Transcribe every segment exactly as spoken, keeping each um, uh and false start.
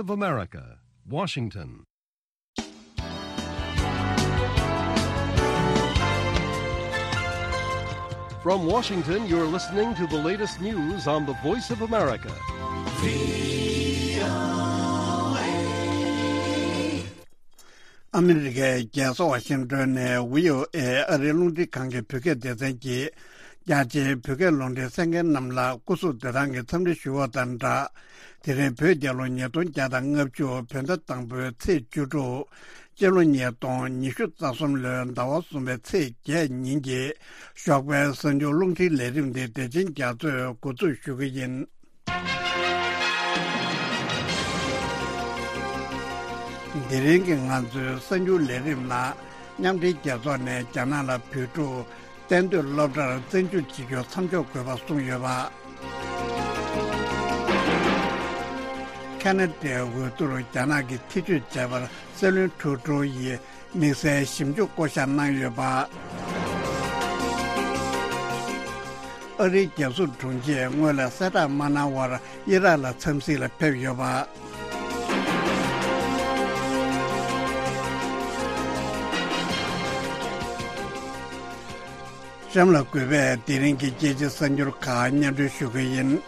of America, Washington. From Washington, you're listening to the latest news on the Voice of America. ཨ་མི་རི་ཀའི་རྒྱལ་ས་ཝ་ཤིང་ཏོན་ནས་བྷི་ཨོ་ཨེ་ཨ་རིའི་རླུང་འཕྲིན་ཁང་གི་བོད་སྐད་སྡེ་ཚན་གྱིས། རྒྱ་ཆེའི་བོད་སྐད་རླུང་འཕྲིན་གསན་མཁན་རྣམས་ལ་སྐུ་གཟུགས་བདེ་ཐང་གི་འཚམས་འདྲི་ཞུ་བ་དང་སྦྲགས། དེ་རིང་བོད་རྒྱལ་ལོ་ཉིས་སྟོང་བརྒྱ་དང་ལྔ་བཅུ་བོད་ཟླ་དང་པོའི་ཚེས་བཅུ་དྲུག་སྤྱི་ལོ་ཉིས་སྟོང་ཉི་ཤུ་རྩ་གསུམ་ལོའི་ཟླ་བ་གསུམ་པའི་ཚེས་བརྒྱད་ཉིན་གྱི་ཞོགས་པའི་གསར་འགྱུར་རླུང་འཕྲིན་ལས་རིམ་འདི་བདེ་ཆེན་རྒྱ་མཚོས་འགོ་འཛུགས་ཞུ་གི་ཡིན། དེ་རིང་གི་ང་ཚོའི་གསར་འགྱུར་ལས་རིམ་ནང་མཉམ་འབྲེལ་རྒྱལ་ཚོགས་ནས་རྒྱ་ནག་ལ་བོད་ཕྲུག་གཏན་སྡོད་སློབ་གྲྭར་བཙན་འཇུག་བྱེད་རྒྱུ་མཚམས་འཇོག་དགོས་པ་གསུངས་ཡོད་པ། ཁ་ན་ཌའི་འོས་བསྡུར་རྒྱ་ནག་གིས་ཐེ་བྱུས་བྱས་པར་སྲིད་བློན་ཊུ་ཌོ་ཡིས་དམིགས་བསལ་ཞིབ་འཇུག་བསྐོ་བཞག་གནང་ཡོད་པ། ཨ་རིའི་རྒྱལ་སྲུང་དྲུང་ཆེས་སྔོན་ལ་གསལ་བསྒྲགས་མ་གནང་བར་ཨི་རག་ལ་འཚམས་གཟིགས་ལ་ཕེབས་ཡོད་པ། གཤམ་ལ་གུས་པས་དེ་རིང་གི་རྒྱལ་སྤྱིའི་གསར་འགྱུར་ཁག་སྙན་སྒྲོན་ཞུ་གི་ཡིན།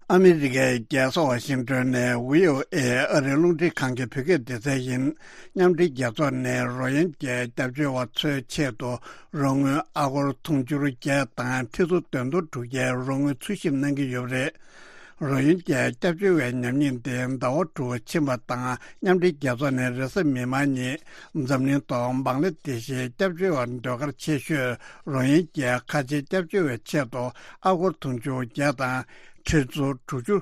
ཨ་མི་རི་ཀའི་རྒྱལ་ས་ཝ་ཤིང་ཏོན་ནས་བྷི་ཨོ་ཨེ་ཨ་རིའི་རླུང་འཕྲིན་ཁང་གི་བོད་སྐད་སྡེ་ཚན་ཡིན། མཉམ་འབྲེལ་རྒྱལ་ཚོགས་ནས་རོ་ཡིན་ཀྱའི་སྐྱབས་བཅོལ་བ་ཚོའི་ཆེད་དུ་རོགས་དངུལ་ཨ་སྒོར་དུང་ཕྱུར་བརྒྱད་དང་ཁྲི་ཚོ་བདུན་སྟོང་དྲུག་བརྒྱའི་རོགས་དངུལ་འཚོལ་ཞིབ་གནང་གི་ཡོད་པ་རེད། རོ་ཡིན་ཀྱའི་སྐྱབས་བཅོལ་བའི་ཉམས་ཉེས་དེ་ཟླ་བ་དྲུག་ཕྱིན་པ་དང་། མཉམ་འབྲེལ་རྒྱལ་ཚོགས་ནས་རེས་གཟའ་མིག་དམར་ཉིན་འཛམ་གླིང་ཐོག་བང་ལ་དེ་ཤའི་སྐྱབས་བཅོལ་བ་ཟློས་གར་ཆེ་ཤོས་རོ་ཡིན་ཀྱའི་ཁ་ཆེའི་སྐྱབས་བཅོལ་བའི་ཆེད་དུ་ཨ་སྒོར་དུང་ཕྱུར་བརྒྱ་དང་ཁྲི་ཚོ་དྲུག་ཅུ་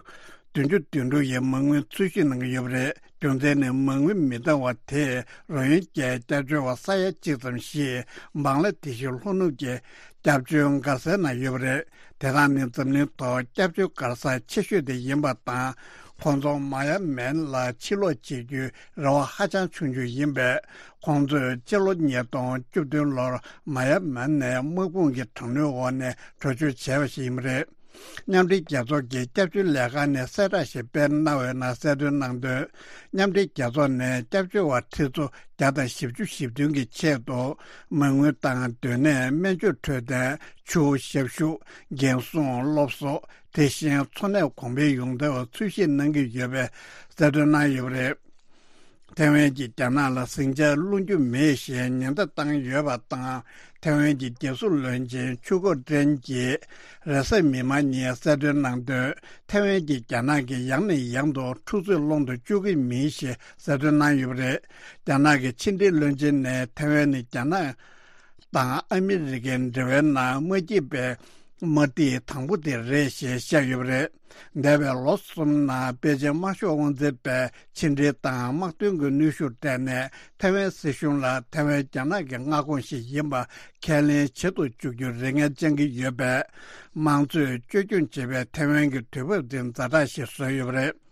བདུན་ཅུ་དོན་དྲུག་ཡི་མ་དངུལ་འཚོལ་ཞིབ་གནང་གི་ཡོད་པ་རེད། རྒྱུ་མཚན་ནི་མ་དངུལ་མི་འདང་བ་དེས་རོ་ཡིན་ཀྱའི་སྐྱབས་བཅོལ་བ་ས་ཡ་གཅིག་ཙམ་ཞིག་བང་ལ་དེ་ཤའི་ལྷོ་ནུབ་ཀྱི་སྐྱབས་བཅོལ་མགར་སའི་ནང་ཡོད་པ་རེད། དེ་དག་ནི་འཛམ་གླིང་ཐོག་སྐྱབས་བཅོལ་མགར་ས་ཆེ་ཤོས་དེ་ཡིན་པ་དང་། ཁོང་ཚོ་མ་ཡ་མན་ལ་ཕྱིར་ལོག་བྱེད་རྒྱུའི་རེ་བ་ཧ་ཅང་ཆུང་ཆུང་ཡིན་པས། ཁོང་ཚོས་སྤྱི་ལོ་ཉིས་སྟོང་བཅུ་བདུན་ལོར་མ་ཡ་མན་ནས་དམག་དཔུང་གི་དྲག་གནོན་འོག་ནས་བྲོས་བྱོལ་བྱས་པ་ཞིག་ཡིན་པ་རེད། མཉམ་འབྲེལ་རྒྱལ་ཚོགས་ཀྱི་སྐྱབས་བཅོལ་ལས་ཁང་ནས་གསལ་བསྒྲགས་ཤིག་སྤེལ་གནང་བའི་ནང་གསལ་སྟོན་གནང་དོན། མཉམ་འབྲེལ་རྒྱལ་ཚོགས་ནས་སྐྱབས་བཅོལ་བ་ཁྲི་ཚོ་བརྒྱ་དང་བཞི་བཅུ་ཞེ་བདུན་གྱི་ཆེད་དུ་མ་དངུལ་དང་། སྡོད་གནས། སྨན་བཅོས་འཕྲོད་བསྟེན། ཆུ་བོ་ཞབས་ཞུ། འགན་སྲུང་། སློབ་གསོ། དེ་བཞིན་འཚོ་གནས་གོང་འཕེལ་ཡོང་ཐབས་འཚོལ་ཞིབ་གནང་གི་ཡོད་པའི་གསལ་སྟོན་གནང་ཡོད་པ་རེད། ཐའེ་ཝན་གྱིས་རྒྱ་ནག་ལ་ཟིང་ཆ་སློང་རྒྱུ་མེད་ཞེས་ཉེན་བརྡ་བཏང་ཡོད་པ་དང་། ཐའེ་ཝན་གྱི་རྒྱལ་སྲུང་བློན་ཆེན་ཆུ་ཁོ་ཀྲེན་གྱིས་རེས་གཟའ་མིག་དམར་ཉིན་གསལ་སྟོན་གནང་དོན། ཐའེ་ཝན་གྱིས་རྒྱ་ནག་གིས་ཡང་ནས་ཡང་དུ་འཁྲུག་རྩོད་སློང་དུ་བཅུག་གི་མིན་ཞེས་གསལ་སྟོན་གནང་ཡོད་པ་རེད། རྒྱ་ནག་གི་ཕྱི་འབྲེལ་བློན་ཆེན་ནས་ཐའེ་ཝན་ནི་རྒྱ་ནག་དང་ཨ་མི་རི་ཀའི་འབྲེལ་བའི་ནང་མ་སྐྱིད་པའི་དམག་སྡེ་དང་པོ་དེ་རེད་ཞེས་བཤད་ཡོད་པ་རེད། འདས་པའི་ལོ་གསུམ་ནང་པེ་ཅིན་དམར་ཤོག་དབང་འཛིན་པས་ཕྱི་འབྲེལ་དང་དམག་དོན་གྱི་གནོན་ཤུགས་སྤྲད་ནས་ཐའེ་ཝན་སྲིད་གཞུང་ལ་ཐའེ་ཝན་རྒྱ་ནག་གི་མངའ་ཁོངས་ཤིག་ཡིན་པ་ཁས་ལེན་བྱེད་དུ་བཅུག་རྒྱུར་རེ་ངན་བཅང་གི་ཡོད་པས། དམངས་གཙོས་བཅོས་སྐྱོང་བྱེད་པའི་ཐའེ་ཝན་གྱི་དུས་བབ་འདི་ཛ་དྲག་ཞིག་བཟོས་ཡོད་པ་རེད།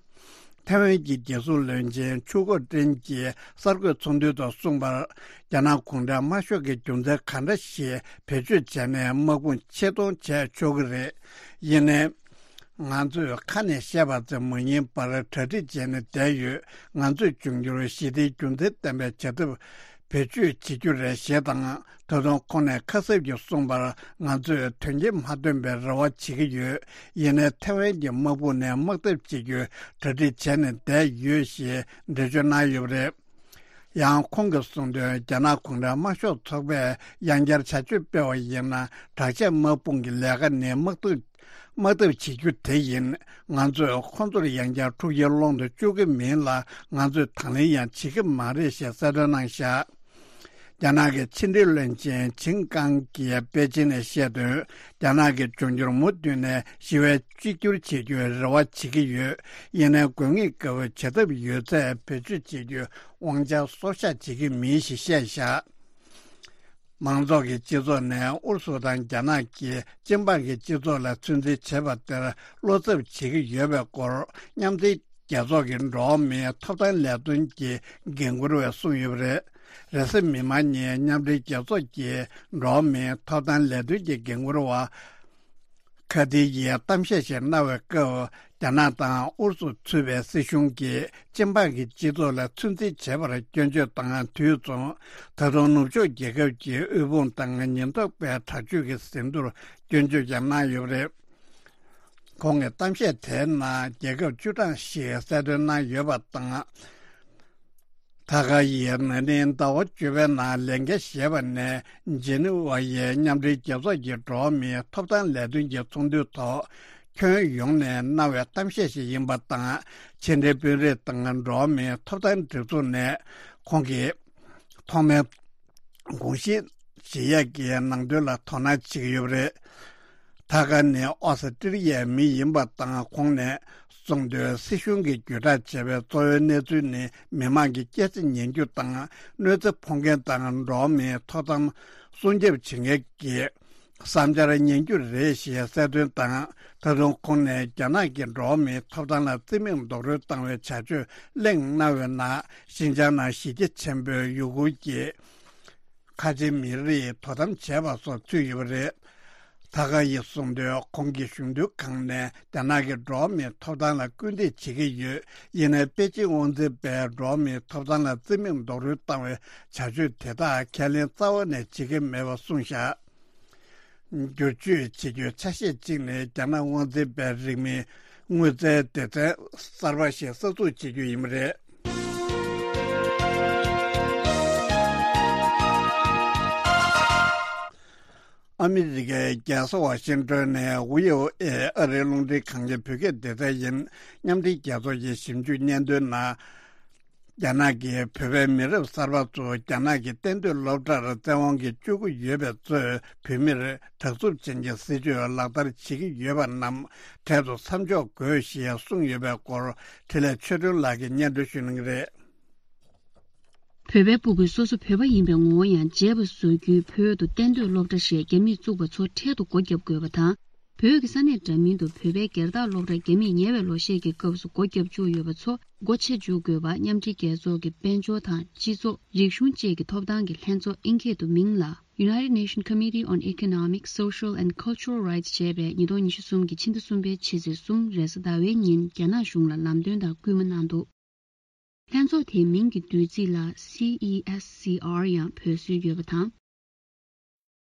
ཐའེ་ཝན་གྱི་རྒྱལ་སྲུང་བློན་ཆེན་ཆུ་ཁོ་ཀྲེན་གྱིས་གསར་འགོད་ཚོགས་འདུའི་ཐོག་གསུངས་པར། རྒྱ་ནག་གུང་ཁྲན་དམར་ཤོག་གིས་རྒྱུ་མཚན་ག་འདྲ་ཞིག་བེད་སྤྱོད་བྱས་ནས་དམག་དཔུང་ཆེད་གཏོང་བྱས་ཆོག་གི་རེད། ཡིན་ནའི། ང་ཚོས་ཁ་ནས་བཤད་པ་ཙམ་མ་ཡིན་པར་གྲ་སྒྲིག་བྱས་ནས་བསྡད་ཡོད། ང་ཚོས་འབྱུང་འགྱུར་ཞི་བདེའི་རྒྱུ་མཚན་ལྡན་པའི་བྱ་ཐབས་བེད་སྤྱོད་བྱེད་རྒྱུ་རེད་ཞེས་དང་། ད་དུང་ཁོང་ནས་ཁ་གསབ་ཀྱིས་གསུངས་པར། ང་ཚོས་དོན་རྐྱེན་མ་ཐོན་པའི་རེ་བ་བྱེད་ཀྱི་ཡོད། ཡིན་ནའི་ཐའེ་ཝན་གྱི་དམག་དཔུང་ནས་དམག་འཐབ་བྱེད་རྒྱུའི་གྲ་སྒྲིག་བྱས་ནས་བསྡད་ཡོད་ཞེས་འགྲེལ་བརྗོད་གནང་ཡོད་པ་རེད། ཡང་ཁོང་གིས་གསུངས་དོན། རྒྱ་ནག་གུང་ཁྲན་དམར་ཤོག་ཚོགས་པས་ཡང་བསྐྱར་བྱ་སྤྱོད་སྤེལ་བ་ཡིན་ན། དྲག་ཆས་དམག་དཔུང་གི་ལས་ཀ་ནི་དམག་འཐབ་དམག་འཐབ་བྱེད་རྒྱུ་དེ་ཡིན། ང་ཚོས་ཁོང་ཚོར་ཡང་བསྐྱར་འཁྲུག་རྐྱེན་སློང་དུ་བཅུག་གི་མིན་ལ། ང་ཚོས་དང་ལེན་ཡང་བྱེད་ཀྱི་མ་རེད་ཞེས་གསལ་སྟོན་གནང་བཞག་རྒྱ་ནག་གི་ཕྱི་འབྲེལ་བློན་ཆེན་ཆིང་ཀང་གིས་པེ་ཅིན་ནས་བཤད་དོན། རྒྱ་ནག་གིས་འབྱུང་འགྱུར་མུ་མཐུད་ནས་ཞི་བའི་གཅིག་གྱུར་བྱེད་རྒྱུའི་རེ་བ་བྱེད་ཀྱི་ཡོད། ཡིན་ནའི་དགོས་ངེས་དགའ་བའི་བྱ་ཐབས་ཡོད་ཚད་བེད་སྤྱོད་བྱེད་རྒྱུའི་དབང་ཆ་སྲོག་ཤག་བྱེད་ཀྱི་མིན་ཞེས་བཤད་བཞག་མང་ཚོགས་ཀྱི་སྤྱི་ཚོགས་ནས་ཨུ་རུ་སུ་དང་རྒྱ་ནག་གིས་སྤྱི་འབངས་ཀྱི་སྤྱི་ཚོགས་ལ་ཚོད་འཛིན་བྱེད་པ་དེར་བློ་འཚབ་བྱེད་ཀྱི་ཡོད་པའི་སྐོར། མཉམ་འབྲེལ་ རྒྱལ་ཚོགས་ཀྱི་འགྲོ་བ་མིའི་ཐོབ་ཐང་ལས་དོན་གྱི་འགན་འཁུར་བས་གསུངས་ཡོད་པ་རེད། རེས་གཟའ་མིག་དམར་ཉིན་མཉམ་འབྲེལ་རྒྱལ་ཚོགས་ཀྱི་འགྲོ་བ་མིའི་ཐོབ་ཐང་ལས་དོན་གྱི་འགན་འཁུར་བ་ཁ་ཏི་ཡིས་གཏམ་བཤད་ཞིག་གནང་བའི་སྐབས། རྒྱ་ནག་དང་ཨུ་རུ་སུ་གཙོས་པའི་སྲིད་གཞུང་གིས་སྤྱི་འབངས་ཀྱི་སྤྱི་ཚོགས་ལ་ཚོད་འཛིན་བྱེད་པར་སྐྱོན་བརྗོད་དང་། དུས་མཚུངས་ད་དུང་ནུབ་ཕྱོགས་རྒྱལ་ཁབ་ཀྱི་དབུལ་ཕོངས་དང་ཉེན་རྟོག་པའི་དྲག་སྤྱོད་ཀྱི་ཟིན་ཐོར་སྐྱོན་བརྗོད་ཀྱང་གནང་ཡོད་པ་རེད། ཁོང་གི་གཏམ་བཤད་དེའི་ནང་རྒྱལ་ཁབ་བཅུ་གྲངས་ཤིག་གསལ་སྟོན་གནང་ཡོད་པ་དང་། ཐ་ཀར་ཡིས་ན་ནིང་ཟླ་བ་བཅུ་པའི་ནང་ལས་འགན་བཞེས་པ་ནས་ཇི་ནི་ཝ་ཡི་མཉམ་འབྲེལ་རྒྱལ་ཚོགས་ཀྱི་འགྲོ་བ་མིའི་ཐོབ་ཐང་ལས་དོན་གྱི་ཚོགས་འདུའི་ཐོག་ཁྱོན་ཡོངས་ནས་གནང་བའི་གཏམ་བཤད་ཞིག་ཡིན་པ་དང་། ཕྱི་འབྲེལ་དཔོན་རིགས་དང་འགྲོ་བ་མིའི་ཐོབ་ཐང་སྒྲིག་འཛུགས་ནས་ཁོང་གིས་ཐོག་མའི་དགོངས་གཞི་བཞེས་ཡས་ཀྱི་ནང་དོན་ལ་དོ་སྣང་བྱེད་ཀྱི་ཡོད་པ་རེད། ཐ་ཀར་ནི་ཨོ་སི་ཀྲི་ལི་ཡའི་མི་ཡིན་པ་དང་། ཁོང་ནས་གསུངས་དོན། སྲིད་གཞུང་གིས་བརྒྱུད་བསྒྲགས་བྱས་པའི་གཙོ་བོའི་གནས་ཚུལ་ནི་མི་མང་གི་སྐྱེ་འཚར་ཉན་རྒྱུ་དང་། གནོད་འཚེ་ཕོག་མཁན་དང་འགྲོ་བ་མིའི་ཐོབ་ཐང་སྲུང་སྐྱོབ་བྱེད་མཁན་གྱི་བསམ་འཆར་ཉན་རྒྱུ་རེད་ཞེས་གསལ་སྟོན་དང་། ད་དུང་ཁོང་ནས་རྒྱ་ནག་གིས་འགྲོ་བ་མིའི་ཐོབ་ཐང་ལ་བརྩི་མེད་རྡོག་རོལ་བཏང་བའི་བྱ་སྤྱོད་གླེང་གནང་བའི་ནང་། ཤིན་ཅང་ནང་གཞིས་རྒྱ་ཆེན་པོའི་ཡུ་གུར་གྱི་ཁ་ཆེ་མི་རིགས་དོ་དམ་བྱས་པ་སོགས་ཚུད་ཡོད་པ་རེད། ཐ་ཀར་ཡིས་གསུངས་དོན། ཁོང་གིས་གཞུང་དོན་ཁང་ནས་རྒྱ་ནག་གི་འགྲོ་བ་མིའི་ཐོབ་ཐང་ལ་སྐུལ་འདེད་བྱེད་ཀྱི་ཡོད། ཡིན་ནའི་པེ་ཅིང་དབང་འཛིན་པས་འགྲོ་བ་མིའི་ཐོབ་ཐང་ལ་བརྩི་མེད་རྡོག་རོལ་བཏང་བའི་བྱ་སྤྱོད་དེ་དག་ཁས་ལེན་རྩ་བ་ནས་བྱེད་ཀྱི་མེད་པ་གསུངས་བཞག་བསྒྱུར་བཅོས་བྱེད་རྒྱུའི་ཆ་ཤས་གཅིག་ནི་རྒྱ་ནག་དབང་འཛིན་པའི་རིང་མིན་དངུལ་རྩའི་སྡེ་ཚན་གསར་པ་ཞིག་གསར་འཛུགས་བྱེད་རྒྱུ་ཡིན་པ་རེད། ཨ་མི་རི་ཀའི་རྒྱལ་ས་ཝ་ཤིང་ཏོན་ནས་ཝི་ཨོ་ཨེ་ཨ་རིའི་རླུང་འཕྲིན་ཁང་གི་བོད་སྐད་སྡེ་ཚན་ཡིན། མཉམ་འབྲེལ་རྒྱལ་ཚོགས་ཀྱི་ཞིབ་འཇུག་སྙན་ཐོའི་ནང་། རྒྱ་ནག་གིས་བོད་པའི་མི་རབས་གསར་པ་ཚོ་རྒྱ་ནག་གི་གཏན་སྡོད་སློབ་གྲྭར་བཙན་དབང་གིས་བསྐྱོད་ཀྱི་ཡོད་པས་གཙོས་བོད་མིར་དྲག་རྩུབ་ཅན་གྱི་སྲིད་བྱུས་ལག་བསྟར་བྱེད་ཀྱི་ཡོད་པ་རྣམས་འཕྲལ་དུ་མཚམས་འཇོག་དགོས་ཞེས་གསུངས་ཡོད་པའི་སྐོར་འཕྲིན་ལས་ཆོས་སྒྲོན་ལགས་ཀྱིས་སྙན་སྒྲོན་ཞུ་གནང་གི་རེད། བོད་པའི་སྤུ་གུས་སོ་སོ་བོད་པ་ཡིན་པའི་ངོ་བོ་ཡང་བརྗེད་པ་བཟོ་རྒྱུའི་བོད་དུ་གཏན་སྡོད་སློབ་གྲྭ་ཞེས་རྒྱ་མིས་བཙུགས་པ་ཚོ་འཕྲལ་དུ་སྒོ་བརྒྱབ་དགོས་པ་དང་། བོད་ཀྱི་ས་གནས་འདྲ་མིན་དུ་བོད་པའི་སྒེར་བདག་སློབ་གྲྭ་རྒྱ་མིས་ཉེ་བའི་ལོ་ཤས་ཀྱི་སྐབས་སུ་སྒོ་བརྒྱབ་བཅུག་ཡོད་པ་ཚོ་སྒོ་ཕྱེ་འཇུག་དགོས་པ་མཉམ་འབྲེལ་རྒྱལ་ཚོགས་ཀྱི་དཔལ་འབྱོར་དང་སྤྱི་ཚོགས། རིག་གཞུང་བཅས་ཀྱི་ཐོབ་ཐང་གི་ལྷན་ཚོགས། ཨིན་སྐད་དུ་མིང་ལ་United Nations Committee on Economic, Social and Cultural Rights ཞེས་པས་ཉིས་སྟོང་ཉི་ཤུ་གསུམ་གྱི་ཕྱི་ཟླ་གསུམ་པའི་ཕྱི་ཚེས་གསུམ་རེས་གཟའ་ཟླ་བའི་ཉིན་རྒྱ་ནག་གཞུང་ལ་ལམ་སྟོན་དང་སྐུལ་མ་གནང་འདུག་ལྷན་ཚོགས་དེའི་མིང་གི་བསྡུས་ཚིག་ལ་སི་ཨི་ཨེས་སི་ཨར་ཡང་འབོད་སྲོལ་ཡོད་པ་དང་།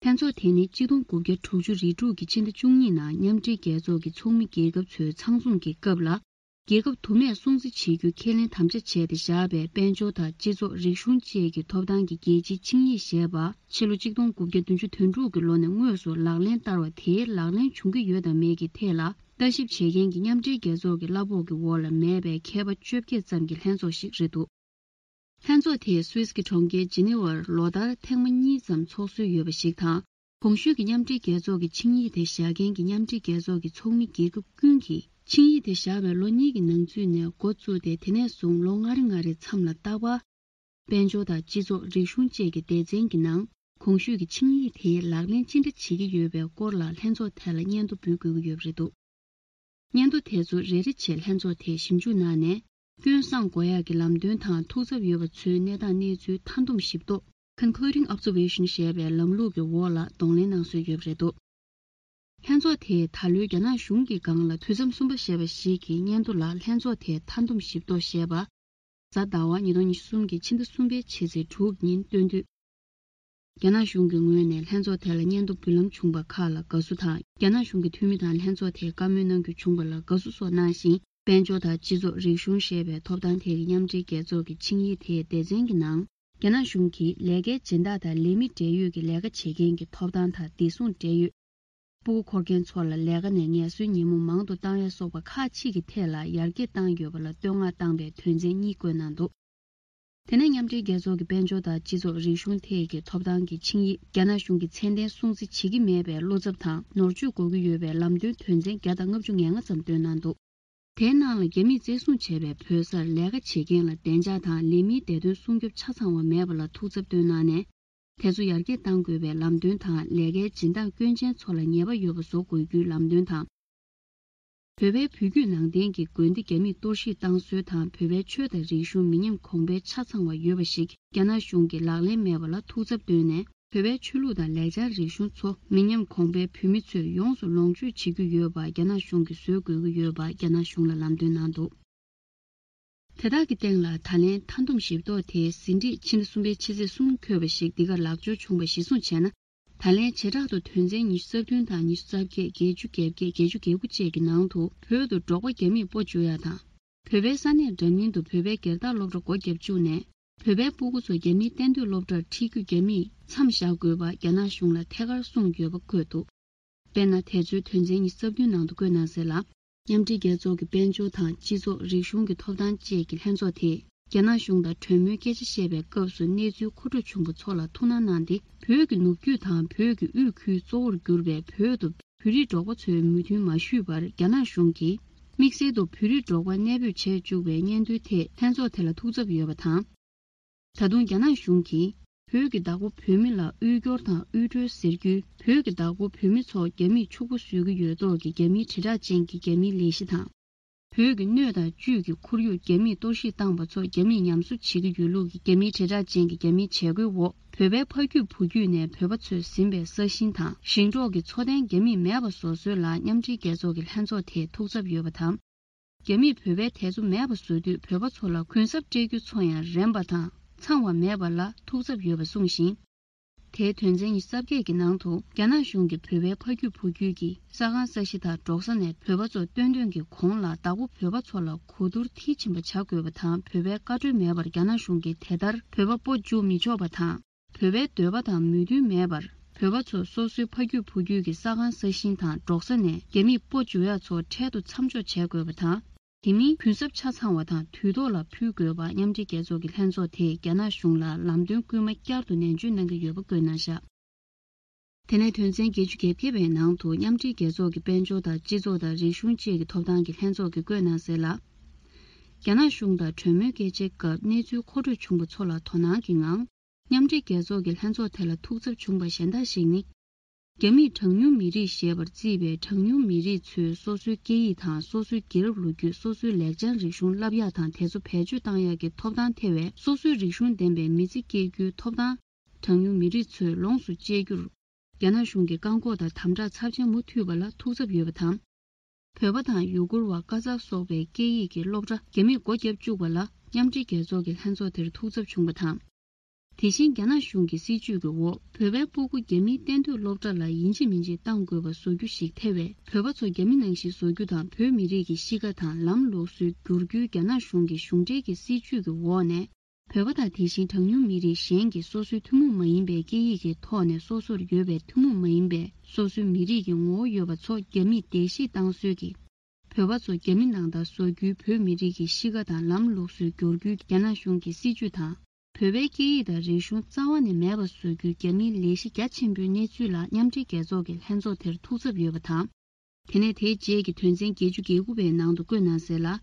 ལྷན་ཚོགས་དེ་ནི་གཅིག་སྟོང་དགུ་བརྒྱ་དྲུག་ཅུ་རེ་དྲུག་གི་ཕྱི་ཟླ་བཅུ་གཉིས་ནང་མཉམ་འབྲེལ་རྒྱལ་ཚོགས་ཀྱི་ཚོགས་མི་རྒྱལ་ཁབ་ཚོའི་ཚང་འཛོམས་ཀྱི་སྐབས་ལ། རྒྱལ་ཁབ་དུ་མས་སྲུང་བརྩི་བྱེད་རྒྱུ་ཁས་ལེན་དམ་བཅའ་བྱས་ཏེ་བཞག་པའི་དཔལ་འབྱོར་དང་སྤྱི་ཚོགས། རིག་གཞུང་བཅས་ཀྱི་ཐོབ་ཐང་གི་རྒྱལ་སྤྱིའི་ཆིངས་ཡིག་ཞེས་པ་ཕྱི་ལོ་གཅིག་སྟོང་དགུ་བརྒྱ་བདུན་ཅུ་དོན་དྲུག་གི་ལོ་ནས་དངོས་སུ་ལག་ལེན་བསྟར་བ་དེའི་ལག་ལེན་བྱུང་གི་ཡོད་དམ་མེད་ཀྱི་ཐད་ལ་ལྟ་ཞིབ་བྱེད་མཁན་གྱི་མཉམ་འབྲེལ་རྒྱལ་ཚོགས་ཀྱི་གླ་ཕོགས་ཀྱི་འོག་ལ་མེད་པའི་མཁས་པ་བཅོ་བརྒྱད་ཙམ་གྱི་ལྷན་ཚོགས་ཤིག་རེད་འདུག་ལྷན་ཚོགས་དེས་སུད་སི་གི་གྲོང་ཁྱེར་ཇི་ནི་ཝར་ལོ་ལྟར་ཐེངས་མ་གཉིས་ཙམ་ཚོགས་སྲོལ་ཡོད་པ་ཞིག་དང་། གོང་ཞུས་ཀྱི་མཉམ་འབྲེལ་རྒྱལ་ཚོགས་ཀྱི་ཆིངས་ཡིག་དེ་བཞག་མཁན་གྱི་མཉམ་འབྲེལ་རྒྱལ་ཚོགས་ཀྱི་ཚོགས་མི་རྒྱལ་ཁབ་ཀུན་གྱིས་ཆིངས་ཡིག་དེ་བཞག་པའི་ལོ་གཉིས་ཀྱི་ནང་ཚུད་ནས་འགོ་བཙུགས་ཏེ། དེ་ནས་བཟུང་ལོ་ལྔ་རེ་ལྔ་རེའི་མཚམས་ལ་རྟག་པར་དཔལ་འབྱོར་དང་སྤྱི་ཚོགས། རིག་གཞུང་བཅས་ཀྱི་སྡེ་ཚན་གྱི་ནང་གོང་ཞུས་ཀྱི་ཆིངས་ཡིག་དེ་ལག་ལེན་ཅི་འདྲ་བྱེད་ཀྱི་ཡོད་པའི་སྐོར་ལ་ལྷན་ཚོགས་ཐད་ལ་སྙན་ཐོ་འབུལ་དགོས་ཀྱི་ཡོད་པ་རེད་འདུག་སྙན་ཐོ་དེ་ཚོ་རེ་རེ་བྱས་ལྷན་ཚོགས་དེས་ཞིབ་འཇུག་གནང་ནས། སྐྱོན་བསང་དགོས་ཡག་གི་ལམ་སྟོན་དང་ཐུགས་འཚབ་ཡོད་པ་ཚོའི་གནས་སྟངས་གནས་ཚུལ་མཐའ་འདོམས་ཞིབ་རྟོག Concluding Observation ཞེས་པའི་ལམ་ལུགས་ཀྱི་འོག་ལ་གདོང་ལེན་གནང་སྲོལ་ཡོད་པ་རེད་འདུག་ལྷན་ཚོགས་དེས་ད་ལོའི་རྒྱ་ནག་གཞུང་གི་སྒང་ལ་དུས་མཚམས་གསུམ་པ་ཞེས་པ་ཞིག་གི་སྙན་ཐོ་ལ་ལྷན་ཚོགས་དེས་མཐའ་འདོམས་ཞིབ་རྟོག་ཞེས་པ། གཟའ་ཟླ་བ་ཉིས་སྟོང་ཉི་ཤུ་གསུམ་གྱི་ཕྱི་ཟླ་གསུམ་པའི་ཕྱི་ཚེས་དྲུག་ཉིན་སྟོན་དུས། རྒྱ་ནག་གཞུང་གི་ངོས་ནས་ལྷན་ཚོགས་དེ་ལ་སྙན་ཐོ་འབུལ་ལམ་བྱུང་བ་ཁག་ལ་དགའ་བསུ་དང་། རྒྱ་ནག་གཞུང་གི་འཐུས་མི་དང་ལྷན་ཚོགས་དེས་བཀའ་མོལ་གནང་རྒྱུ་བྱུང་བ་ལ་དགའ་བསུ་སོགས་གནང་ཞིང་། དཔལ་འབྱོར་དང་སྤྱི་ཚོགས། རིག་གཞུང་ཞེས་པའི་ཐོབ་ཐང་ཐད་ཀྱི་མཉམ་འབྲེལ་རྒྱལ་ཚོགས་ཀྱི་ཆིངས་ཡིག་དེའི་སྡེ་ཚན་གྱི་ནང་། རྒྱ་ནག་གཞུང་གིས་ལས་ཀའི་སྦྱིན་བདག་དང་ལས་མི་འབྲེལ་ཡོད་ཀྱི་ལས་ཀ་བྱེད་མཁན་གྱི་ཐོབ་ཐང་དང་བདེ་སྲུང་འབྲེལ་ཡོད། སྤུ་གུ་འཁོར་མཁན་ཚོ་ལ་ལས་ཀ་ནས་ངལ་གསོའི་ཉིན་མོ་མང་དུ་བཏང་ཡ་སོགས་པ་ཁག་ཅིག་གི་ཐད་ལ་ཡར་རྒྱས་བཏང་ཡོད་པ་ལ་བསྟོད་བསྔགས་བཏང་བའི་དོན་ཚན་གཉིས་བཀོད་གནང་འདུག་དེ་ནས་མཉམ་འབྲེལ་རྒྱལ་ཚོགས་ཀྱི་དཔལ་འབྱོར་དང་སྤྱི་ཚོགས། རིག་གཞུང་ཐད་ཀྱི་ཐོབ་ཐང་གི་ཆིངས་ཡིག་རྒྱ་ནག་གཞུང་གིས་ཚད་ལྡན་སྲུང་བརྩི་བྱེད་ཀྱི་མེད་པའི་བློ་འཚབ་དང་ནོར་བཅོས་དགོས་ཀྱི་ཡོད་པའི་ལམ་སྟོན་དོན་ཚན་བརྒྱ་དང་ལྔ་བཅུ་ང་ལྔ་ཙམ་བཏོན་གནང་འདུག་དེའི་ནང་ལ་རྒྱ་མིས་བཙན་བཟུང་བྱས་པའི་བོད་སར་ལས་ཀ་བྱེད་མཁན་ལ་བདེ་འཇགས་དང་ལས་མིའི་བདེ་དོན་སྲུང་སྐྱོབ་ཆ་ཚང་བ་མེད་པ་ལ་ཐུགས་འཚབ་བཏོན་གནང་ནས། དེ་ཚོ་ཡར་རྒྱས་གཏང་དགོས་པའི་ལམ་སྟོན་དང་། ལས་ཀའི་སྦྱིན་བདག་སྐྱོན་ཅན་ཚོ་ལ་ཉེས་པ་ཡོད་པ་བཟོ་དགོས་རྒྱུའི་ལམ་སྟོན་དང་། བོད་པའི་བུ་རྒྱུད་ནང་བསྟན་གྱི་དགོན་སྡེ་རྒྱ་མིས་གཏོར་བཤིག་བཏང་སྲོལ་དང་། བོད་པའི་ཆོས་དང་རིག་གཞུང་མི་ཉམས་གོང་འཕེལ་ཆ་ཚང་བ་ཡོད་པ་ཞིག་རྒྱ་ནག་གཞུང་གིས་ལག་ལེན་མེད་པ་ལ་ཐུགས་འཚབ་བཏོན་ནས། བོད་པའི་ཆོས་ལུགས་དང་ལེགས་སྦྱར་རིག་གཞུང་ཚོ་མི་ཉམས་གོང་འཕེལ་བོད་མི་ཚོས་ཡོངས་སུ་ལོངས་སྤྱོད་བྱེད་ཀྱི་ཡོད་པ་རྒྱ་ནག་གཞུང་གིས་བཟོ་དགོས་ཀྱི་ཡོད་པ་རྒྱ་ནག་གཞུང་ལ་ལམ་སྟོན་གནང་འདུག་དེ་དག་གི་སྟེང་ལ་ད་ལན་མཐའ་བསྡོམས་ཞིབ་རྟོག་དེའི་ཟིན་བྲིས་ཕྱི་ཟླ་གསུམ་པའི་ཕྱི་ཚེས་གསུམ་འཁོད་པ་ཞིག་འདི་གར་ལག་འབྱོར་བྱུང་བ་གཞིར་བཟུང་བྱས་ན། ད་ལན་བྱེ་བྲག་ཏུ་དོན་ཚན་ཉི་ཤུ་རྩ་བདུན་དང་ཉི་ཤུ་རྩ་བརྒྱད། བརྒྱད་ཅུ་གྱ་བརྒྱད། བརྒྱད་ཅུ་གྱ་དགུ་བཅས་ཀྱི་ནང་དུ་བོད་དུ་འབྲོག་པ་རྒྱ་མིས་སྤོ་འཇུག་ཡ་དང་། བོད་པའི་ས་གནས་འདྲ་མིན་དུ་བོད་པའི་སྒེར་བདག་སློབ་གྲྭ་སྒོ་བརྒྱབ་བཅུག་ནས། བོད་པའི་སྤུ་གུ་ཚོ་རྒྱ་མིའི་གཏན་སྡོད་སློབ་གྲྭར་ཁྲིད་རྒྱུ་རྒྱ་མིས་མཚམས་བཞག་དགོས་པ་རྒྱ་ནག་གཞུང་ལ་ཐད་ཀར་གསུངས་ཡོད་པ་འཁོད་འདུག་དཔེར་ན། དེ་ཚོའི་དོན་ཚན་ཉི་ཤུ་རྩ་བདུན་ནང་དུ་བཀོད་གནང་གསལ་ལ། མཉམ་འབྲེལ་རྒྱལ་ཚོགས་ཀྱི་དཔལ་འབྱོར་དང་སྤྱི་ཚོགས། རིག་གཞུང་གི་ཐོབ་ཐང་བཅས་ཀྱི་ལྷན་ཚོགས་དེས། རྒྱ་ནག་གཞུང་དང་གྲོས་མོལ་སྐད་ཆ་བཤད་པའི་སྐབས་སུ་གནས་ཚུལ་མཁོ་སྤྲོད་བྱུང་བ་ཚོ་ལ་ཐུགས་སྣང་གནང་སྟེ། བོད་ཀྱི་ནུབ་རྒྱུད་དང་བོད་ཀྱི་དབུས་ཁུལ་གཙོ་བོར་གྱུར་པའི་བོད་དུ་བོད་རིགས་འབྲོག་པ་ཚོའི་མོས་མཐུན་མ་ཞུས་པར། རྒྱ་ནག་གཞུང་གིས་དམིགས་བསལ་དུ་བོད་རིགས་འབྲོག་པ་གནས་སྤོས་བྱས་བཅུག་པའི་སྙན་ཐོའི་ཐད་ལྷན་ཚོགས་དེ་ལ་ཐུགས་འཚབ་ཡོད་པ་དང་། ད་དུང་རྒྱ་ནག་གཞུང་གིས་བོད་ཀྱི་བདག་པོ་བོད་མི་ལ་དབུལ་སྐྱོར་དང་དབུལ་སྒྲོལ་ཟེར་རྒྱུའི། བོད་ཀྱི་བདག་པོ་བོད་མི་ཚོ་རྒྱ་མིས་ཕྱུག་པོ་བཟོ་གི་ཡོད་མདོག་གི་རྒྱ་མིའི་དྲིལ་བསྒྲགས་ཅན་གྱི་རྒྱ་མིའི་ལས་གཞི་དང་། བོད་ཀྱི་སྣོད་དང་བཅུད་ཀྱི་ཁོར་ཡུག་རྒྱ་མིས་གཏོར་བཤིག་བཏང་པ་ཚོ་རྒྱ་མིས་ཉམས་གསོ་བྱེད་ཀྱི་ཡོད་ལུགས་ཀྱི་རྒྱ་མིའི་དྲིལ་བསྒྲགས་ཅན་གྱི་རྒྱ་མིའི་བྱ་སྒོའི་འོག་བོད་པའི་ཕ་རྒྱུད་བུ་རྒྱུད་ནས་བོད་པ་ཚོས་ཟིན་པའི་ས་ཞིང་དང་ཞིང་འབྲོག་གི་འཚོ་རྟེན་རྒྱ་མིས་མེད་པ་བཟོ་སྲོལ་ལ་མཉམ་འབྲེལ་རྒྱལ་ཚོགས་ཀྱི་ལྷན་ཚོགས་དེས་ཐུགས་འཚབ་ཡོད་པ་དང་། རྒྱ་མིས་བོད་པའི་དད་གཙོ་མེད་པ་བཟོ་དུས་བོད་པ་ཚོ་ལ་གུན་གསབ་སྤྲད་རྒྱུ་ཚོ་ཡང་རན་པ་དང་ཚང་བ་མེད་པ་ལ་ཐུགས་འཚབ་ཡོད་པ་གསུངས་ཤིང་། དེའི་དོན་ཚན་ཉི་ཤུ་རྩ་བརྒྱད་ཀྱི་ནང་དུ་རྒྱ་ནག་གཞུང་གིས་བོད་པའི་ཕ་རྒྱུད་བུ་རྒྱུད་ཀྱི་ས་ཁང་ས་གཞི་དང་འབྲོག་ས་ནས་བོད་པ་ཚོ་བཏོན་འདོན་གྱི་གོང་ལ་བདག་པོ་བོད་པ་ཚོ་ལ་གོ་བསྡུར་མཐིལ་ཕྱིན་པ་བྱ་དགོས་པ་དང་། བོད་པའི་བཀའ་འཁྲོལ་མེད་པར་རྒྱ་ནག་གཞུང་གིས་དེ་ལྟར་བོད་པ་སྤོ་འཇུག་མི་ཆོག་པ་དང་། བོད་པའི་འདོད་པ་དང་མོས་མཐུན་མེད་པར་བོད་པ་ཚོ་སོ་སོའི་ཕ་རྒྱུད་བུ་རྒྱུད་ཀྱི་ས་ཁང་ས་ཞིང་དང་འབྲོག་ས་ནས་རྒྱ་མིས་སྤོ་འཇུག་ཡག་ཚོ་འཕྲལ་དུ་མཚམས་འཇོག་བྱེད་དགོས་པ་དང་། དེ་མིན་གུན་གསབ་ཆ་ཚང་བ་དང་དུས་ཐོག་ལ་ཕུལ་དགོས་པ་མཉམ་འབྲེལ་རྒྱལ་ཚོགས་ཀྱི་ལྷན་ཚོགས་དེས་རྒྱ་ནག་གཞུང་ལ་ལམ་སྟོན་སྐུལ་མ་བསྐྱར་དུ་ནན་བརྗོད་གནང་གི་ཡོད་པ་བཀོད་གནང་བཞག་དེ་ནས་དོན་ཚན་བརྒྱད་ཅུ་གྱ་བརྒྱད་པའི་ནང་དུ་མཉམ་འབྲེལ་རྒྱལ་ཚོགས་ཀྱི་དཔལ་འབྱོར་དང་སྤྱི་ཚོགས་དང་རིག་གཞུང་བཅས་ཀྱི་ཐོབ་ཐང་གི་ལྷན་ཚོགས་ཀྱིས་བཀོད་གནང་གསལ་ལ། རྒྱ་ནག་གཞུང་དང་གྲོས་མོལ་སྐད་ཆའི་སྐབས་གནས་ཚུལ་མཁོ་སྤྲོད་བྱུང་བ་ཚོ་ལ་དོ་སྣང་གི་ངང་། མཉམ་འབྲེལ་རྒྱལ་ཚོགས་ཀྱི་ལྷན་ཚོགས་དེ་ལ་ཐུགས་འཚབ་བྱུང་བ་གཞན་དག་ཞིག་ནི། རྒྱ་མིས་གྲངས་ཉུང་མི་རིགས་ཞེས་པར་བརྩིས་པའི་གྲངས་ཉུང་མི་རིགས་ཚོས་སོ་སོའི་སྐད་ཡིག་དང་སོ་སོའི་རྒྱལ་རབས་ལོ་རྒྱུས། སོ་སོའི་ལེགས་བྱང་རིག་གཞུང་བསླབ་ཡག་དང་དེ་ཚོ་བེད་སྤྱོད་བཏང་ཡག་གི་ཐོབ་ཐང་ཐེ་བའི་སོ་སོའི་རིག་གཞུང་ལྡན་པའི་མི་ཚེ་སྐྱེལ་རྒྱུའི་ཐོབ་ཐང་། གྲངས་ཉུང་མི་རིགས་ཚོས་ལོངས་སུ་སྤྱད་རྒྱུར། རྒྱ་ནག་གཞུང་གིས་བཀག་འགོག་དང་དམ་དྲག་ཚབས་ཆེན་མུ་མཐུད་པ་ལ་ཐུགས་འཚབ་ཡོད་པ་དང་། བོད་པ་དང་ཡུ་གུར་བ། ཀ་ཛག་སོགས་པའི་སྐད་ཡིག་གི་སློབ་གྲྭ་རྒྱ་མིས་སྒོ་བརྒྱབ་བཅུག་པ་ལ་མཉམ་འབྲེལ་རྒྱལ་ཚོགས་ཀྱི་ལྷན་ཚོགས་དེར་ཐུགས་འཚབ་བྱུང་བ་དང་། དེ་བཞིན་རྒྱ་ནག་གཞུང་གི་སྲིད་བྱུས་ཀྱི་འོག་བོད་པའི་སྤུ་གུ་རྒྱ་མིའི་གཏན་སྡོད་སློབ་གྲྭ་ལ་ཡིན་གཅིག་མིན་གཅིག་གཏང་དགོས་པ་བཟོ་རྒྱུ་ཞིག་ཐེ་བས། བོད་པ་ཚོ་རྒྱ་མི་ནང་བཞིན་བཟོ་རྒྱུ་དང་། བོད་མི་རིགས་ཀྱི་གཤིས་ཀ་དང་ལམ་ལུགས་སྲོལ་བསྒྱུར་རྒྱུའི་རྒྱ་ནག་གཞུང་གི་གཞུང་འབྲེལ་གྱི་སྲིད་བྱུས་ཀྱི་འོག་ནས། བོད་པ་དང་དེ་བཞིན་གྲངས་ཉུང་མི་རིགས་གཞན་གྱིས་སོ་སོའི་ཐུན་མོང་མ་ཡིན་པའི་སྐད་ཡིག་གི་ཐོག་ནས་སོ་སོར་ཡོད་པའི་ཐུན་མོང་མ་ཡིན་པའི་སོ་སོའི་མི་རིགས་ཀྱི་ངོ་བོ་ཡོད་པ་ཚོ་རྒྱ་མིས་བརྡལ་བཤིག་བཏང་སྲོལ་གྱིས། བོད་པ་ཚོ་རྒྱ་མི་ནང་ལྟར་བཟོ་རྒྱུའི་བོད་མི་རིགས་ཀྱི་གཤིས་ཀ་དང་ལམ་ལུགས་སྲོལ་བསྒྱུར་རྒྱུའི་རྒྱ་ནག་གཞུང་གི་སྲིད་བྱུས་དང་། བོད་པའི་སྐད་ཡིག་དང་རིག་གཞུང་རྩ་བ་ནས་མེད་པ་བཟོ་རྒྱུའི་རྒྱ་མིའི་ལས་གཞི་རྒྱ་ཆེན་པོའི་གནས་ཚུལ་ལ་མཉམ་འབྲེལ་རྒྱལ་ཚོགས་ཀྱི་ལྷན་ཚོགས་དེར་ཐུགས་འཚབ་ཡོད་པ་དང་། དེ་ནས་དེའི་རྗེས་ཀྱི་དོན་ཚན་བརྒྱད་ཅུ་གྱ་དགུ་པའི་ནང་དུ་བཀོད་གནང་གསལ་ལ།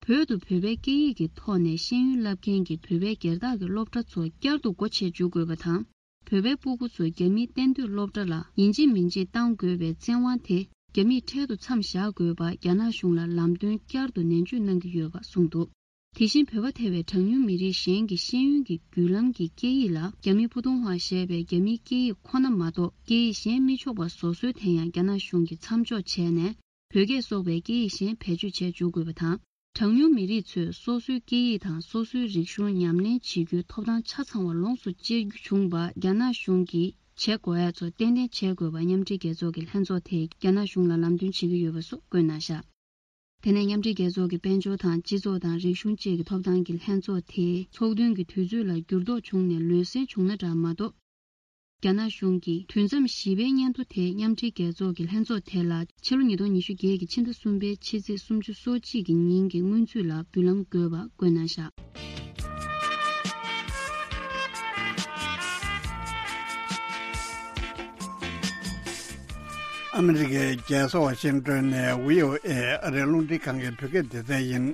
བོད་དུ་བོད་པའི་སྐད་ཡིག་གི་ཐོག་ནས་ཤེས་ཡོན་བསླབ་མཁན་གྱི་བོད་པའི་སྒེར་བདག་གི་སློབ་གྲྭ་ཚོ་བསྐྱར་དུ་སྒོ་ཕྱེ་འཇུག་དགོས་པ་དང་། བོད་པའི་སྤུ་གུ་ཚོ་རྒྱ་མིའི་གཏན་སྡོད་སློབ་གྲྭ་ལ་ཡིན་གཅིག་མིན་གཅིག་གཏང་དགོས་པའི་བཙན་དབང་དེ་རྒྱ་མིས་འཕྲལ་དུ་མཚམས་བཞག་དགོས་པ་རྒྱ་ནག་གཞུང་ལ་ལམ་སྟོན་བསྐྱར་དུ་ནན་བརྗོད་གནང་གི་ཡོད་པ་གསུངས་འདུག་དེ་བཞིན་བོད་པ་ཐེ་བའི་གྲངས་ཉུང་མི་རིགས་གཞན་གྱི་ཤེས་ཡོན་གྱི་བརྒྱུད་ལམ་གྱི་སྐད་ཡིག་ལ་རྒྱ་མི་ཕུ་ཐུང་བ་ཞེས་པའི་རྒྱ་མིའི་སྐད་ཡིག་ཁོ་ན་མ་གཏོགས་སྐད་ཡིག་གཞན་མི་ཆོག་པ་བཟོ་སྲོལ་དེ་ཡང་རྒྱ་ནག་གཞུང་གིས་མཚམས་འཇོག་བྱས་ནས། བོད་སྐད་སོགས་པའི་སྐད་ཡིག་གཞན་བེད་སྤྱོད་བྱས་འཇུག་དགོས་པ་དང་། གྲངས་ཉུང་མི་རིགས་ཚོས་སོ་སོའི་སྐད་ཡིག་དང་སོ་སོའི་རིག་གཞུང་ཉམས་ལེན་བྱེད་རྒྱུའི་ཐོབ་ཐང་ཆ་ཚང་བ་ལོངས་སུ་སྤྱད་རྒྱུ་བྱུང་བ་རྒྱ་ནག་གཞུང་གིས་བྱེད་དགོས་ཡ་ཚོ་ཏན་ཏན་བྱེད་དགོས་པ་མཉམ་འབྲེལ་རྒྱལ་ཚོགས་ཀྱི་ལྷན་ཚོགས་དེས་རྒྱ་ནག་གཞུང་ལ་ལམ་སྟོན་བྱེད་ཀྱི་ཡོད་པ་སོགས་བཀོད་གནང་བཞག་དེ་ནས་མཉམ་འབྲེལ་རྒྱལ་ཚོགས་ཀྱི་དཔལ་འབྱོར་དང་སྤྱི་ཚོགས་དང་རིག་གཞུང་བཅས་ཀྱི་ཐོབ་ཐང་གི་ལྷན་ཚོགས་དེའི་ཚོགས་ཐུན་གྱི་དུས་ཚོད་ལ་འགྱུར་ལྡོག་བྱུང་ནས་ལུས་སེལ་བྱུང་ན་འདྲ་མ་གཏོགས། རྒྱ་ནག་གཞུང་གིས་དུས་མཚམས་བཞི་པའི་སྙན་ཐོ་དེ་མཉམ་འབྲེལ་རྒྱལ་ཚོགས་ཀྱི་ལྷན་ཚོགས་དེ་ལ་ཕྱི་ལོ་ཉིས་སྟོང་ཉི་ཤུ་བརྒྱད་ཀྱི་ཕྱི་ཟླ་གསུམ་པའི་ཕྱི་ཚེས་སུམ་ཅུ་སོ་གཅིག་གི་ཉིན་གྱི་སྔོན་ཚུད་ལ་འབུལ་ལམ་དགོས་པ་བཀོད་གནང་བཞག་ཨ་མི་རི་ཀའི་རྒྱལ་ས་ཝ་ཤིང་ཏོན་ནས་བྷི་ཨོ་ཨེ་ཨ་རིའི་རླུང་འཕྲིན་ཁང་གི་བོད་སྐད་སྡེ་ཚན་ཡིན།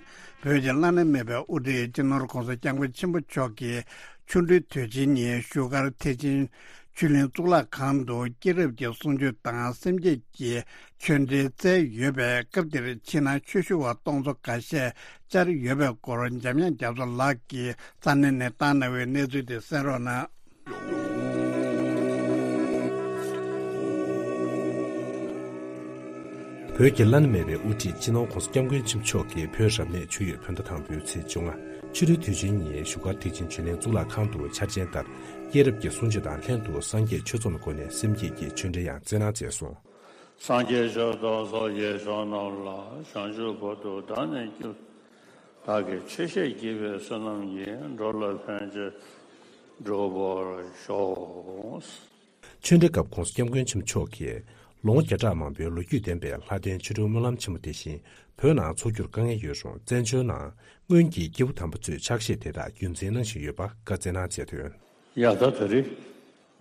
བོད་ཀྱི་བླ་ན་མེད་པའི་དབུ་ཁྲིད་སྤྱི་ནོར་༧གོང་ས་༧སྐྱབས་མགོན་ཆེན་པོ་མཆོག་གི་ཆོ་འཕྲུལ་དུས་ཆེན་ཉིན་བཞུགས་སྒར་ཐེག་ཆེན་ ཆོས་གླིང་གཙུག་ལག་ཁང་དུ་སྐྱེས་རབས་ཀྱི་གསུང་ཆོས་དང་སེམས་བསྐྱེད་ཀྱི་ཆོས་འབྲེལ་སྩལ་ཡོད་པས། སྐབས་དེར་ཕྱི་ནང་ཆོས་ཞུ་བ་སྟོང་ཚོ་འགའ་ཤས་བཅར་ཡོད་པའི་སྐོར་འཇམ་དབྱངས་རྒྱ་མཚོ་ལགས་ཀྱིས་ས་གནས་ནས་བཏང་གནང་བའི་གནས་ཚུལ་དེ་གསན་རོགས་གནང་། བོད་ཀྱི་བླ་ན་མེད་པའི་དབུ་ཁྲིད་སྤྱི་ནོར་༸གོང་ས་༸སྐྱབས་མགོན་ཆེན་པོ་མཆོག་གིས་བོད་རབ་གནས་ཆུ་ཡོས་བོད་ཟླ་དང་པོའི་ཚེས་བཅོ་ལྔ་ཕྱི་དྲོའི་དུས་ཆེན་ཉིན་བཞུགས་སྒར་ཐེག་ཆེན་ཆོས་གླིང་གཙུག་ལག་ཁང་དུ་འཆར་ཅན་ལྟར་སྐྱེས་རབས་ཀྱི་གསུང་ཆོས་དང་ལྷན་དུ་སངས་རྒྱས་ཆོས་ཚོགས་ལ་བསྐོར་ནས་སེམས་བསྐྱེད་ཀྱི་ཆོས་འབྲེལ་ཡང་སྩལ་གནང་མཛད་སོང་། སངས་རྒྱས་ཆོས་ཚོགས་སངས་རྒྱས་ཆོས་རྣམས་ལ། བྱང་ཆུབ་བར་དུ་བདག་ནི་སྐྱབས། བདག་གིས་ཆོས་བཤད་བགྱིས་པའི་བསོད་ནམས་ཀྱིས། འགྲོ་ལ་ཕན་ཕྱིར་འགྲུབ་པར་ཤོག། ཆོས་འབྲེལ་སྐབས་༸གོང་ས་༸སྐྱབས་མགོན་ཆེན་པོ་མཆོག་གིས་ལོ་ངོ་བརྒྱ་ཕྲག་མང་པོའི་ལོ་རྒྱུས་ལྡན་པའི་ལྷ་ལྡན་ཆོ་འཕྲུལ་སྨོན་ལམ་ཆེན་མོ་དེ་བཞིན་བོད་ནང་འཚོགས་རྒྱུར་དཀའ་ངལ་ཡོད་རུང་། བཙན་བྱོལ་ནང་སྔོན་གྱི་སྐྱེས་བུ་དམ་པ་ཚོས་ཕྱག་བཞེས་དེ་དག་རྒྱུན་འཛིན་གནང་བཞིན་ཡོད་པ་བཀའ་སྩལ་གནང་མཛད་དོན། ཡ་ད་ད་རེས་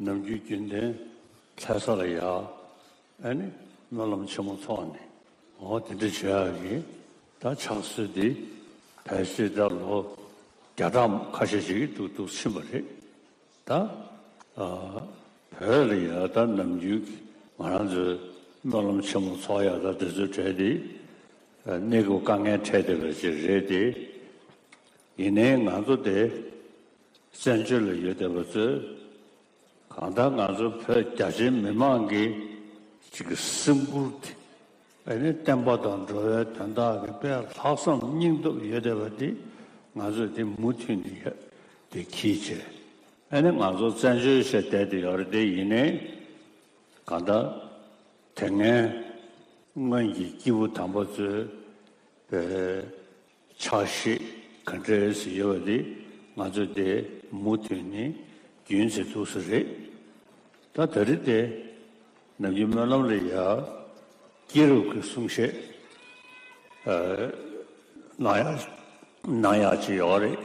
ནམ་རྒྱུན་རྒྱུན་ལྡན་ལྷ་ས་ལ་ཡ་ཨ་ནི་སྨོན་ལམ་ཆེན་མོ་ཚོགས་ནས་འོ་དེ་འདྲ་བྱེད་ཡག་གི་ད་ཕྱག་སྲོལ་འདི་ཕལ་ཆེར་ད་ལོ་བརྒྱ་ཕྲག་ཁ་ཤས་ཤིག་འདུག་འདུག་ཕྱིན་པ་རེད། ད་ཨ་བོད་ལ་ཡ་ད་ནམ་རྒྱུན་གྱི་ང་རང་ཚོའི་སྨོན་ལམ་ཆེན་མོ་ཚོགས་ཡ་ད་དེ་ཚོའི་གྲས་དེ་ཨ་གནས་སྐབས་དཀའ་ངལ་འཕྲད་བསྡད་པ་ཅིག་རེད་དེ། ཡིན་ནའི་ང་ཚོ་དེ་བཙན་བྱོལ་ལ་ཡོད་བསྡད་པ་ཚོས་གང་ལྟར་ང་ཚོ་བོད་རྒྱ་ཆེའི་མི་མང་གི་ཅིག་གི་སེམས་ཁུར་དེ། ཨ་ནི་བསྟན་པ་དང་འགྲོ་བའི་དོན་དག་གི་དཔེ་ལྷག་བསམ་སྙིང་སྟོབས་ཡོད་བསྡད་པ་འདི་ང་ཚོས་འདི་མུ་མཐུད་ནས་ཡ་འདི་གིས་བྱས། ཨ་ནི་ང་ཚོ་བཙན་བྱོལ་བྱས་བསྡད་དེ་ཡོད་རེད་དེ། ཡིན་ནའི་གང་ལྟར་དེ་སྔའི་སྔོན་གྱི་སྐྱེས་བུ་དམ་པ་ཚོའི་པའི་ཕྱག་བཞེས་ག་འདྲས་སེ་ཡོད་པ་དེ་ང་ཚོས་དེ་མུ་མཐུད་ནས་རྒྱུན་འཛིན་ཐུབ་ས་རེད། ད་ད་རེས་དེ་ནམ་རྒྱུན་སྨོན་ལམ་ལ་ཡ་སྐྱེས་རབས་ཀྱི་གསུང་བཤད་ཨ་གནང་ཡག་གནང་ཡག་ཅིག་ཡོད་རེད།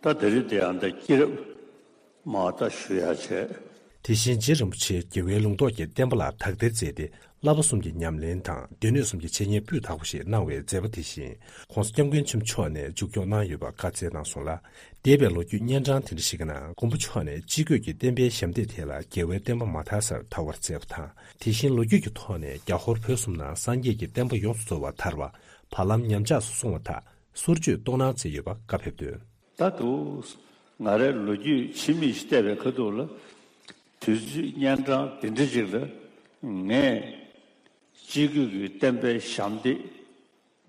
ད་ད་རེས་དེ་ཡང་ད་སྐྱེས་རབས་མར་ད་ཞུ་ཡག་བྱས། དེ་བཞིན་རྗེ་རིན་པོ་ཆེ་རྒྱལ་བའི་ལུང་རྟོགས་ཀྱི་བསྟན་པ་ལ་དག་ཐེར་མཛད་དེ། བསླབ་པ་གསུམ་གྱི་ཉམས་ལེན་དང་སྡེ་སྣོད་གསུམ་གྱི་འཆད་ཉན་སྤུས་དག་པོ་ཞིག་གནང་བའི་མཛད་པ་དེ་བཞིན་༸གོང་ས་༸སྐྱབས་མགོན་ཆེན་པོ་མཆོག་ནས་མཇུག་སྐྱོང་གནང་ཡོད་པ་བཀའ་སྩལ་གནང་སོང་ལ། འདས་པའི་ལོ་རྒྱུས་སྙན་གྲགས་དེ་འདྲ་ཞིག་གི་ནང་མགོན་པོ་མཆོག་ནས་སྤྱི་སྒོས་ཀྱི་བསྟན་པའི་ཞབས་འདེགས་ཐད་ལ་རྒྱལ་བའི་བསྟན་པ་མ་དར་སར་དར་བར་མཛད་པ་དང་། དེ་བཞིན་ལོ་རྒྱུས་ཀྱི་ཐོག་ནས་རྒྱ་ཧོར་བོད་གསུམ་ན་སངས་རྒྱས་ཀྱི་བསྟན་པ་ཡོངས་སུ་རྫོགས་པ་དར་བ། བར་ལམ་ཉམས་ཆག་སུ་སོང་བ་དག་སོར་ཆུད་གཏོང་གནང་མཛད་ཡོད་པ་བཀའ་ཕེབས་དོན། ད་དུ་ང་རའི་ལོ་རྒྱུས་ཕྱི་མིག་ཅིག་བལྟས་པའི་ཁ་ཐུག་ལ། དུས་ཚོད་སྙན་གྲགས་འདི་འདྲ་ཅིག་ལ་ངས་སྤྱི་སྒོས་ཀྱི་བསྟན་པའི་ཞབས་འདེགས་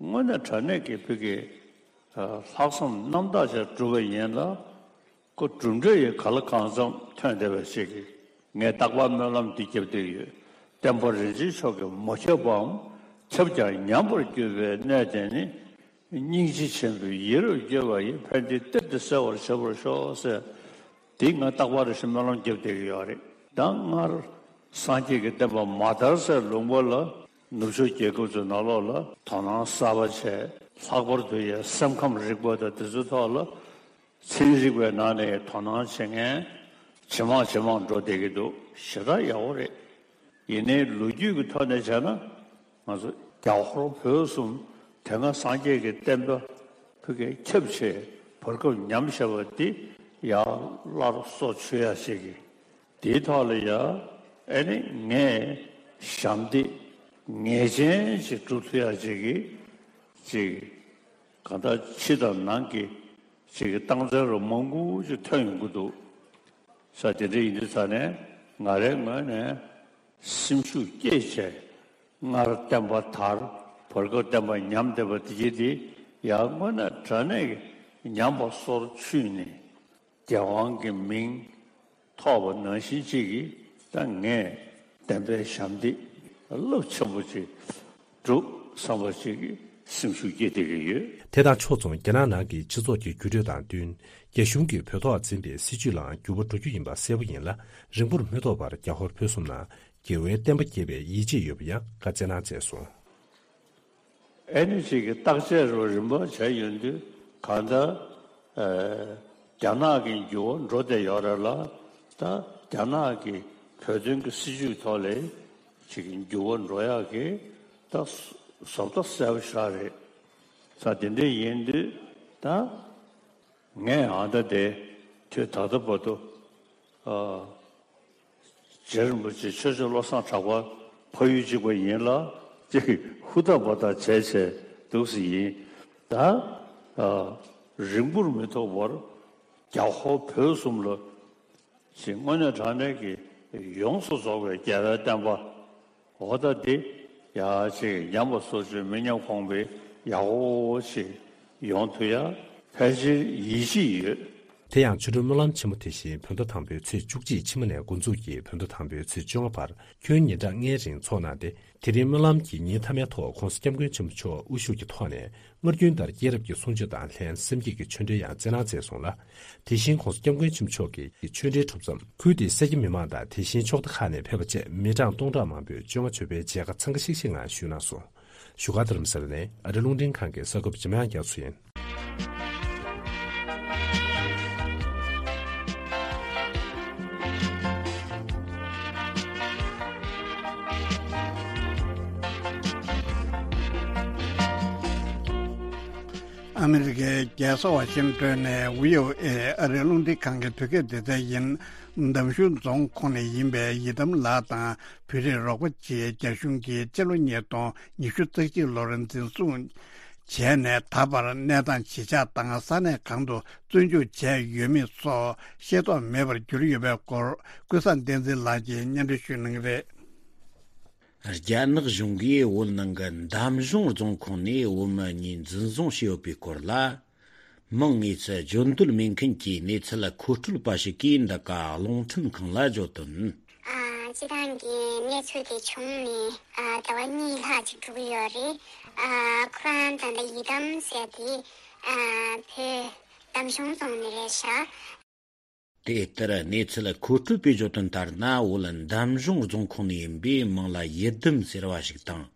དངོས་གནས་དྲང་གནས་ཀྱི་བོད་ཀྱི་ལྷག་བསམ་རྣམ་དག་ཅིག་བསྒྲུབས་པ་ཡིན་ལ། ཁོ་གྲུབ་འབྲས་ཡི་ག་ལ་གང་འཚམ་ཐོན་བསྡད་པ་ཞིག་གིས་ངས་རྟག་པར་སྨོན་ལམ་འདི་བརྒྱབ་བསྡད་ཡོད། བསྟན་པ་རིན་ཆེན་མཆོག་གིས་མ་ཁྱབ་པའམ་ཁྱབ་ཀྱང་ཉམས་པར་གྱུར་པའི་གནས་དེ་ནི། སྙིང་རྗེ་ཆེན་པོས་ཡིད་རབ་བསྐྱོད་པ་ཡིས་ཕན་བདེའི་གཏེར་དེ་གསལ་བར་བྱེད་པར་ཤོག་ཟེར། དེ་ང་རྟག་པར་རེ་ཞིག་སྨོན་ལམ་བརྒྱབ་བསྡད་ཀྱི་ཡོད་རེད། ད་སྔར་སངས་རྒྱས་ཀྱི་བསྟན་པ་མ་དར་སའི་ལུང་པ་ལ་ནུབ་ཕྱོགས་རྒྱལ་ཁབ་ཚོའི་ནང་ལོགས་ལ་དོ་སྣང་གསར་པ་བྱས། ལྷག་པར་དུ་ཡང་སེམས་ཁམས་རིག་པ་དང་དེ་ཚོའི་ཐོག་ལ་ཚན་རིག་པའི་ནང་ནས་དོ་སྣང་བྱེད་མཁན་ཇེ་མང་ཇེ་མང་འགྲོ་བསྡད་ཀྱི་འདུག་ཞེ་དྲག་ཡག་པོ་རེད། ཡིན་ནའི་ལོ་རྒྱུས་ཀྱི་ཐོག་ནས་བྱས་ན། ང་ཚོ་རྒྱ་ཧོར་བོད་གསུམ་དེ་སྔ་སངས་རྒྱས་ཀྱི་བསྟན་པ་ཕ་གིར་ཁྱབ་བྱས་བར་སྐབས་ཉམས་བཞག་པ་འདི་ཡར་སླར་སོར་ཆུད་ཡག་ཅིག་གི། དེའི་ཐོག་ལ་ཡ་ཨ་ནི་ངས་ཞབས་འདེགས་ངེས་ཅན་ཅིག་སྒྲུབ་ཐུབ་ཡག་ཅིག་གི་ཅིག་གང་ལྟར་ཕྱི་དང་ནང་གི་ཅིག་གི་རྟགས་མཚན་རུ་མང་པོ་ཅིག་ཐོན་ཡོང་གི་འདུག་ས། དེ་འདྲ་ཡིན་དུས་ཙ་ནས་ང་རའི་ངོས་ནས་སེམས་ཤུགས་བསྐྱེད་བྱས། སྔར་བསྟན་པ་དར། བར་སྐབས་བསྟན་པ་ཉམས་བསྡད་པ་དེ་གྱིས་དེ་ཡང་དངོས་གནས་དྲང་གནས་ཀྱི་ཉམས་པ་སོར་ཆུད་ནས་རྒྱལ་དབང་གི་མིང་ཐོབ་པ་ནང་བཞིན་ཅིག་གིས་ད་ངས་བསྟན་པའི་ཞབས་འདེགས་རླབས་ཆེན་པོ་ཅིག་སྒྲུབ་བསམ་པ་ཅིག་གིས་སེམས་ཤུགས་བསྐྱེད་བསྡད་ཀྱི་ཡོད། དེ་དང་ཕྱོགས་མཚུངས་རྒྱ་ནག་ནང་གི་སྤྱི་ཚོགས་ཀྱི་འགྱུར་འགྲོས་དང་བསྟུན། རྒྱ་གཞུང་གིས་བོད་ཐོག་འཛིན་པའི་སྲིད་བྱུས་ལའང་འགྱུར་བ་འགྲོ་རྒྱུ་ཡིན་པ་གསལ་པོ་ཡིན་ལ། རིང་པོར་མི་ཐོགས་པར་རྒྱ་ཧོར་བོད་གསུམ་ན་རྒྱལ་བའི་བསྟན་པ་རྒྱས་པའི་ཡིད་ཆེས་ཡོད་པ་ཡང་བཀའ་སྩལ་གནང་མཛད་སོང་། ཨེ་ནི་ཅིག་གི་བརྟག་དཔྱད་རུ་རིམ་པ་བྱས་ཡོང་དུས་གང་ལྟར་ཨེ་རྒྱ་ནག་གི་འགྱུར་བ་འགྲོ་བསྡད་ཡོད་རེད་ལ། ད་རྒྱ་ནག་གི་བོད་དོན་གྱི་སྲིད་བྱུས་ཐོག་ལ་ཅིག་གི་འགྱུར་བ་འགྲོ་ཡག་གི་ད་བཟོ་ལྟ་གསལ་པོ་ཞེ་དྲག་རེད། ས་དེ་འདྲ་ཡིན་དུས་ད་ངས་ཨ་ད་དེ་དུས་ད་ལྟ་བར་དུ་ཨ། རྗེ་རིན་པོ་ཆེ་ཆོས་རྗེ་བློ་བཟང་གྲགས་པ་ཕ་ཡུལ་གཅིག་པ་ཡིན་ལ་ཅིག་ཧུར་ཐག་འབད་ཐག་བྱས་བྱས་འདུག་སེ་ཡིན། ད་ཨ་རིང་པོར་མི་ཐོགས་པར་རྒྱ་ཧོར་བོད་གསུམ་ལ་ཅིག་དངོས་གནས་དྲང་གནས་ཀྱི་ཡོངས་སུ་རྫོགས་པའི་རྒྱལ་བའི་བསྟན་པ། འོ་ད་འདི་ཡ་ཅིག་ཉམས་པ་སོར་ཆུད་མི་ཉམས་གོང་འཕེལ་ཡག་པོ་ཞིག་ཡོང་ཐུབ་ཡ་ཕལ་ཆེར་ཡིད་ཆེས་ཡོད། དེ་ཡང་ཆོ་འཕྲུལ་སྨོན་ལམ་ཆེན་མོ་དེ་བཞིན་བོད་ཟླ་དང་པོའི་ཚེས་བཅུ་གཅིག་ཕྱི་མ་ནས་འགོ་འཛུགས་ཀྱིས་བོད་ཟླ་དང་པོའི་ཚེས་བཅོ་ལྔ་བར་ཁྱོན་ཉིན་གྲངས་ལྔའི་རིང་འཚོགས་གནང་སྟེ། དེ་རིང་སྨོན་ལམ་གྱི་ཉིན་མཐའ་མའི་ཐོག་༧གོང་ས་༧སྐྱབས་མགོན་ཆེན་པོ་མཆོག་དབུ་བཞུགས་ཀྱི་ཐོག་ནས་སྔར་རྒྱུན་ལྟར་སྐྱེས་རབས་ཀྱི་གསུང་ཆོས་དང་ལྷན་སེམས་བསྐྱེད་ཀྱི་ཆོས་འབྲེལ་ཡང་སྩལ་གནང་མཛད་སོང་ལ། དེ་བཞིན་༧གོང་ས་༧སྐྱབས་མགོན་ཆེན་པོ་མཆོག་གི་ཆོས་འབྲེལ་གྲུབ་མཚམས་ཁུལ་དེའི་སེར་སྐྱ་མི་མང་དང་དེ་བཞིན་ཕྱོགས་མཐའ་ཁག་ནས་ཕེབས་པ་བཅས་མི་གྲངས་སྟོང་ཕྲག་མང་པོས་བཅོ་ལྔ་མཆོད་པའི་མཇལ་ཁ་འཚང་ཁ་ཤིག་ཤིག་ངང་ཞུས་གནང་སོང་། བཞུགས་སྒར་རྡ་རམ་ས་ལ་ནས་ཨ་རི་རླུང་འཕྲིན་ཁང་གི་གསར་འགོད་པ་འཇམ་དབྱངས་རྒྱ་མཚོ་ཡིན། ཨ་མི་རི་ཀའི་རྒྱལ་ས་ཝ་ཤིང་ཏོན་ནས་བྷི་ཨོ་ཨེ་ཨ་རིའི་རླུང་འཕྲིན་ཁང་གི་བོད་སྐད་སྡེ་ཚན་ཡིན། འདམ་གཞུང་རྫོང་ཁོངས་ནས་ཡིན་པའི་ཡི་དམ་ལགས་དང་བོད་རིགས་རོགས་པ་བཅས་རྒྱ་གཞུང་གིས་སྤྱི་ལོ་ཉིས་སྟོང་ཉི་ཤུ་རྩ་གཅིག་ལོར་འཛིན་བཟུང་བྱས་ནས་ད་བར་གནས་སྟངས་ཇི་ཆགས་དང་ས་གནས་གང་དུ་བཙོན་འཇུག་བྱས་ཡོད་མེད་སོགས་ཤེས་རྟོགས་མེད་པར་གྱུར་ཡོད་པའི་སྐོར་ཀུན་བཟང་བསྟན་འཛིན་ལགས་ཀྱིས་སྙན་སྒྲོན་ཞུ་གནང་གི་རེད། རྒྱ་ནག་གཞུང་གིས་བོད་ནང་གི་འདམ་གཞུང་རྫོང་ཁོངས་ནས་བོད་མི་གཉིས་འཛིན་བཟུང་བྱས་ཡོད་པའི་སྐོར་ལ། མིང་དངོས་སུ་བརྗོད་འདོད་མེད་མཁན་གྱི་གནས་ཚུལ་མཁོ་སྤྲོད་པ་ཞིག་གིས་འདི་ག་རླུང་འཕྲིན་ཁང་ལ་བརྗོད་དོན། ཨ། སྤྱི་བཏང་གི་གནས་ཚུལ་དེ་བྱུང་ནས་ཨ་ཟླ་བ་གཉིས་ལྷག་ཅིག་འགྲོ་གི་ཡོད་རེད། ཨ། ཁོ་རང་ད་ལྟ་ཡི་དམ་ཟེར་དེ་ཨ་བོད་འདམ་གཞུང་རྫོང་ནས་རེད་ཤག། དེ་ལྟར་གནས་ཚུལ་མཁོ་སྤྲོད་པས་བརྗོད་དོན་ལྟར་ན། བོད་འདམ་གཞུང་རྫོང་ཁོངས་ནས་ཡིན་པའི་མིང་ལ་ཡི་དམ་ཟེར་བ་ཞིག་དང་།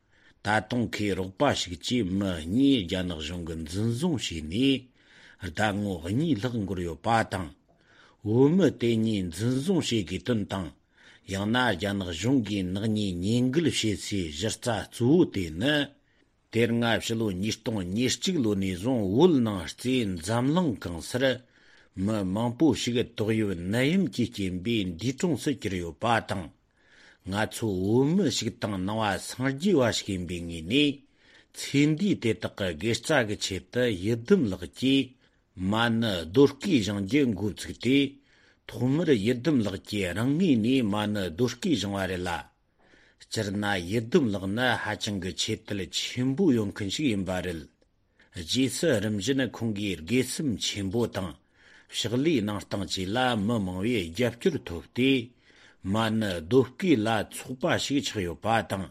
ད་དུང་ཁོའི་རོགས་པ་ཞིག་བཅས་མི་གཉིས་རྒྱ་ནག་གཞུང་གིས་འཛིན་བཟུང་བྱས་ནས་ཟླ་ངོ་གཉིས་ལྷག་འགོར་ཡོད་པ་དང་། བོད་མི་དེ་གཉིས་འཛིན་བཟུང་བྱེད་དགོས་དོན་དང་། ཡང་ན་རྒྱ་ནག་གཞུང་གིས་ནག་ཉེས་ཉེས་འགེལ་བྱེད་སའི་གཞི་རྩ་གཙོ་བོ་དེ་ནི། དེ་སྔ་ཕྱི་ལོ་ཉིས་སྟོང་ཉེར་གཅིག་ལོ་ནས་བཟུང་བོད་ནང་རྩེ་འཛམ་གླིང་གང་སར་མི་མང་པོ་ཞིག་ཏོག་དབྱིབས་ནད་ཡམས་ཀྱི་རྐྱེན་པས་འདས་གྲོངས་སུ་གྱུར་ཡོད་པ་དང་། ང་ཚོ་བོད་མི་ཞིག་དང་ནང་པ་སངས་རྒྱས་པ་ཞིག་ཡིན་པའི་ངོས་ནས། ཚེ་འདས་དེ་དག་གི་དགེ་རྩ་གི་ཆེད་དུ་ཡི་དམ་ལགས་ཀྱིས་མ་ཎི་རྡོ་བརྐོས་བཞེངས་རྒྱུ་འགོ་བཙུགས་ཏེ། ཐོག་མར་ཡི་དམ་ལགས་ཀྱིས་རང་ངོས་ནས་མ་ཎི་རྡོ་བརྐོས་བཞེངས་པ་རེད་ལ། སྤྱིར་ན་ཡི་དམ་ལགས་ནི་ཧ་ཅང་གི་ཆེ་བསྟོད་ཆེན་པོ་ཡོད་མཁན་ཞིག་ཡིན་པ་རེད། རྗེས་སུ་རིམ་བཞིན་ཁོང་གིས་དགེ་སེམས་ཆེན་པོ་དང་། ཕྱག་ལས་གནང་སྟངས་བཅས་ལ་མི་མང་བའི་རྒྱབ་སྐྱོར་ཐོབ་སྟེ། མ་ཎི་རྡོ་བརྐོས་ལ་ཚོགས་པ་ཞིག་ཆགས་ཡོད་པ་དང་།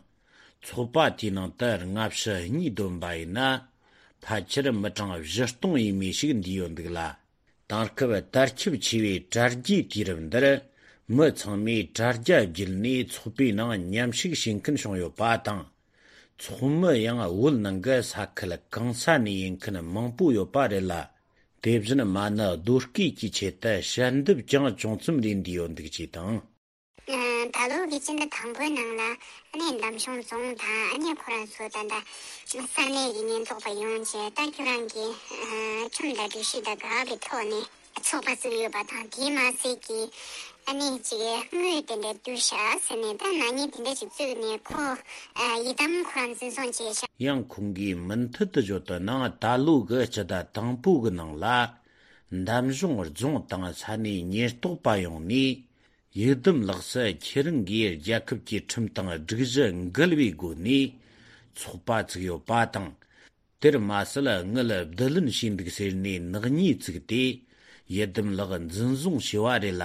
ཚོགས་པ་དེའི་ནང་དུ་སྔ་ཕྱི་གཉིས་བསྡོམས་པ་ཡིན་ན། ཕལ་ཆེར་མི་གྲངས་བཞི་སྟོང་ཡས་མས་ཤིག་འདུས་ཡོད་འདུག་ལ། དེང་སྐབས་དར་ཁྱབ་ཆེ་བའི་དྲ་རྒྱའི་དུས་རབས་འདིར། མི་ཚང་མས་དྲ་རྒྱ་བརྒྱུད་ནས་ཚོགས་པའི་ནང་མཉམ་ཞུགས་བྱེད་མཁན་བྱུང་ཡོད་པ་དང་། ཚོགས་མི་ཡང་བོད་ནང་གི་ས་ཁུལ་གང་ས་ནས་ཡིན་མཁན་མང་པོ་ཡོད་པ་རེད་ལ། དེ་བཞིན་མ་ཎི་རྡོ་བརྐོས་ཀྱི་ཆེད་དུ་ཞལ་འདེབས་ཀྱང་ཅུང་ཙམ་རེ་འདུས་ཡོད་འདུག་ཅེས་དང་། ད་ལོ་གི་སྤྱི་ཟླ་དང་པོའི་ནང་ལ་ཨ་ནེ་འདམ་གཞུང་རྫོང་དང་ཨ་ནེ་ཁོ་རང་ཚོ་ད་ལྟ་ས་གནས་ཀྱི་ཉེན་རྟོག་པ་ཡོང་བྱས། ད་ཁྱོད་རང་གི་ཁྲིམས་དང་སྒྲིག་གཞི་དང་ག་གི་ཐོག་ནས་ཚོགས་པ་བཙུགས་ཡོད་པ་དང་། དེས་མ་ཟད་ཀྱི་ཨ་ནེ་ཅིག་དངུལ་དེ་འདྲ་བསྡུས་ཤག་ཟེར་ནས་ད་ནག་ཉེས་དེ་འདྲ་ཅིག་བཙུགས་ནས་ཁོ་ཡི་དམ་ཁོ་རང་འཛིན་བཟུང་བྱས་ཤག། ཡང་ཁོང་གིས་མུ་མཐུད་དུ་བརྗོད་དོན་ནང་། ད་ལོ་གི་སྤྱི་ཟླ་དང་པོ་གི་ནང་ལ་འདམ་གཞུང་རྫོང་དང་ས་གནས་ཉེན་རྟོག་པ་ཡོང་ནས། ཡི་དམ་ལགས་སུ་ཁྱེད་རང་གིས་རྒྱལ་ཁབ་ཀྱི་ཁྲིམས་དང་སྒྲིག་གཞི་འགལ་བའི་སྒོ་ནས་ཚོགས་པ་བཙུགས་ཡོད་པ་དང་། དེར་མ་ཟད་དངུལ་བསྡུ་ལེན་བྱས་འདུག་ཟེར་ནས་ནག་ཉེས་བཙུགས་ཏེ། ཡི་དམ་ལགས་འཛིན་བཟུང་བྱས་པ་རེད་ལ།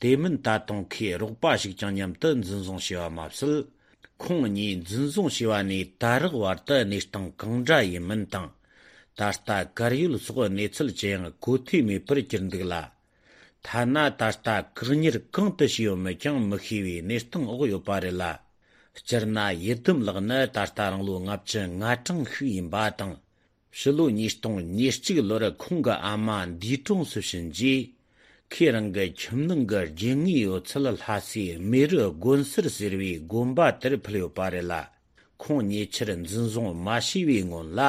དེ་མིན་ད་དུང་ཁོའི་རོགས་པ་ཞིག་ཀྱང་མཉམ་དུ་འཛིན་བཟུང་བྱས་པ་མ་ཟད། ཁོང་གཉིས་འཛིན་བཟུང་བྱས་པ་ནས་ད་རག་བར་དུ་གནས་སྟངས་གང་འདྲ་ཡིན་མིན་དང་། ད་ལྟ་གར་ཡོད་སོགས་གནས་ཚུལ་ཅི་ཡང་གོ་ཐོས་མེད་པར་གྱུར་འདུག་ལ། ཐ་ན་ད་ལྟ་བཀག་ཉར་གང་དུ་བྱས་ཡོད་མེད་ཀྱང་མི་ཤེས་པའི་གནས་སྟངས་འོག་ཡོད་པ་རེད་ལ། སྤྱིར་ན་ཡི་དམ་ལགས་ནི་ད་ལྟ་རང་ལོ་ལྔ་བཅུ་ང་གྲངས་ཤིག་ཡིན་པ་དང་། ཕྱི་ལོ་ཉིས་སྟོང་ཉེར་གཅིག་ལོར་ཁོང་གི་ཨ་མ་འདས་གྲོངས་སུ་ཕྱིན་རྗེས། ཁོས་རང་གི་ཁྱིམ་ནང་གི་རྒྱུ་དངོས་ཡོད་ཚད་ལྷ་སའི་རྨེ་རུ་དགོན་གསར་ཟེར་བའི་དགོན་པ་དེར་ཕུལ་ཡོད་པ་རེད་ལ། ཁོང་ཉེ་ཆར་འཛིན་བཟུང་མ་བྱས་པའི་སྔོན་ལ།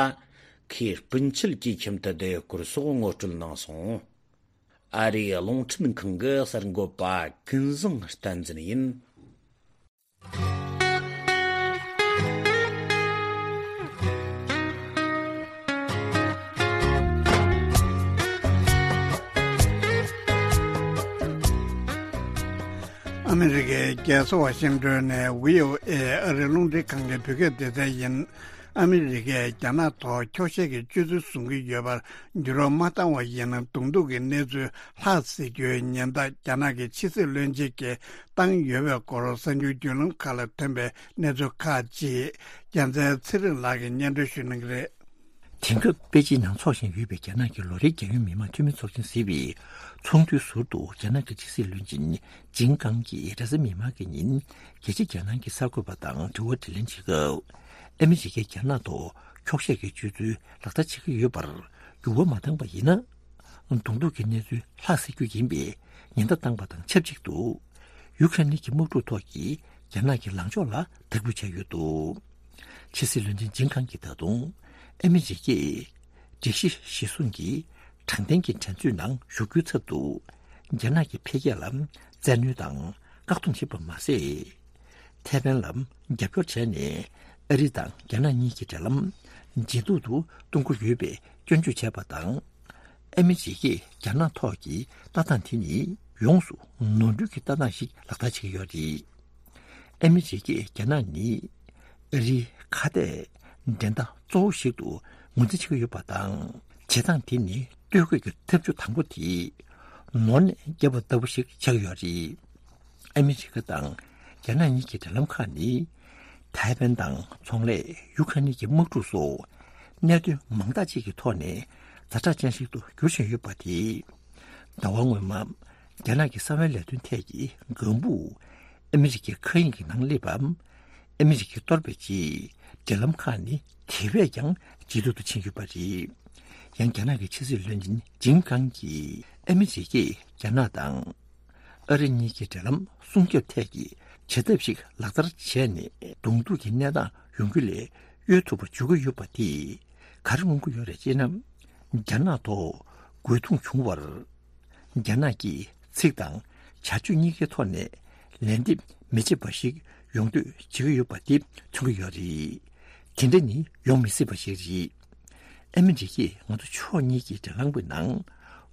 ཁོས་སྤུན་མཆེད་ཀྱི་ཁྱིམ་དུ་བསྡད་ཡོད་སྐོར་སོགས་ངོ་སྤྲོད་གནང་སོང་། ཨ་རིའི་རླུང་འཕྲིན་ཁང་གི་གསར་འགོད་པ་ཀུན་བཟང་བསྟན་འཛིན་ཡིན། ཨ་མི་རི་ཀའི་རྒྱལ་ས་ཝ་ཤིང་ཏོན་ནས་བྷི་ཨོ་ཨེ་ཨ་རིའི་རླུང་འཕྲིན་ཁང་གི་བོད་སྐད་སྡེ་ཚན་ཡིན། ཨ་མི་རི་ཀས་རྒྱ་ནག་ཐོག་འཁྱོག་བཤད་ཀྱི་སྤྱོད་ཚུལ་བཟུང་གི་ཡོད་པར་འགྱུར་བ་མ་བཏང་བ་ཡིན་ན། གདོང་ཐུག་གི་གནས་ཚུལ་ལྷག་སྲིད་རྒྱུའི་ཉེན་བརྡ་རྒྱ་ནག་གི་ཕྱི་སྲིད་བློན་ཆེན་གྱིས་བཏང་ཡོད་པའི་སྐོར་གསར་འགྱུར་བརྒྱུད་ལམ་ཁག་ལ་ཐོན་པའི་གནས་ཚུལ་ཁག་ཅིག་རྒྱལ་མཚན་ཚེ་རིང་ལགས་ཀྱིས་སྙན་སྒྲོན་ཞུ་གནང་གི་རེད། དེང་སྐབས་པེ་ཅིན་ནང་འཚོགས་བཞིན་ཡོད་པའི་རྒྱ་ནག་གི་ལོ་རེའི་རྒྱལ་ཡོངས་མི་དམངས་འཐུས་མི་ཚོགས་ཆེན་ཟེར་བའི་ཚོགས་འདུའི་ཟུར་དུ། རྒྱ་ནག་གི་ཕྱི་སྲིད་བློན་ཆེན་ཇིན་ཀང་གིས་རེས་གཟའ་མིག་དམར་གྱི་ཉིན་རྒྱལ་སྤྱིའི་རྒྱལ་ནང་གི་གསར་འགོད་པ་དང་དྲི་བ་དྲིས་ལན་བྱེད་སྐབས། ཨ་མི་རི་ཀས་རྒྱ་ནག་ཐོག་འཁྱོག་བཤད་ཀྱི་སྤྱོད་ཚུལ་ལག་བསྟར་བྱེད་ཀྱི་ཡོད་པར་འགྱུར་བ་མ་བཏང་པ་ཡིན་ན། གདོང་ཐུག་གི་གནས་ཚུལ་ལྷག་སྲིད་རྒྱུ་ཡིན་པའི་ཉེན་བརྡ་བཏང་པ་དང་ཆབས་ཅིག་ཏུ། ཡུ་ཁ་རེན་གྱི་དམག་འཁྲུག་ཐོག་གི་རྒྱ་ནག་གི་ལངས་ཕྱོགས་ལ་དག་འབུལ་བྱས་ཡོད་འདུག་ཕྱི་སྲིད་བློན་ཆེན་ཇིན་ཁང་གིས་ད་དུང་ཨ་མི་རི་ཀས་སྒྲིག་གཞི་གཞིར་བཟུང་གི་དྲང་བདེན་གྱི་འགྲན་རྩོད་ནང་ཞུགས་རྒྱུའི་ཚབ་ཏུ། རྒྱ་ནག་གི་འཕེལ་རྒྱས་ལ་བཙན་གནོན་དང་བཀག་སྡོམ་བྱེད་པ་མ་ཟད། ཐའེ་ཝན་ལ་རྒྱབ་སྐྱོར་བྱས་ནས། ཨ་རི་དང་རྒྱ་ནག་གཉིས་ཀྱི་འབྲེལ་ལམ་ཇེ་སྡུག་ཏུ་གཏོང་གི་ཡོད་པའི་སྐྱོན་བརྗོད་བྱས་པ་དང་། ཨ་མི་རི་ཀས་རྒྱ་ནག་ཐོག་གི་ལྟ་སྟངས་དེ་ནི་ཡོངས་སུ་ནོར་འཁྲུལ་གྱི་ལྟ་སྟངས་ཤིག་ལག་བསྟར་བྱེད་ཀྱི་ཡོད་རེད། ཨ་མི་རི་ཀས་རྒྱ་ནག་ནི་ཨ་རིའི་ཁ་གཏད་འགྲན་ཟླ་གཙོ་བོ་ཞིག་ཏུ་ངོས་འཛིན་བྱེད་ཀྱི་ཡོད་པ་དང་། བྱེད་སྟངས་དེ་ནི་ལྟོས་གོས་ཀྱི་ཐབས་ཇུས་དང་པོ་དེ་ནོར་ནས་བརྒྱབ་པ་ལྟ་བུ་ཞིག་ཆགས་ཀྱི་ཡོད་རེད། ཨ་མི་རི་ཀ་དང་རྒྱ་ནག་གཉིས་ཀྱི་འབྲེལ་ལམ་ཁག་ནི། ཐའེ་ཝན་དང་ཚོང་ལས། ཡུ་ཁ་ནི་གི་དམག་འཁྲུག་སོགས་གནད་དོན་མང་དག་ཅིག་གི་ཐོག་ནས་ཛ་དྲག་ཅན་ཞིག་ཏུ་འགྱུར་བཞིན་ཡོད་པ་དེས། ཟླ་བ་སྔོན་མ་རྒྱ་ནག་གི་གསང་བའི་ལས་དོན་ཐད་ཀྱི་ལྒང་བུ་ཨ་མི་རི་ཀའི་མཁའ་དབྱིངས་ཀྱི་ནང་སླེབས་པ། ཨ་མི་རི་ཀས་གཏོར་བའི་རྗེས། འབྲེལ་ལམ་ཁག་ནི་དེ་བས་ཀྱང་ཇེ་སྡུག་ཏུ་ཕྱིན་ཡོད་པ་རེད། ཡང་རྒྱ་ནག་གི་ཕྱི་སྲིད་བློན་ཆེན་ཇིན་ཀང་གིས། ཨ་མི་རི་ཀས་རྒྱ་ནག་དང་ཨ་རི་གཉིས་ཀྱི་འབྲེལ་ལམ་སྲུང་སྐྱོབ་ཐད་ཀྱི་བྱེད་ཐབས་ཤིག་ལག་བསྟར་བྱས་ནས། གདོང་ཐུག་གི་གནས་སྟངས་ཡོང་རྒྱུ་ལས་གཡོལ་ཐུབ་པ་བྱུང་གི་ཡོད་པ་དེས་ག་རེ་མངོན་གྱི་ཡོད་རེད་ཅེ་ན། རྒྱ་ནག་ཐོག་རྒོལ་རྡུང་བྱུང་བར། རྒྱ་ནག་གིས་ཚིག་དང་བྱ་སྤྱོད་གཉིས་ཀའི་ཐོག་ནས་ལན་འདེབས་མི་བྱེད་པ་ཞིག་ཡོང་འདོད་བྱེད་ཀྱི་ཡོད་པ་དེ་མཚོན་གྱི་ཡོད་རེད། དེ་འདྲ་ནི་ཡོང་མི་སྲིད་པ་ཞིག་རེད། ཨ་མི་རི་ཀས་ང་ཚོ་ཕྱོགས་གཉིས་ཀྱི་འབྲེལ་ལམ་གྱི་ནང་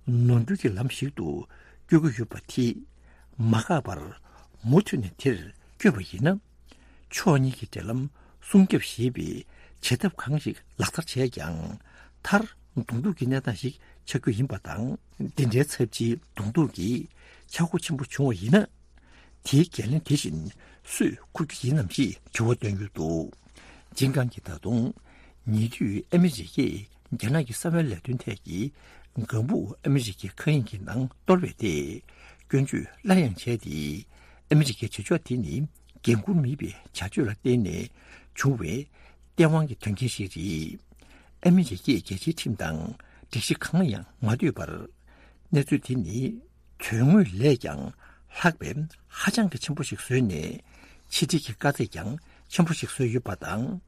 ནོར་འཁྲུལ་གྱི་ལམ་ཞིག་ཏུ་བསྐྱོད་ཀྱི་ཡོད་པ་དེ་མ་བཀག་པར་མུ་མཐུད་ནས་དེར་བསྐྱོད་པ་ཡིན་ན། ཕྱོགས་གཉིས་ཀྱི་འབྲེལ་ལམ་སྲུང་སྐྱོབ་ཞེས་པའི་བྱེད་ཐབས་གང་ཞིག་ལག་བསྟར་བྱས་ཀྱང་། མཐར་གདོང་ཐུག་གི་གནས་སྟངས་ཤིག་ཆགས་རྒྱུ་ཡིན་པ་དང་། འདི་འདྲའི་ཚབས་ཆེའི་གདོང་ཐུག་གི་ཆག་སྒོ་ཆེན་པོ་བྱུང་བ་ཡིན་ན། དེའི་འགན་ལེན་དེ་བཞིན་སུས་འཁུར་རྒྱུ་ཡིན་ནམ་ཞེས་དྲི་བ་བཏོན་ཡོད་འདུག་ཇིན་ཀང་གིས་ད་དུང་། ཉེ་དུས་ཨ་མི་རི་ཀས་རྒྱ་ནག་གི་གསང་བའི་ལས་དོན་ཐད་ཀྱི་ལྒང་བུ་ཨ་མི་རི་ཀའི་མཁའ་དབྱིངས་ཀྱི་ནང་གཏོར་བའི་ཐད་སྐྱོན་བརྗོད་སླར་ཡང་བྱས་ཏེ། ཨ་མི་རི་ཀའི་བྱེད་ཕྱོགས་དེ་ནི་འགན་འཁུར་མེད་པའི་བྱ་སྤྱོད་ལ་བརྟེན་ནས་བྱུང་བའི་སྟེས་དབང་གི་དོན་རྐྱེན་ཞིག་རེད། ཨ་མི་རི་ཀས་རྒྱལ་སྤྱིའི་ཁྲིམས་དང་སྒྲིག་གཞི་གང་ལ་ཡང་མ་ལྟོས་པར། གནས་ཚུལ་དེ་ནི་དོན་དངོས་ལས་ཀྱང་ལྷག་པའི་ཧ་ཅང་གི་ཆེན་པོ་ཞིག་བཟོས་ནས། ཕྱི་འབྲེལ་གྱི་དཀའ་ཚེགས་ཀྱང་ཆེན་པོ་ཞིག་བཟོས་ཡོད་པ་དང་།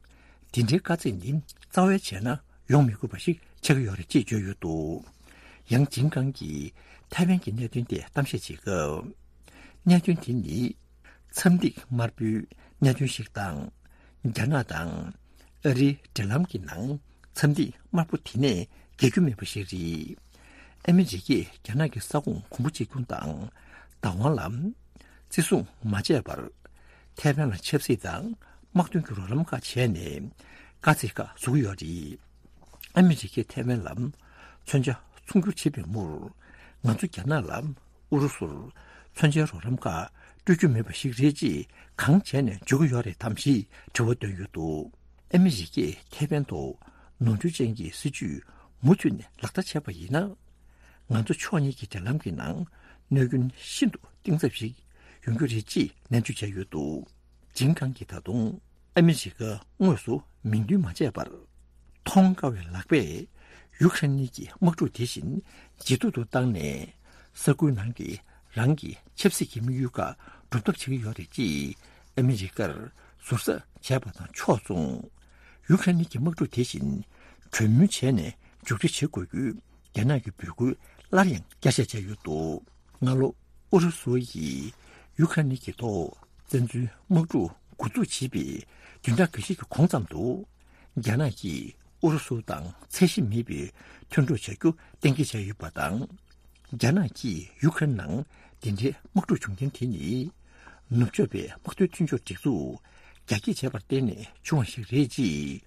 འདི་འདྲའི་དཀའ་ཚེགས་ནི་རྩ་བའི་བྱས་ན་ཡོང་མི་དགོས་པ་ཞིག་ཆགས་ཀྱི་ཡོད་རེད་ཅེས་བརྗོད་ཡོད་འདུག་ཡང་ཇིན་ཀང་གིས་ཐའེ་ཝན་གྱི་གནད་དོན་ཐད་གཏམ་བཤད་བྱེད་སྐབས། གནད་དོན་དེ་ནི་མཚམས་ཐིག་དམར་པོའི་གནད་དོན་ཞིག་དང་། རྒྱ་ནག་དང་ཨ་རིའི་འབྲེལ་ལམ་གྱི་ནང་མཚམས་ཐིག་དམར་པོ་དེ་ནས་བརྒལ་རྒྱུ་མེད་པ་ཞིག་རེད། ཨ་མི་རི་ཀས་རྒྱ་ནག་གི་ས་ཁོངས་གོང་བུ་གཅིག་གྱུར་དང་བདག་དབང་ལ་བརྩི་སྲུང་མ་བྱས་པར། ཐའེ་ཝན་ལ་ཆབ་སྲིད་དང་དམག་དོན་གྱི་རོགས་རམ་ཁག་བྱས་ནས་དཀའ་ཚེགས་ཁག་བཟོ་གི་ཡོད་རེད། ཨ་མི་རི་ཀས་ཐའེ་ཝན་ལ་མཚོན་ཆ་ཚོང་སྒྱུར་བྱེད་པའི་མུར། ང་ཚོ་རྒྱ་ནག་ལ་ཨུ་རུ་སུར་མཚོན་ཆའི་རོགས་རམ་ཁག་སྤྲོད་རྒྱུ་མེད་པ་ཞིག་རེད་ཅེས་གང་བྱས་ནས་འཇོག་གི་ཡོད་རེད་དམ་ཞེས་དྲི་བ་བཏོན་ཡོད་འདུག་ཨ་མི་རི་ཀས་ཐའེ་ཝན་ཐོག་ནོར་འཁྲུལ་ཅན་གྱི་སྲིད་ཇུས་མུ་མཐུད་ནས་ལག་བསྟར་བྱས་པ་ཡིན་ན། ང་ཚོ་ཕྱོགས་གཉིས་ཀྱི་འབྲེལ་ལམ་གྱི་ནང་གནོད་སྐྱོན་ཤིན་ཏུ་གཏིང་ཟབ་ཞིག་ཡོང་རྒྱུ་རེད་ཅེས་ནན་བརྗོད་བྱས་ཡོད་འདུག་ཇིན་ཀང་གིས་ད་དུང་ཨ་མི་རི་ཀ་དངོས་སུ་མིང་འདོན་མ་བྱས་པར། མཐོང་དཀའ་བའི་ལག་པས་ཡུ་ཁ་རེན་གྱི་དམག་འཁྲུག་དེ་བཞིན་ཇེ་སྡུག་ཏུ་བཏང་ནས། ས་ཁུལ་ནང་གི་རང་གི་ཆབ་སྲིད་ཀྱི་དམིགས་ཡུལ་ཁག་འགྲུབ་ཐབས་བྱེད་ཀྱི་ཡོད་རེད་ཅེས་ཨ་མི་རི་ཀར་ཟུར་ཟ་བྱས་པ་དང་ཕྱོགས་མཚུངས། ཡུ་ཁ་རེན་གྱི་དམག་འཁྲུག་དེ་བཞིན་གྲོས་མོལ་བྱས་ནས་མཇུག་སྒྲིལ་བྱེད་དགོས་རྒྱུའི་ རྒྱ་ནག་གི་འབོད་སྐུལ་སླར་ཡང་བསྐྱར་བཤད་བྱས་ཡོད་འདུག་སྔ་ལོ་ཨུ་རུ་སུ་ཡིས་ཡུ་ཁ་རེན་གྱི་ཐོག་བཙན་འཛུལ་དམག་འཁྲུག་འགོ་འཛུགས་བྱས་པའི་བདུན་ཕྲག་འགའ་ཤས་ཀྱི་གོང་ཙམ་དུ། རྒྱ་ནག་གིས་ཨུ་རུ་སུ་དང་ཚད་གཞི་མེད་པའི་མཐུན་གྲོགས་བྱ་རྒྱུ་གཏན་འཁེལ་བྱས་ཡོད་པ་དང་། རྒྱ་ནག་གིས་ཡུ་ཁ་རེན་ནང་འདི་འདྲའི་དམག་འཁྲུག་བྱུང་རྐྱེན་དེ་ནི། ནུབ་ཕྱོགས་པའི་དམག་དོན་མཐུན་ཕྱོགས་སྒྲིག་འཛུགས་རྒྱ་སྐྱེད་བྱས་པར་བརྟེན་ནས་བྱུང་བ་ཞིག་རེད་ཅེས།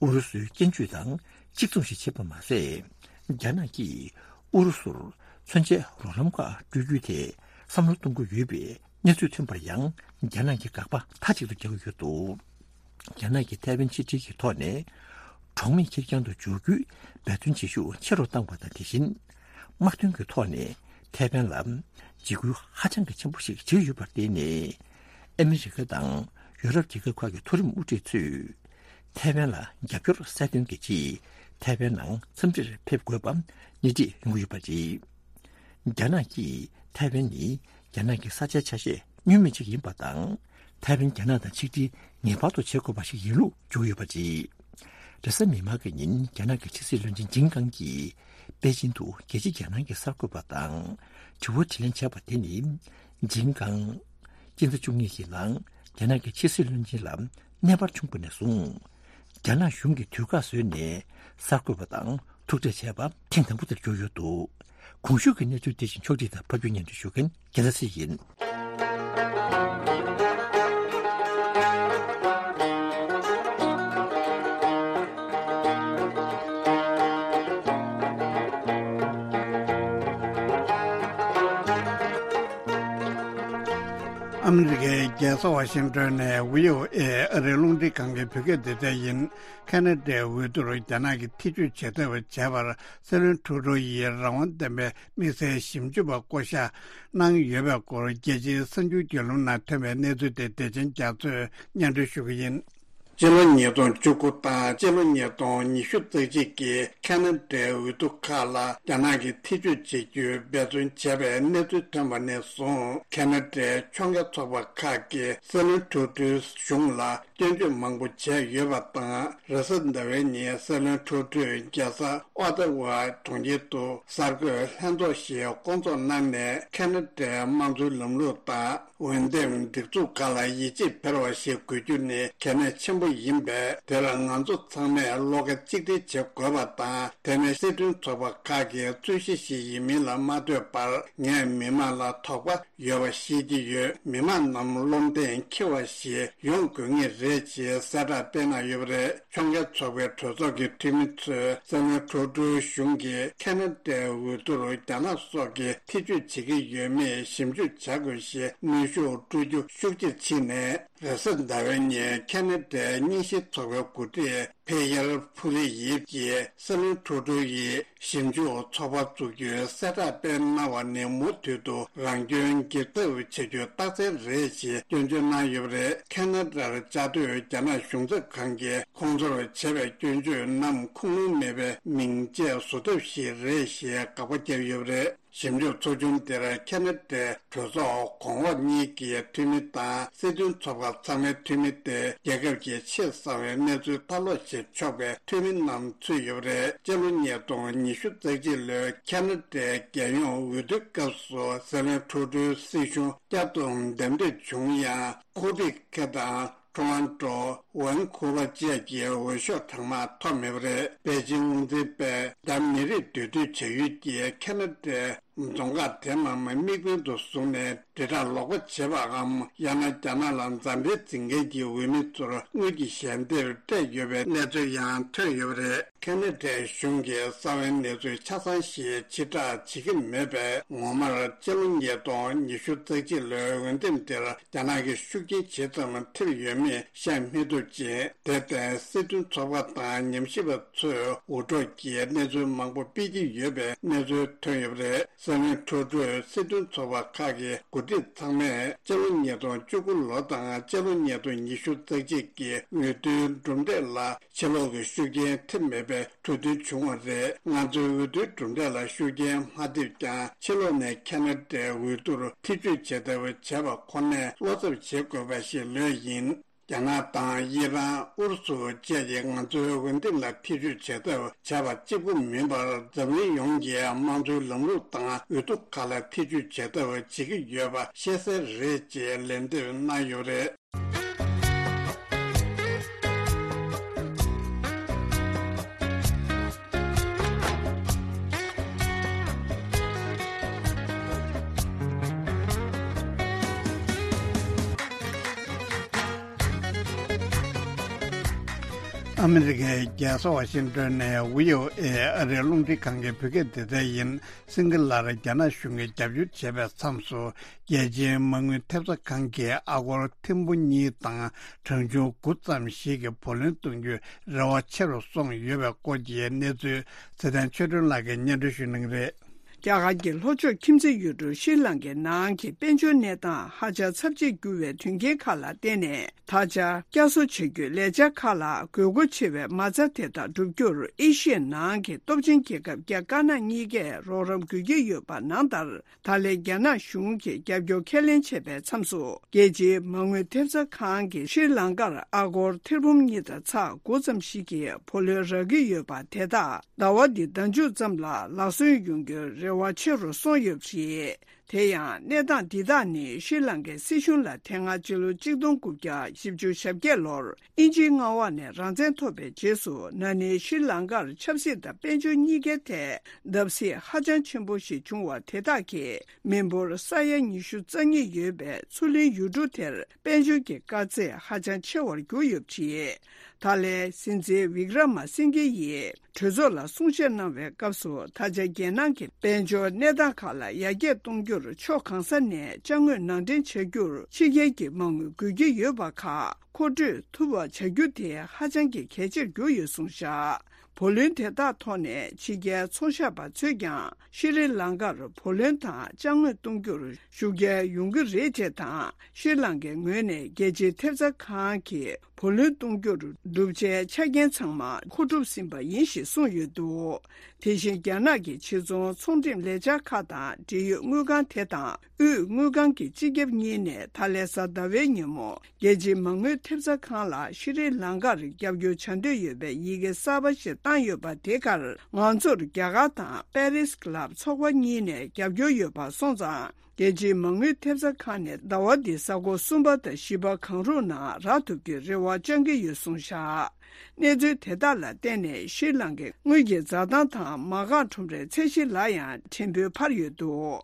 ཨུ་རུ་སུའི་སྐྱོན་བརྗོད་དང་གཅིག་མཚུངས་ཤིག་བྱས་པ་མ་ཟད། རྒྱ་ནག་གིས་ཨུ་རུ་སུར་མཚོན་ཆའི་རོགས་རམ་ཁག་སྤྲོད་རྒྱུའི་ཐད་བསམ་བློ་གཏོང་གི་ཡོད་པའི་གནས་ཚུལ་ཐོན་པར་ཡང་། རྒྱ་ནག་གིས་དགག་པ་མཐའ་གཅིག་ཏུ་རྒྱག་གི་ཡོད་འདུག་རྒྱ་ནག་གིས་ཐའེ་ཝན་ཕྱིར་སྤྲད་ཀྱི་ཐོག་ནས། གྲོགས་མེད་ཁེར་རྐྱང་དུ་འཇོག་རྒྱུའི་འབད་བརྩོན་བྱེད་ཤུགས་ཆེ་རུ་བཏང་བ་དང་། དེ་བཞིན། དམག་དོན་གྱི་ཐོག་ནས་ཐའེ་ཝན་ལ་འཇིགས་སྐུལ་ཧ་ཅང་གི་ཆེན་པོ་ཞིག་བྱེད་ཀྱི་ཡོད་པར་བརྟེན་ནས། ཨ་མི་རི་ཀ་དང་ཡོ་རོབ་རྒྱལ་ཁབ་ཁག་གི་མཐོ་རིམ་དབུ་ཁྲིད་ཚོས་ཐའེ་ཝན་ལ་རྒྱབ་སྐྱོར་གསལ་སྟོན་གྱི་ཆེད་ཐའེ་ཝན་ནང་འཚམས་འདྲིར་ཕེབས་དགོས་པ་སྣེ་ཁྲིད་ཡོང་གི་ཡོད་པ་རེད། རྒྱ་ནག་གིས་ཐའེ་ཝན་ནི་རྒྱ་ནག་གི་ས་ཆའི་ཆ་ཤས་བསྙོན་མེད་ཅིག་ཡིན་པ་དང་། ཐའེ་ཝན་རྒྱ་ནག་དང་ཆིག་སྒྲིལ་ངེས་པར་དུ་བྱེད་དགོས་པ་ཞིག་ཡིན་ལུགས་བརྗོད་ཡོད་པ་རེད། རེས་གཟའ་མིག་དམར་གྱི་ཉིན་རྒྱ་ནག་གི་ཕྱི་སྲིད་བློན་ཆེན་ཇིང་ཀང་གིས་པེ་ཅིན་དུ་རྒྱལ་སྤྱིའི་རྒྱལ་ནང་གི་གསར་འགོད་པ་དང་དྲི་བ་དྲིས་ལན་བྱས་པ་དེ་ནི། ཇིང་ཀང་སྤྱི་ཟླ་བཅུ་གཉིས་ཀྱི་ནང་རྒྱ་ནག་གི་ཕྱི་སྲིད་བློན་ཆེན་ལ་གནས་སྤར་བྱུང་བ་ནས་བཟུང་། རྒྱ་ནག་གཞུང་གིས་དུས་བཀག་བཟོས་ནས་གསར་འགོད་པ་དང་ཐུག་འཕྲད་བྱས་པ་ཐེངས་དང་པོ་དེར་གྱུར་ཡོད་འདུག་གོང་ཞུས་ཀྱི་གནས་ཚུལ་དེ་བཞིན་ཕྱོགས་སྒྲིག་དང་ཕབ་སྒྱུར་སྙན་སྒྲོན་ཞུ་མཁན་རྒྱལ་མཚན་ཚེ་ཡིན། ཨ་མི་རི་ཀའི་རྒྱལ་ས་ཝ་ཤིང་ཏོན་ནས་བྷི་ཨོ་ཨེ་ཨ་རིའི་རླུང་འཕྲིན་ཁང་གི་བོད་སྐད་སྡེ་ཚན་ཡིན། ཁ་ན་ཌའི་འོས་བསྡུར་རྒྱ་ནག་གིས་ཐེ་བྱུས་བྱེད་ཐབས་བྱས་པར་སྲིད་བློན་ཁྲུ་ཌོ་ཡིས་རང་དབང་ལྡན་པའི་དམིགས་བསལ་ཞིབ་འཇུག་པ་བསྐོ་གཞག་གནང་ཡོད་པའི་སྐོར་རྒྱལ་སྤྱིའི་གསར་འགྱུར་བརྒྱུད་ལམ་ནང་ཐོན་པའི་གནས་ཚུལ་དེ་བདེ་ཆེན་རྒྱ་མཚོས་སྙན་སྒྲོན་ཞུ་གི་ཡིན། སྤྱི་ལོ་ཉིས་སྟོང་བཅུ་དགུ་དང་སྤྱི་ལོ་ཉིས་སྟོང་ཉི་ཤུ་རྩ་གཅིག་གི་ཁ་ན་ཌའི་འོས་བསྡུ་ཁག་ལ་རྒྱ་ནག་གིས་ཐེ་བྱུས་བྱེད་རྒྱུའི་འབད་བརྩོན་བྱས་པའི་གནས་ཚུལ་ཐོན་པ་ནས་བཟུང་། ཁ་ན་ཌའི་ཕྱོགས་འགལ་ཚོགས་པ་ཁག་གིས་སྲིད་བློན་ཁྲུ་ཌོའི་གཞུང་ལ་སྐྱོན་བརྗོད་མང་པོ་བྱས་ཡོད་པ་དང་། རེས་གཟའ་ཟླ་བའི་ཉིན་སྲིད་བློན་ཁྲུ་ཌོས་རྒྱལ་ས་ཨོ་ཏ་ཝ་གྲོང་ཁྱེར་དུ་གསར་འགོད་ལྷན་ཚོགས་ཤིག་བསྐོང་ཚོགས་གནང་ནས། ཁ་ན་ཌའི་དམངས་གཙོའི་ལམ་ལུགས་དང་འོས་འདེམས་སྒྲིག་འཛུགས་ཁག་ལ་ཡིད་ཆེས་འཕེར་བ་ཞིག་དགོས་རྒྱུ་ནི་གལ་གནད་ཆེན་པོ་ཡིན་པས། དེ་ལ་ང་ཚོ་ཚང་མས་བློ་ཁ་གཅིག་སྒྲིལ་བྱེད་དགོས་པ་དང་། དེ་ནི་སྲིད་དོན་ཚོགས་པ་ཁག་གི་རྩོད་གཞི་ཞིག་ཡིན་མིན་ལ་མ་ལྟོས་པར། ངས་མི་མང་ལ་དོགས་པ་ཡོད་པ་ཤེས་ཀྱི་ཡོད། མི་མང་རྣམས་བློ་གདེང་འཁེལ་བ་ཞིག་ཡོང་དགོས་ངེས་རེད་ཅེས་གསལ་བསྒྲགས་སྤེལ་གནང་ཡོད་པ་རེད། ཕྱོགས་འགལ་ཚོགས་པའི་གྲོས་ཚོགས་ཀྱི་འཐུས་མི་ཚོས་སྲིད་བློན་ཁྲུ་ཌོའི་གཞུང་གིས་ཁ་ན་ཌའི་འོས་བསྡུར་རྒྱ་ནག་སོགས་ཀྱིས་ཐེ་བྱུས་བྱེད་ཀྱི་ཡོད་མེད་ཞིབ་འཇུག་བྱ་དགོས་ཞེས་གནོན་ཤུགས་སྤྲོད་རྒྱུ་ཤུགས་ཆེར་ཕྱིན་ནས། རེས་གཟའ་ཟླ་བའི་ཉིན་ཁ་ན་ཌའི་རྙིང་ཞེན་ཚོགས་པའི་འགོ་ཁྲིད་ཕེ་ཡར་ཕུ་ལེ་ཡིབ་ཀྱིས་སྲིད་བློན་ཁྲུ་ཌོ་ཡིས་ཞིབ་འཇུག་ཚོགས་པ་བཙུགས་རྒྱུའི་གསལ་བསྒྲགས་སྤེལ་གནང་བ་ནི་མུ་མཐུད་དུ་རང་སྐྱོན་འགེབས་ཐབས་བྱ་རྒྱུའི་རྟགས་མཚན་རེད་ཅེས་སྐྱོན་བརྗོད་གནང་ཡོད་པ་རེད། ཁ་ན་ཌར་བཅའ་སྡོད་རྒྱ་ནག་གཞུང་ཚབ་ཁང་གིས་ཁོང་ཚོར་བྱས་པའི་སྐྱོན་བརྗོད་རྣམས་ཁུངས་ལུང་མེད་པའི་མིང་བརྗེས་བཟོ་ཐབས་ཤིག་རེད་ཞེས་དགག་པ་བརྒྱབ་ཡོད་པ་རེད། ཞིབ་འཇུག་ཚོགས་ཆུང་དེར་ཁ་ན་ཌའི་གྲོས་ཚོགས་གོང་འོག་གཉིས་ཀྱི་འཐུས་མི་དང་། སྲིད་དོན་ཚོགས་པ་ཚང་མའི་འཐུས་མི་སྟེ། རྒྱལ་ཁབ་ཀྱི་ཆེས་གསང་བའི་གནས་ཚུལ་ལྟ་ཀློག་བྱེད་ཆོག་པའི་འཐུས་མི་རྣམས་ཚུད་ཡོད་པ་རེད། སྤྱི་ལོ་ཉིས་སྟོང་ཉི་ཤུ་རྩ་གཅིག་ལོའི་ཁ་ན་ཌའི་རྒྱལ་ཡོངས་འོས་བསྡུའི་སྐབས་སུ་སྲིད་བློན་ཁྲུ་ཌོའི་སྲིད་གཞུང་བསྐྱར་དུ་འདེམས་ཐོན་བྱུང་ཡང་། ཁུ་པིག་ཁེ་དང་། ཁྲོ་ཨན་ཀྲོ། ཝན་ཁུ་ཝར་བཅས་ཀྱི་འོས་ཤོག་གྲངས་མང་ཐོབ་མེད་པ་རེད། པེ་ཅིང་དབང་འཛིན་པས་རྒྱ་མི་རིགས་འདུས་སྡོད་བྱ་ཡུལ་གྱི་ཁ་ན་ཌའི་རྫོང་ཁག་དེ་རྣམས་དམིགས་འབེན་དུ་བཟུང་ནས་དྲིལ་བསྒྲགས་ལོག་པ་བྱེད་པའམ། ཡང་ན་རྒྱ་ནག་ལ་མཛའ་འབྲེལ་འཛིན་མཁན་གྱི་འོས་མི་ཚོར་དངུལ་གྱི་ཞལ་འདེབས་སྤྲད་ཡོད་པའི་གནས་ཚུལ་ཡང་ཐོན་ཡོད་པ་རེད། ཁ་ན་ཌའི་གཞུང་གིས་གསང་བའི་གནས་ཚུལ་ཆ་ཚང་ཞིག་ཕྱིར་བསྒྲགས་བྱེད་ཀྱི་མེད་པས། ངོ་མར་སྤྱི་ལོ་ཉིས་སྟོང་ཉི་ཤུ་རྩ་གཅིག་ལོའི་འོས་འདེམས་དེར་རྒྱ་ནག་གི་ཤུགས་རྐྱེན་ཇི་ཙམ་ཐེབས་ཡོད་མེད་བཤད་མི་ཐུབ་ཅིང་། དེར་བརྟེན་སྲིད་དོན་ཚོགས་པ་དང་ཉམས་ཞིབ་པ་ཚོས་འུར་སྒྲོག་གིས་གནས་ཚུལ་མང་པོ་སྤེལ་གྱི་ཡོད་པའི་གནས་ཚུལ་ཐོན་ཡོད་པ་རེད། སྲིད་བློན་ཁྲུ་ཌོས་སྲིད་དོན་ཚོགས་པ་ཁག་གི་འགོ་ཁྲིད་ཚང་མས་སྤྱི་ལོ་ཉིས་སྟོང་བཅུ་དགུ་ལོ་དང་སྤྱི་ལོ་ཉིས་སྟོང་ཉི་ཤུ་རྩ་གཅིག་གི་འོས་བསྡུའི་གྲུབ་འབྲས་ལ་ཕྱི་ལོགས་ཀྱི་ཤུགས་རྐྱེན་ཐེབས་མེད་པའི་གྲོས་མཐུན་བྱུང་བ་རེད། ང་ཚོའི་འོས་བསྡུའི་གྲུབ་འབྲས་ལ་ཤུགས་རྐྱེན་མ་ཐེབས་ཀྱང་། ཕྱི་ལོགས་ནས་ཁ་ན་ཌའི་འོས་བསྡུར་ཐེ་བྱུས་བྱེད་ཐབས་བྱས་པ་ཁོ་ནས་བློ་འཚབ་བྱེད་དགོས་པ་ཞིག་ལོས་ཡིན། རྒྱ་ནག་དང་ཨི་རན། ཨུ་རུ་སུ་བཅས་ཀྱིས་ང་ཚོའི་འོས་འདེམས་ལ་ཐེ་བྱུས་བྱེད་ཐབས་བྱས་པ་གཅིག་པུ་མིན་པར། འཛམ་གླིང་ཡོངས་ཀྱི་དམངས་གཙོའི་ལམ་ལུགས་དང་འོས་བསྡུ་ཁག་ལ་ཐེ་བྱུས་བྱེད་ཐབས་བྱེད་ཀྱི་ཡོད་པ་ཤེས་གསལ་རེད་ཅེས་ལན་འདེབས་གནང་ཡོད་རེད། ཨ་མི་རི་ཀའི་རྒྱལ་ས་ཝ་ཤིང་ཏོན་ནས་བྷི་ཨོ་ཨེ་ཨ་རིའི་རླུང་འཕྲིན་ཁང་གི་བོད་སྐད་སྡེ་ཚན་ཡིན། སིང་གི་ལར་རྒྱ་ནག་གཞུང་གིས་རྒྱབ་སྐྱོར་བྱས་པའི་མཚམས་སུ། རྒྱལ་སྤྱིའི་མ་དངུལ་ཐེབས་རྩ་ཁང་གིས་ཨ་སྒོར་ཐེར་འབུམ་གཉིས་དང་གྲངས་ཆུང་དགུ་ཙམ་ཞིག་གི་བུ་ལོན་གཏོང་རྒྱུའི་རེ་བ་ཆེ་རུ་སོང་ཡོད་པའི་སྐོར་གྱི་གནས་ཚུལ་ཚེ་བརྟན་ཆོས་སྒྲོན་ལགས་ཀྱིས་སྙན་སྒྲོན་ཞུ་གནང་གི་རེད། རྒྱ་གར་གྱི་ལྷོ་ཕྱོགས་ཁྱིམ་མཚེས་ཡུལ་གྲུ་ཤྲི་ལང་ཀའི་ནང་གི་དཔལ་འབྱོར་གནས་སྟངས་ཧ་ཅང་ཚབས་ཆེར་འགྱུར་བའི་དོན་རྐྱེན་ཁག་ལ་བརྟེན་ནས། ད་ཆ་བསྐྱར་གསོ་བྱ་རྒྱུའི་ལས་འཆར་ཁག་ལ་དགོས་མཁོ་ཆེ་བའི་མ་རྩ་དེ་དག་བསྒྲུབ་རྒྱུར་ཨེ་ཤི་ཡའི་ནང་གི་སྟོབས་ཆེན་རྒྱལ་ཁབ་རྒྱ་དཀར་ནག་གཉིས་ཀས་རོགས་རམ་དགོས་ཀྱི་ཡོད་པ་ནང་ལྟར། ད་ལན་རྒྱ་ནག་གཞུང་གིས་རྒྱབ་སྐྱོར་ཁས་ལེན་བྱས་པའི་མཚམས་སུ། རྒྱལ་སྤྱིའི་མ་དངུལ་ཐེབས་རྩ་ཁང་གིས་ཤྲི་ལང་ཀར་ཨ་སྒོར་ཐེར་འབུམ་གཉིས་དང་ཚེག་དགུ་ཙམ་ཞིག་གི་བུ་ལོན་རག་གི་ཡོད་པ་དེ་དག་ཟླ་བ་འདིའི་ཟླ་མཇུག་ཙམ་ལ་ལག་སོན་ཡོང་རྒྱུའི་རེ་བ་ཆེ་རུ་སོང་ཡོད་པ་རེད། དེ་ཡང་གནས་སྟངས་འདི་དག་ནི་ཤྲི་ལང་ཀའི་སྲིད་གཞུང་ལ་དེ་སྔ་ཕྱི་ལོ་གཅིག་སྟོང་དགུ་བརྒྱ་བཞི་བཅུ་ཞེ་བརྒྱད་ལོར་དབྱིན་ཇིའི་མངའ་འོག་ནས་རང་བཙན་ཐོབ་པའི་རྗེས་སུ། ན་ནིང་ཤྲི་ལང་ཀར་ཆབ་སྲིད་དང་དཔལ་འབྱོར་གཉིས་ཀའི་ཐད་བརྡབ་གསིག་ཧ་ཅང་ཆེན་པོ་ཞིག་བྱུང་བ་དེ་དག་གིས་མི་འབོར་ས་ཡ་ཉི་ཤུ་རྩ་གཉིས་ཡོད་པའི་མཚོ་གླིང་ཡུལ་གྲུ་དེར་དཔལ་འབྱོར་གྱི་དཀའ་ཚེགས་ཧ་ཅང་ཆེ་བར་གྱུར་ཡོད་པ་རེད། ད་ལན་སྲིད་འཛིན་ཝིག་ར་མ་སིང་གྷེ་ཡིས་གྲོས་ཚོགས་ལ་གསུང་བཤད་གནང་བའི་སྐབས་སུ། ད་ཆ་རྒྱལ་ནང་གི་དཔལ་འབྱོར་གནས་སྟངས་ཁག་ལ་ཡར་རྒྱས་གཏོང་རྒྱུར་ཕྱོགས་གང་ས་ནས་ཅ་དངོས་ནང་འདྲེན་བྱ་རྒྱུར་ཕྱི་རྒྱལ་གྱི་མ་དངུལ་དགོས་ཀྱི་ཡོད་པ་ཁག་མཁོ་སྤྲོད་ཐུབ་པ་བྱ་རྒྱུ་དེ་ཧ་ཅང་གི་གལ་ཆེར་གྱུར་ཡོད་གསུངས་བཞག་བུ་ལོན་དེ་དག་ཐོག་ནས་ཕྱི་རྒྱལ་ཚོང་ཤག་པ་ཚོས་ཀྱང་ཤྲི་ལང་ཀར་བུ་ལོན་དང་ཅ་དངོས་གཏོང་རྒྱུར་ཤུགས་རྐྱེན་ཡོང་གི་རེད་ཅེས་དང་། ཤྲི་ལང་ཀའི་ངོས་ནས་རྒྱལ་སྤྱིའི་ཐེབས་རྩ་ཁང་གིས་བུ་ལོན་གཏོང་རྒྱུར་བསྒྲུབ་བྱའི་ཆ་རྐྱེན་ཚང་མ་མཁོ་སྒྲུབ་ཟིན་པ་ཡིན་ཞེས་གསུངས་ཡོད་འདུག་དེ་བཞིན་རྒྱ་ནག་གི་ཕྱི་ཚོང་ཚོང་འགྲེམས་ལས་འཆར་ཁག་དང་འབྲེལ་ཡོད་དངུལ་ཁང་དེ་དང་དབུས་དངུལ་ཁང་གི་སྤྱི་ཁྱབ་གཉིས་ནས་ད་ལན་གཟའ་ཟླ་བའི་ཉིན་མོ། རྒྱལ་སྤྱིའི་མ་དངུལ་ཐེབས་རྩ་ཁང་ལ་ཤྲི་ལང་ཀར་རྒྱབ་སྐྱོར་བྱ་འདོད་ཡོད་པའི་ཡི་གེ་གསར་པ་ཞིག་བཏང་ཡོད་པ་དེ་གར་ང་ཚོར་རྒྱ་གར་དང་པེ་རིས་ཀི་ལབ་ཚོགས་པ་གཉིས་ནས་རྒྱབ་སྐྱོར་ཡོད་པ་སོང་ཙང་། རྒྱལ་སྤྱིའི་མ་དངུལ་ཐེབས་རྩ་ཁང་ནས་ཟླ་བ་འདིའི་གཟའ་འཁོར་གསུམ་པ་དང་བཞི་པ་གང་རུང་ནང་རག་ཐུབ་རྒྱུའི་རེ་བ་བཅང་གི་ཡོད་གསུངས་བཞག་གནས་ཚུལ་དེ་དག་ལ་བརྟེན་ནས་ཤྲི་ལང་ཀའི་དངུལ་གྱི་འཛའ་ཐང་དང་མ་རྐང་ཁྲོམ་རའི་ཚད་གཞི་ལ་ཡང་ཕྲན་བུ་འཕར་ཡོད་འདུག་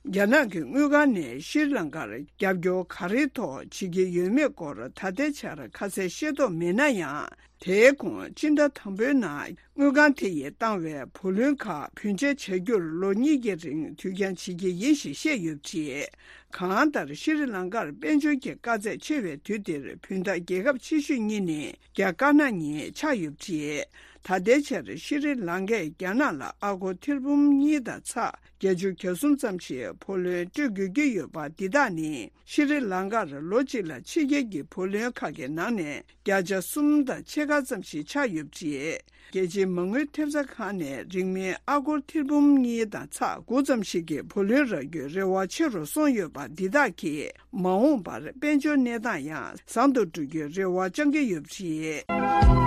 རྒྱ་ནག་གི་དངུལ་ཁང་ནས་ཤྲི་ལང་ཀར་རྒྱབ་སྐྱོར་ག་རེའི་ཐོག་བྱེད་ཀྱི་ཡོད་མེད་སྐོར་ད་ལྟའི་ཆར་ཁ་གསལ་ཤེས་རྟོགས་མེད་ན་ཡང་། དེའི་གོང་སྤྱི་ཟླ་དང་པོའི་ནང་དངུལ་ཁང་དེ་ཡིས་བཏང་བའི་བུ་ལོན་ཁག་བུན་འཇལ་བྱ་རྒྱུར་ལོ་གཉིས་ཀྱི་རིང་དུས་འགྱངས་བྱེད་ཀྱི་ཡིན་ཞེས་བཤད་ཡོད་པ་རེད། གང་ལྟར་ཤྲི་ལང་ཀར་དཔལ་འབྱོར་གྱི་དཀའ་ཚེགས་ཆེ་བའི་དུས་འདིར་བུན་བདག་རྒྱལ་ཁབ་ཆེ་ཤོས་གཉིས་ནི་རྒྱ་དཀར་ནག་གཉིས་ཆགས་ཡོད་པ་རེད། ད་ལྟའི་ཆར་ཤྲི་ལང་ཀས་རྒྱ་ནག་ལ་ཨ་སྒོར་ཐེར་འབུམ་གཉིས་དང་ཚེག་བརྒྱད་ཅུ་གྱ་གསུམ་ཙམ་ཞིག་བུ་ལོན་སྤྲོད་དགོས་ཀྱི་ཡོད་པ་འདི་དག་ནི། ཤྲི་ལང་ཀར་ལོ་གཅིག་ལ་ཕྱི་རྒྱལ་གྱི་བུ་ལོན་ཁག་གི་ནང་ནས་བརྒྱ་ཆ་གསུམ་དང་ཕྱེད་ཀ་ཙམ་ཞིག་ཆགས་ཡོད་པ་རེད། རྒྱལ་སྤྱིའི་མ་དངུལ་ཐེབས་རྩ་ཁང་ནས་རིང་མིན་ཨ་སྒོར་ཐེར་འབུམ་གཉིས་དང་ཚེག་དགུ་ཙམ་ཞིག་གི་བུ་ལོན་རག་རྒྱུའི་རེ་བ་ཆེ་རུ་སོང་ཡོད་པ་འདི་དག་གིས། མ་འོངས་པར་དཔལ་འབྱོར་གནས་སྟངས་ཡང་བཟང་དུ་འགྲོ་རྒྱུའི་རེ་བ་བཅང་གི་ཡོད་པ་རེད།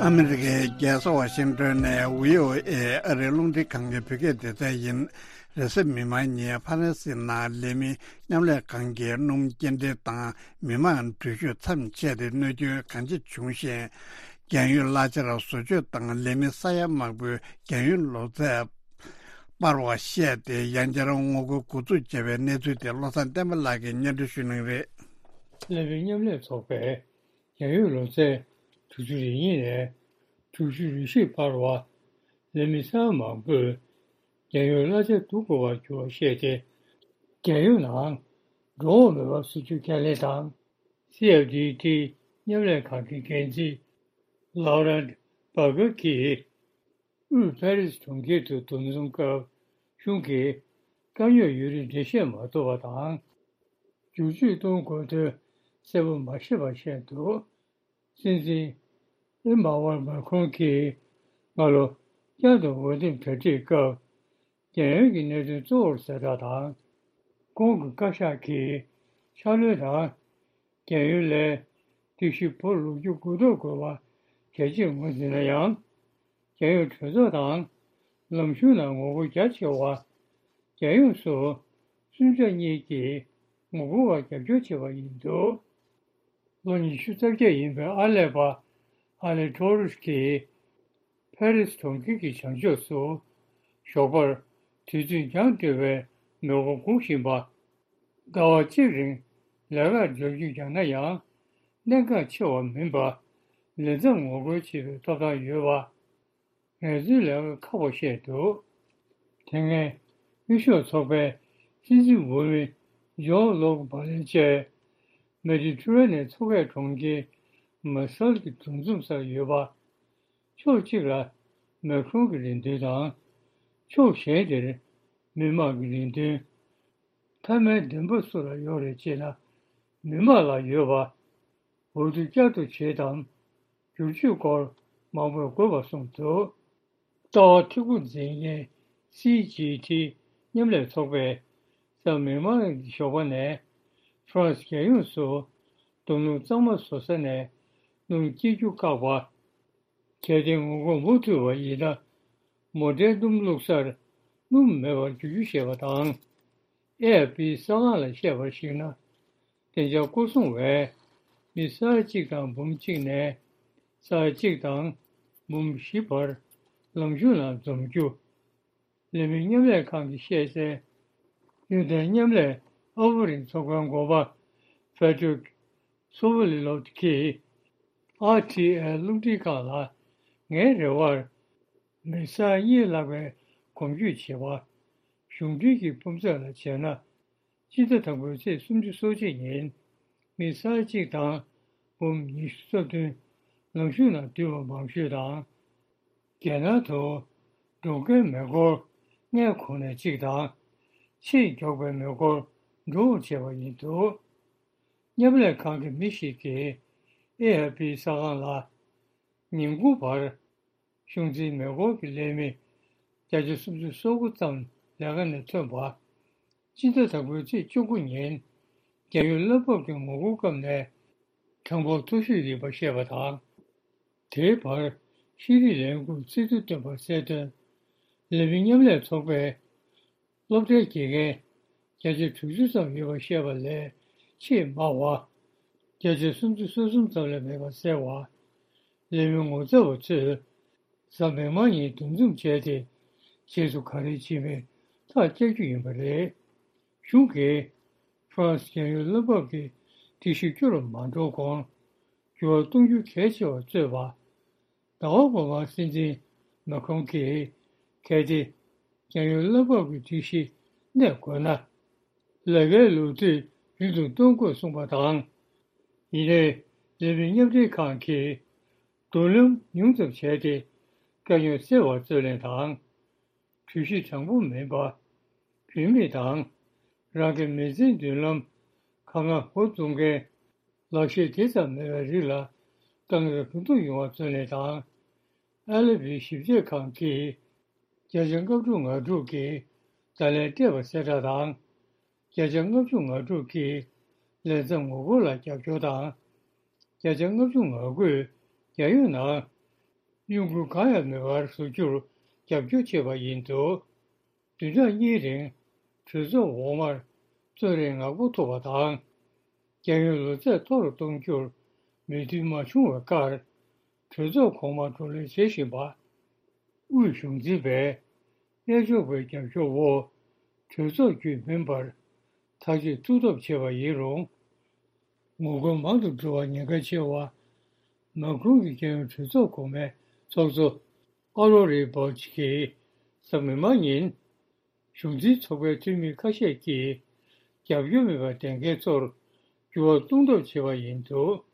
ཨ་མི་རི་ཀའི་རྒྱལ་ས་ཝ་ཤིང་ཏོན་ནས་བྷི་ཨོ་ཨེ་ཨ་རིའི་རླུང་འཕྲིན་ཁང་གི་བོད་སྐད་སྡེ་ཚན་ཡིན། རེས་གཟའ་མིག་དམར་ཉིན་ཧྥ་རན་སིའི་ནང་ལས་མི་མཉམ་ལས་ཁང་གི་སྣུམ་སྐྱེལ་འདྲེན་དང་མི་མང་འགྲུལ་བཞུད་མཚམས་ཆད་དེ་གནོད་སྐྱོན་གང་ཆེ་བྱུང་ཞིང་། རྒྱང་ཡོལ་གླ་ཆར་བཟོ་བཅོས་དང་ལས་མི་ས་ཡ་མང་པོའི་རྒྱང་ཡོལ་ལོ་ཚད་སྤར་བ་བཤད་དེ་ཡང་བསྐྱར་ངོ་རྒོལ་འགོ་འཛུགས་བྱས་པའི་གནས་ཚུལ་དེ་བློ་བཟང་བསྟན་པ་ལགས་ཀྱིས་སྙན་སྒྲོན་ཞུ་གནང་གི་རེད། ལས་མི་མཉམ་ལས་ཚོགས་པས་རྒྱང་ཡོལ་ལོ་ཚད་དྲུག་ཅུ་རེ་གཉིས་ནས་དྲུག་ཅུ་རེ་བཞིར་སྤར་བ། ལས་མི་ས་ཡ་མང་པོས་རྒྱང་ཡོལ་གླ་ཆ་བསྡུ་དགོས་པར་གྱུར་བ་བཤད་དེ། རྒྱང་ཡོལ་ནང་འགྲོ་འོང་མེད་པར་བཟོ་རྒྱུ་ཁས་ལེན་དང་། སི་ཨེཕ་ཌི་ཏི་མཉམ་ལས་ཁང་གི་འགན་འཛིན་ལའོ་རན་བྷ་གྷར་གྱིས། དབུས་ཕ་རི་སི་གྲོང་ཁྱེར་དུ་འདུ་འཛོམས་སྐབས་གཞུང་གིས་དཀའ་རྙོག་ཡོད་རིགས་འགྲེལ་བཤད་མ་ཐུབ་པ་དང་། བསྒྱུར་བཅོས་གཏོང་དགོས་དོན་གསལ་པོ་མ་ཤེས་པ་བཤད་འདུག་སྲིད་འཛིན་ཨེ་མ་ཝལ་མཱ་ཁྲོན་གྱིས་སྔ་ལོ་བསྐྱར་དུ་འོས་འདེམས་གྲ་སྒྲིག་སྐབས། རྒྱལ་ཡོངས་ཀྱི་གནད་དོན་གཙོ་བོར་གསལ་བསྒྲགས་དང་། ཁོང་གི་བཀའ་ཤག་གིས་ཕྱག་ལས་དང་། རྒྱལ་ཡོངས་ལས་སྒྲིག་གཞི་བོར་ལོ་རྒྱུས་དགུ་ཐོག་དགོས་པ་གལ་ཆེར་ངོས་འཛིན་ན་ཡང་། རྒྱལ་ཡོངས་གྲོས་ཚོགས་དང་ལམ་གཞུང་ནང་ངོ་རྒོལ་རྒྱ་ཆེ་བ། རྒྱལ་ཡོངས་སུ་སུམ་ཆ་གཉིས་ཀྱིས་ངོ་རྒོལ་བ་རྒྱབ་སྐྱོར་བྱས་པ་ཡིན་འདུག་ལོ་ཉི་ཤུ་རྩ་བརྒྱད་ཡིན་པའི་ཨར་ལས་པ་ཨ་ལེ་ཊོ་རུས་ཀྱིས། ཕ་རི་སི་གྲོང་ཁྱེར་གྱི་བྱང་ཕྱོགས་སུ་ཞོགས་པར་དུས་ཚོད་འགྱངས་སྤྲོད་པའི་མེ་འཁོར་སྒུག་བཞིན་པ། ཟླ་བ་གཅིག་རིང་ལས་ཀར་འབྱོར་རྒྱུ་ཡང་ན་ཡང་གནད་འགག་ཆེ་བ་མིན་པ། ལས་མཚམས་ངོ་རྒོལ་བྱེད་པའི་ཐོབ་ཐང་ཡོད་པ། ངལ་རྩོལ་ལས་ཀ་ཁག་པ་བཤད་འདུག་དེ་སྔའི་དབུས་ཤོག་ཚོགས་པའི་སྲིད་འཛིན་འོས་མི་ཇོ་ལོག་བྷ་ལན་བཅས་མེ་ཌི་ཊི་རེ་ནི་མཚོ་ཁའི་གྲོང་ཁྱེར་མ་སལ་གྱི་འདུ་འཛོམས་སར་ཡོད་པ། ཕྱོགས་གཅིག་ལ་མེ་ཁྲོན་གྱི་རེ་འདུན་དང་། ཕྱོགས་གཞན་དེར་མི་དམངས་ཀྱི་རེ་འདུན། མཐའ་མའི་བདེན་པ་སུ་ལ་ཡོད་རེད་ཅེ་ན། མི་དམངས་ལ་ཡོད་པ། འོས་བསྡུ་བསྐྱར་དུ་བྱེད་དམ། བསྒྱུར་བཅོས་སྐོར་མང་པོས་དགོས་པ་གསུངས་འདུག་ལྟ་བ་འཐུས་སྒོ་འཛིན་མཁན་སི་ཇི་ཐི་མཉམ་ལས་ཚོགས་པས་གཟའ་མིག་དམར་གྱི་ཞོགས་པ་ནས་ཧྥ་རན་སི་རྒྱལ་ཡོངས་སུ་སྡོང་རྣམ་གཙང་མ་བཟོ་ས་ནས་སྣུམ་སྐྱེལ་རྒྱུ་བཀག་པ། གལ་ཏེ་ངོ་རྒོལ་མུ་མཐུད་པ་ཡིན་ན། མོ་ཊའི་སྣུམ་བླུགས་སར་སྣུམ་མེད་པར་འགྱུར་རྒྱུ་ཞེས་པ་དང་། ཨེ་ཨེཕ་པི་གསར་ཁང་ལ་བཤད་པར་གཞིགས་ན། བདེ་འཇགས་སྐོར་སྲུང་བས་མི་ས་ཡ་གཅིག་དང་འབུམ་གཅིག་ནས་ས་ཡ་གཅིག་དང་འབུམ་བཞི་བར་ལམ་གཞུང་ནང་འཛོམས་རྒྱུ། ལས་མི་མཉམ་ལས་ཁང་གིས་བཤད་གསལ། ཡུན་བརྟན་མཉམ་ལས་ཨ་ཧྥུ་རིན་ཚོགས་པའི་འགོ་པ་ཕེ་ཏྲིག་སོ་ཝི་ལི་ལོབ་ཀྱིས་ཨར་ཊི་ཨེལ་རླུང་འཕྲིན་ཁང་ལ། ངའི་རེ་བར་མི་ས་ཡ་གཉིས་ལྷག་པའི་གོམ་བགྲོད་བྱེད་པ། གཞུང་འབྲེལ་གྱི་སྤུས་ཚད་ལ་བྱས་ན། སྤྱི་ཟླ་དང་པོའི་ཚེས་སུམ་ཅུ་སོ་གཅིག་ཉིན་མི་ས་ཡ་གཅིག་དང་འབུམ་ཉི་ཤུ་རྩ་བདུན་ལམ་གཞུང་ནང་འདུས་པ་མང་ཤོས་དང་། རྒྱལ་ནང་དུ་འགྲོ་མཁན་མེ་འཁོར་ལྔའི་ཁོངས་ནས་གཅིག་དང་། ཕྱིར་མགྱོགས་པའི་མེ་འཁོར་འགྲོ་འོང་བྱས་པ་ཡིན་འདུག་མཉམ་ལས་ཁང་གི་མི་ཞིག་གིས་ཨེ་ཨེཕ་པི་གསར་ཁང་ལ། ཉིན་གུང་བར་གཞུང་འཛིན་མེ་འཁོར་གྱི་ལས་མི་བརྒྱ་ཆ་སུམ་ཅུ་སོ་དགུ་ཙམ་ལས་ཀ་ནས་ཐོན་པ། སྤྱི་ཟླ་དང་པོའི་ཚེས་བཅུ་དགུ་ཉིན་རྒྱལ་ཡོངས་བླ་འབབ་ཀྱི་ངོ་རྒོལ་སྐབས་ནས་གྲངས་འབོར་མཐོ་ཤོས་ཡིན་པ་བཤད་པ་དང་། དེའི་བར་ཤེས་རིག་ལས་ཁུངས་སྲིད་དོན་བསྟན་པ་གསལ་སྟོན། ལས་མི་མཉམ་ལས་ཚོགས་པས་སློབ་གྲྭའི་དགེ་རྒན་བརྒྱ་ཆ་དྲུག་ཅུ་ཙམ་ཡོད་པ་བཤད་པ་ལས་ཆེས་དམའ་བ། བརྒྱ་ཆ་སུམ་ཅུ་སོ་གསུམ་ཙམ་ལས་མེད་པ་གསལ་བ། ལས་མི་ངོ་ཚ་བ་ཚོས་གཟའ་མིག་དམར་ཉིན་འདུ་འཛོམས་བྱས་ཏེ། རྗེས་སུ་ག་རེ་བྱེད་མིན་ཐག་བཅད་རྒྱུ་ཡིན་པ་རེད། གཞུང་གིས་ཧྥ་རན་སི་རྒྱལ་ཡོངས་བླ་འབབ་ཀྱི་སྒྲིག་གཞི་སྐྱོ་རུ་མ་འགྲོ་གོང་འགྱུར་བ་གཏོང་རྒྱུ་གལ་ཆེ་བར་བརྩོན་པ། ཟླ་བ་འགོ་མར་སྲིད་འཛིན་མཱ་ཁྲོན་གྱིས་གལ་ཏེ་རྒྱལ་ཡོངས་བླ་འབབ་ཀྱི་སྒྲིག་གཞི་གནས་དགོས་ན། ལས་ཀའི་ལོ་དུས་རིང་དུ་གཏོང་དགོས་གསུངས་པ་དང་། ཡིན་ནའི་ལས་མི་མཉམ་འབྲེལ་ཁང་གིས་མདུན་ལམ་ཉུང་ཙམ་བྱས་ཏེ་དཀའ་རྙོག་སེལ་བར་བརྩོན་ལེན་དང་། གྲོས་གཞི་དྲང་པོ་མིན་པ། བུད་མེད་དང་རང་གི་མི་ཚེའི་མདུན་ལམ་གང་ང་འགོ་བཙུགས་མཁན་ལག་ཤེས་དེ་ཙམ་མེད་པའི་རིགས་ལ་དཀའ་ངལ་གང་ཐུབ་ཡོང་བར་བརྩོན་ལེན་དང་། ཨ་ལེ་བྷི་ཞིབ་དཔྱོད་ཁང་གིས་བརྒྱ་ཆ་ལྔ་བཅུ་ང་དྲུག་གིས་བརྡ་ལན་སྤྲད་པ་གསལ་བསྒྲགས་དང་། བརྒྱ་ཆ་ལྔ་བཅུ་ང་དྲུག་གིས་ལས་མཚམས་ངོ་རྒོལ་ལ་རྒྱབ་སྐྱོར་དང་། བརྒྱ་ཆ་ལྔ་བཅུ་ང་དགུས་རྒྱལ་ཡོངས་ནང་གཡོ་འགུལ་གང་ཡང་མེད་པར་བཟོ་རྒྱུར་རྒྱབ་སྐྱོར་བྱས་པ་ཡིན་འདུག་བདུན་ཕྲག་གཉིས་རིང་གྲོས་ཚོགས་འོག་མར་གཙོ་རིམ་ནག་པོ་ཐུག་པ་དང་། རྒྱལ་ཡོངས་ལོ་ཚད་མཐོ་རུ་གཏོང་རྒྱུར་མོས་མཐུན་མ་བྱུང་བའི་ཁར། གྲོས་ཚོགས་གོང་མར་བགྲོ་གླེང་བྱེད་བཞིན་པ། དབུས་གཞུང་འཛིན་པས་གཡས་ཕྱོགས་པའི་རྒྱབ་སྐྱོར་འོག་གྲོས་ཚོགས་བརྒྱུད་མིན་པར་ཐག་གཅོད་ཐུགས་སྟོབས་ཆེ་བ་ཡིན་རུང་། ངོ་རྒོལ་མང་དུ་འགྲོ་བར་ཉེན་ཁ་ཆེ་བ། མཱ་ཁྲོན་གྱི་རྒྱལ་ཡོངས་གྲོས་ཚོགས་གོང་མའི་ཚོགས་གཙོ་ཨ་རོ་རི་བོ་ཆི་གིས་གཟའ་མིག་དམར་ཉིན། གཞུང་འཛིན་ཚོགས་པའི་འཐུས་མི་ཁ་ཤས་ཀྱིས་རྒྱབ་སྐྱོར་མེད་པར་བསྡད་མཁན་ཚོར་འགྱུར་བ་གཏོང་ཐབས་བྱས་པ་ཡིན་འདུག་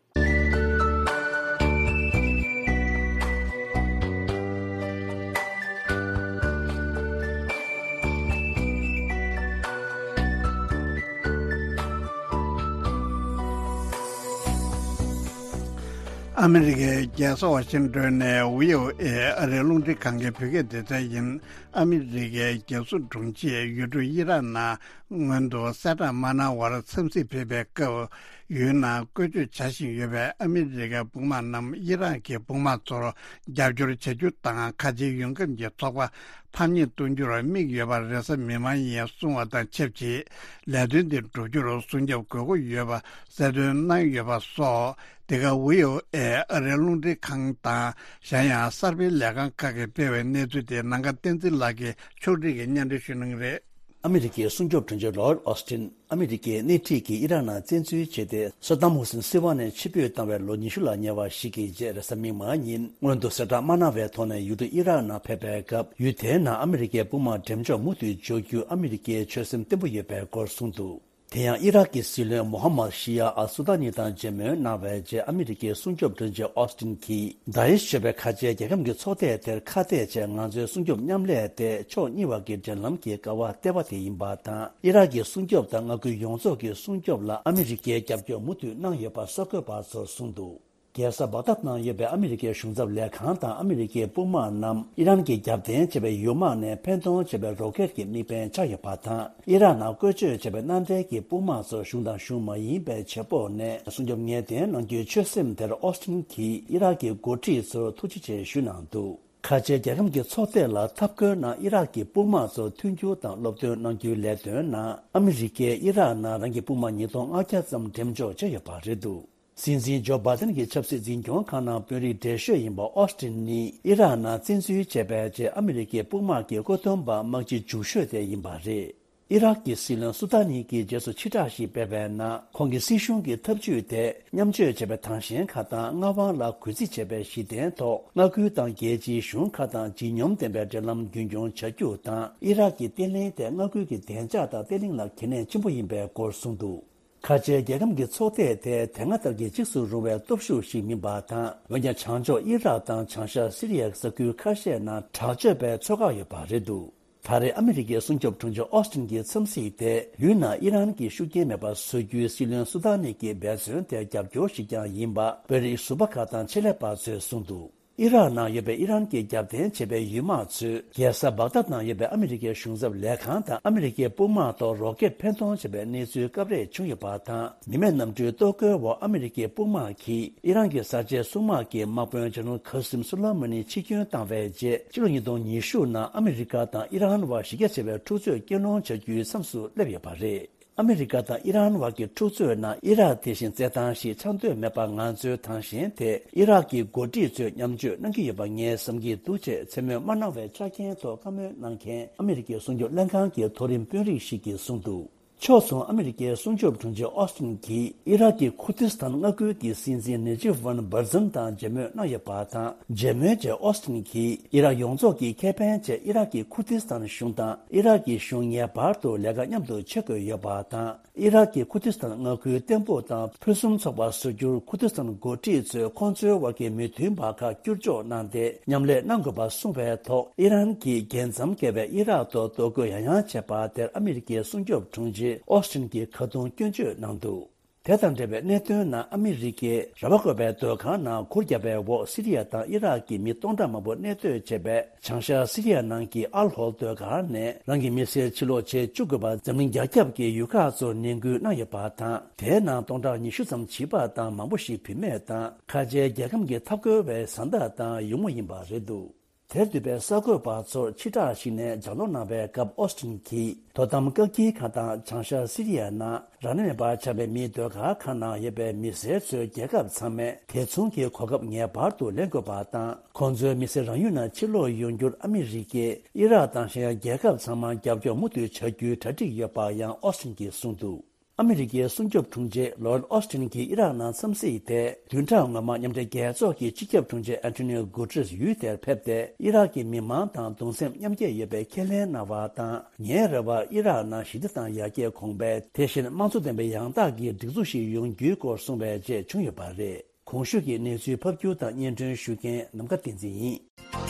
ཨ་མི་རི་ཀའི་རྒྱལ་ས་ཝ་ཤིང་ཏོན་ནས་བྷི་ཨོ་ཨེ་ཨ་རིའི་རླུང་འཕྲིན་ཁང་གི་བོད་སྐད་སྡེ་ཚན་ཡིན། ཨ་མི་རི་ཀའི་རྒྱལ་སྲུང་དྲུང་ཆེས་ཡུལ་གྲུ་ཨི་རག་ནང་སྔོན་དུ་གསལ་བསྒྲགས་མ་གནང་བར་འཚམས་གཟིགས་ཕེབས་པའི་སྐབས། ཡུལ་ནང་བཀོལ་སྤྱོད་བྱ་བཞིན་ཡོད་པའི་ཨ་མི་རི་ཀའི་དཔུང་དམག་རྣམས་ཨི་རག་གི་དཔུང་དམག་ཚོར་རྒྱབ་སྐྱོར་བྱ་རྒྱུ་དང་། ཁ་ཆེའི་ཡོང་ཁབ་ཀྱི་ཚོགས་པ་ཕམ་ཉེས་གཏོང་རྒྱུར་དམིགས་ཡོད་པ་རེས་གཟའ་མིག་དམར་ཉིན་གསུངས་པ་དང་ཆབས་ཅིག་ལས་དོན་དེ་འགྲུབ་རྒྱུར་སྲུང་སྐྱོབ་དགོས་མཁོ་ཡོད་པ་གསལ་སྟོན་གནང་ཡོད་པ་སོགས། འདི་ག་བྷི་ཨོ་ཨེ་ཨ་རིའི་རླུང་འཕྲིན་ཁང་དང་། གཞན་ཡང་གསར་སྤེལ་ལས་ཁང་ཁག་གིས་སྤེལ་བའི་གནས་ཚུལ་དེ་ནམ་མཁའ་བསྟན་འཛིན་ལགས་ཀྱིས་ཕྱོགས་སྒྲིག་གིས་སྙན་སྒྲོན་ཞུ་གནང་གི་རེད། ཨ་མི་རི་ཀའི་སྲུང་སྐྱོབ་དྲུང་ཆེ་ལོའིཌ་ཨོ་སི་ཏིན། ཨ་མི་རི་ཀའི་སྣེ་ཁྲིད་ཀྱིས་ཨི་རག་ནང་བཙན་འཛུལ་བྱས་ཏེ། སད་དམ་ཧུ་སིན་སྲིད་དབང་ནས་ཕྱིར་འབུད་བཏང་བའི་ལོ་ཉི་ཤུ་ལ་ཉེ་བ་ཞིག་གི་རྗེས་རེས་གཟའ་མིག་དམར་ཉིན་སྔོན་དུ་གསལ་བསྒྲགས་མ་གནང་བའི་ཐོག་ནས་ཡུལ་གྲུ་ཨི་རག་ནང་ཕེབས་པའི་སྐབས། ཡུལ་དེའི་ནང་ཨ་མི་རི་ཀའི་དཔུང་དམག་འགྲེམས་འཇོག་མུ་མཐུད་འཇོག་རྒྱུ་ཨ་མི་རི་ཀའི་ཆོད་སེམས་བརྟན་པོ་ཡོད་པའི་སྐོར་གསུངས་འདུག་དེ་ཡང་ཨི་རག་གི་སྲིད་བློན་མོ་ཧམ་མད་ཤི་ཡ་ཨལ་སུ་ཏཱ་ནི་དང་མཇལ་མོལ་གནང་བའི་རྗེས། ཨ་མི་རི་ཀའི་སྲུང་སྐྱོབ་དྲུང་ཆེ་ཨོ་སི་ཏིན་གྱིས། དཱ་ཨིཤ་ཞེས་པའི་ཁ་ཆེའི་རྒྱལ་ཁམས་ཀྱི་ཚོགས་སྡེ་དེར་ཁ་གཏད་བྱས། ང་ཚོའི་སྲུང་སྐྱོབ་མཉམ་ལས་དེ་ཕྱོགས་གཉིས་བར་གྱི་འབྲེལ་ལམ་གྱི་ཀ་བ་ལྟེ་བ་དེ་ཡིན་པ་དང་། ཨི་རག་གི་སྲུང་སྐྱོབ་དང་མངའ་ཁུལ་ཡོངས་རྫོགས་ཀྱི་སྲུང་སྐྱོབ་ལ་ཨ་མི་རི་ཀས་རྒྱབ་སྐྱོར་མུ་མཐུད་གནང་ཡོད་པ་གསར་འགོད་པ་ཚོར་གསུངས་འདུག་རྒྱལ་ས་བག་དཱད་ནང་ཡོད་པའི་ཨ་མི་རི་ཀའི་གཞུང་ཚབ་ལས་ཁང་དང་ཨ་མི་རི་ཀའི་དཔུང་དམག་རྣམས་ཨི་རན་གྱི་རྒྱབ་རྟེན་བྱས་པའི་ཡུལ་དམག་ནས་འཕེན་གཏོང་བྱས་པའི་རོ་ཀེད་ཀྱི་དམིགས་འབེན་ཆགས་ཡོད་པ་དང་། ཨི་རག་ནང་བཀོལ་སྤྱོད་བྱས་པའི་མནའ་འབྲེལ་གྱི་དཔུང་དམག་ཚོ་གཞུང་དང་གཞུང་མ་ཡིན་པའི་བྱེད་ཕོགས་ནས་སྲུང་སྐྱོབ་ངེས་གཏན་གནང་རྒྱུའི་ཆོད་སེམས་དེར་ཨོ་སི་ཏིན་གྱིས་ཨི་རག་གི་འགོ་ཁྲིད་ཚོར་ཐུགས་རྗེ་ཆེ་ཞུས་གནང་འདུག་ཁ་ཆེའི་རྒྱལ་ཁམས་ཀྱི་ཚོགས་སྡེ་ལ་འཐབ་རྒོལ་ནང་ཨི་རག་གི་དཔུང་དམག་ཚོར་མཐུན་འགྱུར་དང་སློབ་སྟོན་གནང་རྒྱུའི་ལས་དོན་ནང་ཨ་མི་རི་ཀས་ཨི་རག་ནང་རང་གི་དཔུང་དམག་ཉིས་སྟོང་ལྔ་བརྒྱ་ཙམ་འགྲེམས་འཇོག་བྱས་ཡོད་པ་རེད་འདུག་སྲིད་འཛིན་ཇོ་བྷ་དན་གྱི་ཆབ་སྲིད་འཛིན་སྐྱོང་ཁང་ནང་དཔོན་རིགས་བགྲེས་ཤོས་ཡིན་པ་ཨོ་སི་ཏིན་ནི། ཨི་རག་ནང་བཙན་འཛུལ་བྱས་པའི་རྗེས་ཨ་མི་རི་ཀའི་དཔུང་དམག་གི་བཀོད་འདོམས་པ་དམག་སྤྱི་མཇུག་ཤོས་དེ་ཡིན་པ་རེད། ཨི་རག་གི་སྲིད་བློན་སུ་ཏཱ་ནི་གིས་རྗེས་སུ་ཕྱིར་བསྒྲགས་ཤིག་སྤེལ་བའི་ནང་། ཁོང་གི་སྲིད་གཞུང་གི་ཐབས་ཇུས་དེ་མཉམ་སྤྱོད་བྱས་པའི་དྭངས་ཤེལ་ཁག་དང་མངའ་དབང་ལ་གུས་བརྩི་བྱས་པའི་གཞི་རྟེན་ཐོག་མངའ་ཁུལ་དང་རྒྱལ་སྤྱིའི་གཞུང་ཁག་དང་ལྗིད་སྙོམས་ལྡན་པའི་འབྲེལ་ལམ་རྒྱུན་འཁྱོངས་བྱ་རྒྱུ་དང་། ཨི་རག་གི་བརྟན་ལྷིང་དེ་མངའ་ཁུལ་གྱི་བདེ་འཇགས་དང་བརྟན་ལྷིང་ལ་གལ་གནད་ཆེན་པོ་ཡིན་པའི་སྐོར་གསུངས་འདུག་ཁ་ཆེའི་རྒྱལ་ཁམས་ཀྱི་ཚོགས་སྡེ་དེ་དེ་སྔ་ལྟར་གྱི་འཇིགས་སུ་རུང་བའི་སྟོབས་ཤུགས་ཤིག་མིན་པ་དང་། འོན་ཀྱང་བྱང་ཕྱོགས་ཨི་རག་དང་བྱང་ཤར་སི་རི་ཡའི་ས་ཁུལ་ཁ་ཤས་ནང་དྲག་སྤྱོད་པའི་ཚོད་དཔག་ཡོད་པ་རེད་འདུག་ད་རེས་ཨ་མི་རི་ཀའི་སྲུང་སྐྱོབ་དྲུང་ཆེ་ཨོ་སི་ཏིན་གྱི་འཚམས་གཟིགས་དེ། ཡུལ་ནང་ཨི་རན་གྱི་ཤུགས་རྐྱེན་མེད་པ་བཟོ་རྒྱུའི་སྲིད་བློན་སུ་དཱ་ནི་གྱི་འབད་བརྩོན་དེར་རྒྱབ་སྐྱོར་ཞིག་ཀྱང་ཡིན་པ། དཔོན་རིགས་ཟུར་པ་ཁག་དང་ཆེད་ལས་པ་ཚོས་གསུངས་འདུག་ཨི་རག་ནང་ཡོད་པའི་ཨི་རན་གྱི་རྒྱབ་རྟེན་བྱས་པའི་ཡུལ་དམག་ཚོས། རྒྱལ་ས་བག་དཱད་ནང་ཡོད་པའི་ཨ་མི་རི་ཀའི་གཞུང་ཚབ་ལས་ཁང་དང་ཨ་མི་རི་ཀའི་དཔུང་དམག་ཐོག་རོ་ཀེད་འཕེན་གཏོང་བྱས་པའི་གནས་ཚུལ་སྐབས་རེ་བྱུང་ཡོད་པ་དང་། མི་མེད་གནམ་གྲུའི་གཏོར་རྒོལ་འོག་ཨ་མི་རི་ཀའི་དཔུང་དམག་གིས་ཨི་རན་གྱི་གསར་བརྗེའི་སྲུང་དམག་གི་དམག་དཔོན་ཇེ་ནེ་རལ་ཁ་སིམ་སུ་ལ་མ་ནི་འཆི་སྐྱོན་བཏང་བའི་རྗེས། ཕྱི་ལོ་ཉིས་སྟོང་ཉི་ཤུ་ནང་ཨ་མི་རི་ཀ་དང་ཨི་རན་བར་གཞི་རྒྱ་ཆེ་བའི་འཁྲུག་རྩོད་རྐྱེན་སློང་བྱ་རྒྱུའི་མཚམས་སུ་སླེབས་ཡོད་པ་རེད། ཨ་མི་རི་ཀ་དང་ཨི་རན་བར་གྱི་འཁྲུག་རྩོད་ནང་ཨི་རག་དེ་བཞིན་རྩེད་ཐང་ཞིག་ཆགས་འདོད་མེད་པར། ང་ཚོའི་ཐང་ཞེན་དེ་ཨི་རག་གི་འགོ་ཁྲིད་ཚོས་མཉམ་སྤྱོད་གནང་གི་ཡོད་པ་ངས་བསམ་གྱི་འདུག་ཅེས་མཚན་སྨོས་མ་གནང་བའི་ཆ་རྐྱེན་ཐོག་བཀའ་མོལ་གནང་མཁན་ཨ་མི་རི་ཀའི་སྲུང་སྐྱོབ་ལྷན་ཁང་གི་མཐོ་རིམ་དཔོན་རིགས་ཤིག་གིས་གསུངས་འདུག་ཕྱོགས་མཚུངས། ཨ་མི་རི་ཀའི་སྲུང་སྐྱོབ་དྲུང་ཆེ་ཨོ་སི་ཏིན་གྱིས་ཨི་རག་གི་ཁུར་ཏི་སི་ཐན་མངའ་ཁུལ་གྱི་སྲིད་འཛིན་ནེ་ཇིབ་ཝན་བར་ཛན་དང་མཇལ་མོལ་གནང་ཡོད་པ་དང་། མཇལ་མོལ་རྗེས་ཨོ་སི་ཏིན་གྱིས་ཨི་རག་ཡོངས་རྫོགས་ཀྱི་ཁེ་ཕན་ཆེད་ཨི་རག་གི་ཁུར་ཏི་སི་ཐན་གཞུང་དང་ཨི་རག་གི་གཞུང་ངེས་པར་དུ་ལས་ཀ་མཉམ་དུ་བྱེད་དགོས་ཡོད་པ་དང་། ཨི་རག་གི་ཁུར་ཏི་སི་ཐན་མངའ་ཁུལ་བརྟན་པོ་དང་ཕུན་སུམ་ཚོགས་པ་བཟོ་རྒྱུར་ཁུར་ཏི་སི་ཐན་འགོ་ཁྲིད་ཚོས་ཁོང་ཚོའི་དབར་གྱི་མི་མཐུན་པ་ཁག་བསྐྱུར་འཇོག་གནང་སྟེ་མཉམ་ལས་གནང་དགོས་པ་གསུངས་པའི་ཐོག་ཨི་རན་གྱིས་རྒྱལ་མཚམས་བརྒལ་བའི་ཨི་རག་ཐོག་གཏོར་རྒོལ་ཡང་ཡང་བྱས་པ་དེར་ཨ་མི་རི་ཀའི་སྲུང་སྐྱོབ་དྲུང་ཆེ་ཨོ་སི་ཏིན་གྱིས་ཁ་རྡུང་སྐྱོན་བརྗོད་གནང་འདུག་དེ་དང་འབྲེལ་བའི་གནད་དོན་ནང་ཨ་མི་རི་ཀས་ར་བ་དགོན་པའི་སྡོད་ཁང་ནང་གུར་བརྒྱབ་པའི་འོག་སི་རི་ཡ་དང་ཨི་རག་གི་མི་སྟོང་ཕྲག་མང་པོ་གནས་སྡོད་བྱེད་པའི་བྱང་ཤར་སི་རི་ཡ་ནང་གི་ཨལ་ཧོལ་སྡོད་སྒར་ནས་རང་གི་མི་སེར་ཕྱིར་ལོག་བྱེད་བཅུག་དགོས་པར་འཛམ་གླིང་རྒྱ་ཁྱབ་ཀྱི་ཡུལ་ཁག་ཚོར་ནན་སྐུལ་གནང་ཡོད་པ་དང་། དེའི་ནང་སྟོང་ཕྲག་ཉི་ཤུ་ཙམ་བྱིས་པ་དང་མང་པོ་ཞིག་བུད་མེད་དང་ཁ་ཆེའི་རྒྱལ་ཁམས་ཀྱི་འཐབ་རྒོལ་བའི་བཟའ་ཟླ་དང་ཡུགས་མོ་ཡིན་པ་རེད་འདུག་དེར་འདུས་པའི་གསར་འགོད་པ་ཚོར་ཕྱིར་བསྒྲགས་ཤིག་ནས་ལྗགས་ཀློག་གནང་བའི་སྐབས་ཨོ་སི་ཊིན་གྱིས་དོ་དམ་བཀག་སྐྱིལ་ཁང་དང་བྱང་ཤར་སི་རི་ཡའི་ནང་རང་དབང་མེད་པར་ཆགས་པའི་མིའི་སྡོད་སྒར་ཁག་ནང་ཡོད་པའི་མི་སེར་ཚོའི་རྒྱལ་ཁབ་ཚང་མས་དེ་མཚུངས་ཀྱི་གོ་སྐབས་ངེས་པར་དུ་ལེན་དགོས་པ་དང་། ཁོང་ཚོའི་མི་སེར་རང་ཡུལ་ནང་ཕྱིར་ལོག་ཡོང་རྒྱུར་ཨ་མི་རི་ཀས་ཨི་རག་དང་གཞན་ཡང་རྒྱལ་ཁབ་ཚང་མར་རྒྱབ་སྐྱོར་མུ་མཐུད་བྱ་རྒྱུའི་གྲ་སྒྲིག་ཡོད་པ་ཡང་ཨོ་སི་ཊིན་གྱིས་གསུངས་འདུག་ཨ་མི་རི་ཀའི་སྲུང་སྐྱོབ་དྲུང་ཆེ་ལོའིཌ་ཨོ་སི་ཊིན་གྱི་ཨི་རག་ནང་འཚམས་གཟིགས་དེ་བདུན་ཕྲག་སྔོན་མ་མཉམ་འབྲེལ་རྒྱལ་ཚོགས་ཀྱི་སྤྱི་ཁྱབ་དྲུང་ཆེ་ཨན་ཐོ་ནིའོ་གུ་ཏྲེས་ཡུལ་དེར་ཕེབས་ཏེ། ཨི་རག་གི་མི་མང་དང་གདུང་སེམས་མཉམ་སྐྱེད་ཡོད་པའི་ཁས་ལེན་གནང་བ་དང་། ཉེ་རབས་པར་ཨི་རག་ནང་ཞི་བདེ་དང་ཡར་རྒྱས་གོང་འཕེལ། དེ་བཞིན་དམངས་གཙོ་ལྡན་པའི་ཡང་དག་གི་སྒྲིག་འཛུགས་ཤིག་ཡོང་རྒྱུའི་སྐོར་གསུངས་པའི་རྗེས་བྱུང་ཡོད་པ་རེད། གོང་ཞུས་ཀྱི་གནས་ཚུལ་ཕབ་སྒྱུར་དང་སྙན་སྒྲོན་ཞུ་མཁན་ནམ་མཁའ་བསྟན་འཛིན་ཡིན།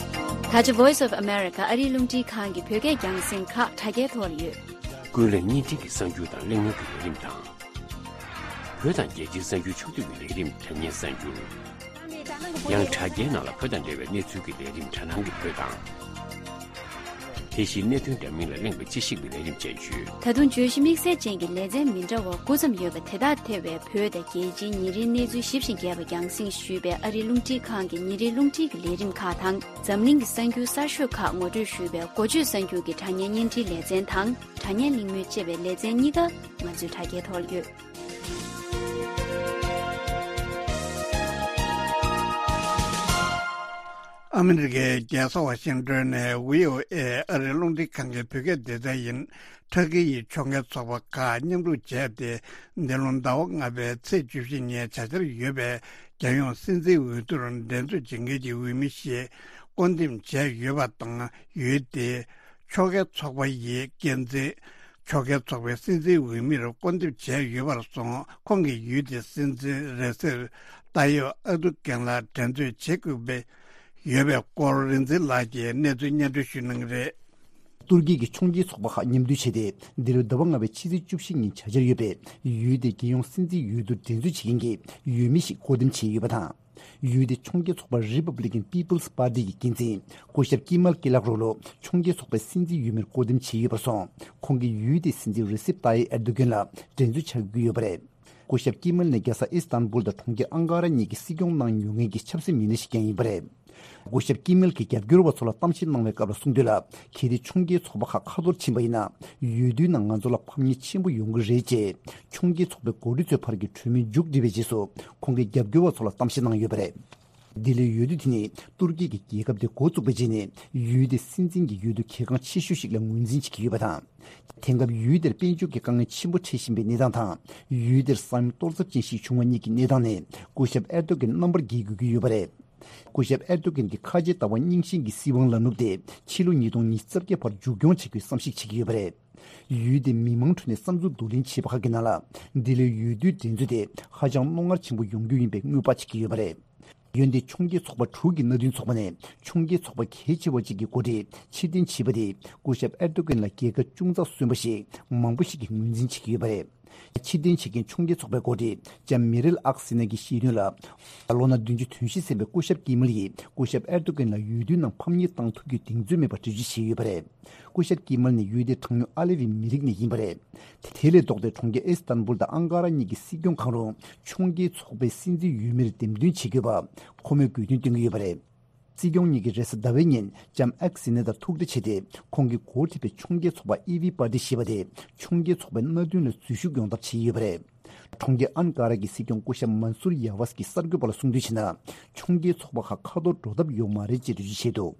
ད་ཆ་Voice of America ཨ་རིའི་རླུང་འཕྲིན་ཁང་གི་བོད་སྐད་རྒྱང་སྲིང་ཁག་དྲ་རྒྱའི་ཐོག་ལ་ཡོད། ཀུན་གླེང་བརྙན་འཕྲིན་གྱི་གསར་འགྱུར་དང་གླེང་མོལ་གྱི་ལས་རིམ་དང་། བོད་དང་རྒྱལ་སྤྱིའི་གསར་འགྱུར་ཕྱོགས་བསྡུས་ཀྱི་ལས་རིམ་དྲ་བརྙན་གསར་འགྱུར། ཡང་དྲ་རྒྱའི་ནང་ལ་བོད་དང་འབྲེལ་བའི་གནས་ཚུལ་གྱི་ལས་རིམ་དྲ་སྣང་གི་བོད་དང་། དེ་བཞིན་གནད་དོན་འདྲ་མིན་ལ་གླེང་བའི་དཔྱད་ཞིབ་ཀྱི་ལས་རིམ་བཅས་ཡོད། ད་དུང་བརྗོད་གཞི་དམིགས་བསལ་ཅན་གྱི་ལེ་ཚན་མི་འདྲ་བ་དགུ་ཙམ་ཡོད་པ་དེ་དག་ཐེ་བའི་བོད་དང་རྒྱལ་སྤྱིའི་ཉིན་རེའི་གནས་ཚུལ་ཞིབ་ཅིང་རྒྱས་པ་རྒྱང་སྲིང་ཞུས་པའི་ཨ་རིའི་རླུང་འཕྲིན་ཁང་གི་ཉིན་རེའི་རླུང་འཕྲིན་གྱི་ལས་རིམ་ཁག་དང་། འཛམ་གླིང་གི་གསར་འགྱུར་གསར་ཤོས་ཁག་ངོ་སྤྲོད་ཞུས་པའི་འགོ་བརྗོད་གསར་འགྱུར་གྱི་དྲ་བརྙན་བརྙན་འཕྲིན་ལེ་ཚན་དང་། དྲ་བརྙན་གླེང་མོལ་ཅེས་པའི་ལེ་ཚན་གཉིས་ཀ་ང་ཚོའི་དྲ་རྒྱའི་ཐོག་ལ་ཡོད། ཨ་མི་རི་ཀའི་རྒྱལ་ས་ཝ་ཤིང་ཏོན་ནས་བྷི་ཨོ་ཨེ་ཨ་རིའི་རླུང་འཕྲིན་ཁང་གི་བོད་སྐད་སྡེ་ཚན་ཡིན། ཕྲ་གི་ཡི་ཕྱོགས་འགལ་ཚོགས་པ་ཁག་མཉམ་རུབ་བྱས་ཏེ། འདི་ལོ་ཟླ་བ་ལྔ་པའི་ཚེས་བཅུ་བཞི་ཉིན་བྱ་འཆར་ཡོད་པའི་རྒྱལ་ཡོངས་སྲིད་འཛིན་འོས་བསྡུར་འགྲན་རྩོད་བྱེད་མཁན་གྱི་འོས་མི་ཞིག་བསྐོ་འདེམས་བྱས་ཡོད་པ་དང་། འོས་དེ་ཕྱོགས་འགལ་ཚོགས་པ་ཡི་འགན་འཛིན། ཕྱོགས་འགལ་ཚོགས་པའི་སྲིད་འཛིན་འོས་མིར་བསྐོ་འདེམས་བྱས་ཡོད་པར་སོང་། ཁོང་གིས་འོས་དེ་སྲིད་འཛིན་རེ་སེབ་ཏཱ་ཡེབ་ཨར་དུ་གན་ལ་འགྲན་རྩོད་བྱེད་དགོས་པའི་ཡོད་པའི་སྐོར་རིག་འཛིན་ལགས་ཀྱིས་གནས་ཚུལ་སྙན་སྒྲོན་ཞུ་གནང་གི་རེད། ཏུར་ཀི་གི་ཕྱོགས་འགལ་ཚོགས་པ་ཁག་མཉམ་འདུས་བྱས་ཏེ། འདི་ལོའི་ཟླ་བ་ལྔ་པའི་ཕྱི་ཚེས་བཅུ་བཞི་ཉིན་བྱ་འཆར་ཡོད་པའི་འོས་དེ་རྒྱལ་ཡོངས་སྲིད་འཛིན་འོས་བསྡུར་འགྲན་རྩོད་བྱེད་མཁན་གྱི་འོས་མི་ཞིག་བསྐོ་འདེམས་བྱས་ཡོད་པ་དང་། འོས་དེ་ཕྱོགས་འགལ་ཚོགས་པ་Republican People's Party གི་འགན་འཛིན་སྐུ་ཞབས་ཀི་མལ་ཀི་ལག་རོ་ལོ་ཕྱོགས་འགལ་ཚོགས་པའི་སྲིད་འཛིན་འོས་མིར་བསྐོ་འདེམས་བྱས་ཡོད་པར་སོང་། ཁོང་གིས་འོས་དེ་སྲིད་འཛིན་རེ་སེབ་ཏཱ་ཡེབ་ཨེར་དོ་གན་ལ་འགྲན་རྩོད་བྱ་དགོས་ཀྱི་ཡོད་པ་རེད། སྐུ་ཞབས་ཀི་མལ་ནས་རྒྱལ་ས་ཨིས་ཏན་བུལ་དང་གྲོང་ཁྱེར་ཨང་ཀ་ར་གཉིས་ཀྱི་སྲིད་སྐྱོང་གནང་མྱོང་མཁན་གྱི་ཆབ་སྲིད་མི་སྣ་ཞིག་ཀྱང་ཡིན་པ་རེད། སྐུ་ཞབས་ཀི་མལ་གྱིས་རྒྱབ་སྐྱོར་བ་ཚོ་ལ་གཏམ་བཤད་གནང་བའི་སྐབས་ལ་གསུངས་དོན་ལ། གལ་ཏེ་ཕྱོགས་འགལ་ཚོགས་པ་ཁག་ཁ་ཐོར་ཕྱིན་པ་ཡིན་ན། འོས་བསྡུའི་ནང་ང་ཚོ་ལ་ཕམ་ཉེས་ཆེན་པོ་ཡོང་གི་རེད་ཅེས། ཕྱོགས་འགལ་ཚོགས་པའི་འགོ་ཁྲིད་ཚོས་ཕར་གྱི་གྲོས་མོལ་མཇུག་བསྒྲིལ་བའི་རྗེས་སུ། ཁོང་གིས་རྒྱབ་སྐྱོར་བ་ཚོ་ལ་གཏམ་བཤད་གནང་ཡོད་པ་རེད། འདི་ལོའི་འོས་བསྡུ་དེ་ནི་ཏུར་ཀི་གི་རྒྱལ་ཁབ་དེ་འགོ་བཙུགས་པའི་རྗེས་ནས་འོས་དེ་སྲིད་འཛིན་གྱི་འོས་བསྡུ་གལ་འགངས་ཆེ་ཤོས་ཤིག་ལ་ངོས་འཛིན་བྱེད་ཀྱི་ཡོད་པ་དང་། དེང་སྐབས་འོས་དེར་དཔལ་འབྱོར་གྱི་དཀའ་ངལ་ཆེན་པོ་འཕྲད་བཞིན་པའི་གནས་སྟངས་དང་། འོས་དེར་ས་ཡོམ་གཏོར་ཚབས་ཅན་ཞིག་བྱུང་བ་གཉིས་ཀྱི་གནས་སྟངས་ནས་སྐུ་ཞབས་ཨེར་དོ་གན་རྣམ་པར་རྒྱལ་དགོས་ཀྱི་ཡོད་པ་རེད། སྐུ་ཞབས་ཨེར་དོ་གན་གྱི་ཁ་ཆེ་ལྟ་བ་རྙིང་ཞེན་གྱི་སྲིད་དབང་ལ་ནུབ་སྟེ། ཕྱི་ལོ་ཉིས་སྟོང་ཉི་ཤུ་རྩ་བརྒྱད་བར་མཇུག་སྐྱོང་བྱེད་རྒྱུའི་བསམ་གཞིག་བྱེད་ཀྱི་ཡོད་པ་རེད། འོས་དེ་མི་མང་ཁྲོད་ནས་བསམ་ཚུལ་བསྡུ་ལེན་བྱས་པ་ཁག་གི་ནང་ལ། འདི་ལོའི་འོས་བསྡུའི་འགྲན་རྩོད་དེ་ཧ་ཅང་རྣོ་ངར་ཆེན་པོ་ཡོང་རྒྱུ་ཡིན་པའི་སྔོན་དཔག་བྱེད་ཀྱི་ཡོད་པ་རེད། འོན་ཏེ་ཕྱོགས་འགལ་ཚོགས་པ་དྲུག་གི་མནའ་མཐུན་ཚོགས་པ་ནས་ཕྱོགས་འགལ་ཚོགས་པ་གལ་ཆེ་བ་གཅིག་གི་འགོ་ཁྲིད་ཕྱིར་འཐེན་བྱས་པ་དེས་སྐུ་ཞབས་ཨེར་དོ་གན་ལ་རྒྱལ་ཁ་ཅུང་ཙག་སོན་པ་ཞིག་མང་པོ་ཞིག་གིས་ངོས་འཛིན་བྱེད་ཀྱི་ཡོད་པ་རེད། ཕྱིར་འཐེན་བྱེད་མཁན་ཕྱོགས་འགལ་ཚོགས་པའི་འགོ་ཁྲིད་ལྕམ་མེ་རེལ་ཨག་སི་ན་གྱིས་བཤད་དོན་ལ། ལོ་ན་བདུན་ཅུ་དོན་བཞི་ཟིན་པའི་སྐུ་ཞབས་ཀི་མལ་ཡིས་སྐུ་ཞབས་ཨེར་དོ་གན་ལ་འོས་བསྡུའི་ནང་ཕམ་ཉེས་བཏང་ཐུབ་རྒྱུའི་གདེང་ཚོད་མེད་པར་འགྲེལ་བརྗོད་བྱས་ཡོད་པ་རེད། སྐུ་ཞབས་ཀི་མལ་ནི་འོས་དེ་གྲངས་ཉུང་ཨ་ལེ་བི་མི་རིགས་ནས་ཡིན་པ་རེད། དེ་ལས་ལྡོག་སྟེ་གྲོང་ཁྱེར་ཨིས་ཏན་བུལ་དང་ཨང་ཀ་ར་གཉིས་ཀྱི་སྲིད་སྐྱོང་ཁང་རུ་ཕྱོགས་འགལ་ཚོགས་པའི་སྲིད་འཛིན་འོས་མིར་འདེམས་ཐོན་བྱེད་དགོས་པ་ཁོ་མོས་དགོས་འདུན་བཏོན་གྱི་ཡོད་པ་རེད། སྲིད་སྐྱོང་གཉིས་ཀྱིས་རེས་གཟའ་ཟླ་བའི་ཉིན་ལྕམ་ཨེག་སི་ནེ་དང་ཐུག་འཕྲད་བྱས་ཏེ། ཁོང་གིས་འགོ་ཁྲིད་པའི་ཕྱོགས་འགལ་ཚོགས་པ་ཨི་ཝི་པར་ཏི་ཞེས་པ་དེ་ཕྱོགས་འགལ་ཚོགས་པའི་མནའ་མཐུན་ལ་འཛུལ་ཞུགས་ཡོང་ཐབས་བྱས་ཡོད་པ་རེད། གྲོང་ཁྱེར་ཨན་ཀ་ར་གི་སྲིད་སྐྱོང་སྐུ་ཞབས་མན་སུར་ཡ་ཝས་ཀྱིས་གསར་འགོད་པ་ལ་གསུངས་དོན་བྱས་ན། ཕྱོགས་འགལ་ཚོགས་པ་ཁག་ཁ་ཐོར་འགྲོ་ཐབས་ཡོད་མ་རེད་ཅེས་འགྲེལ་བརྗོད་བྱས་འདུག་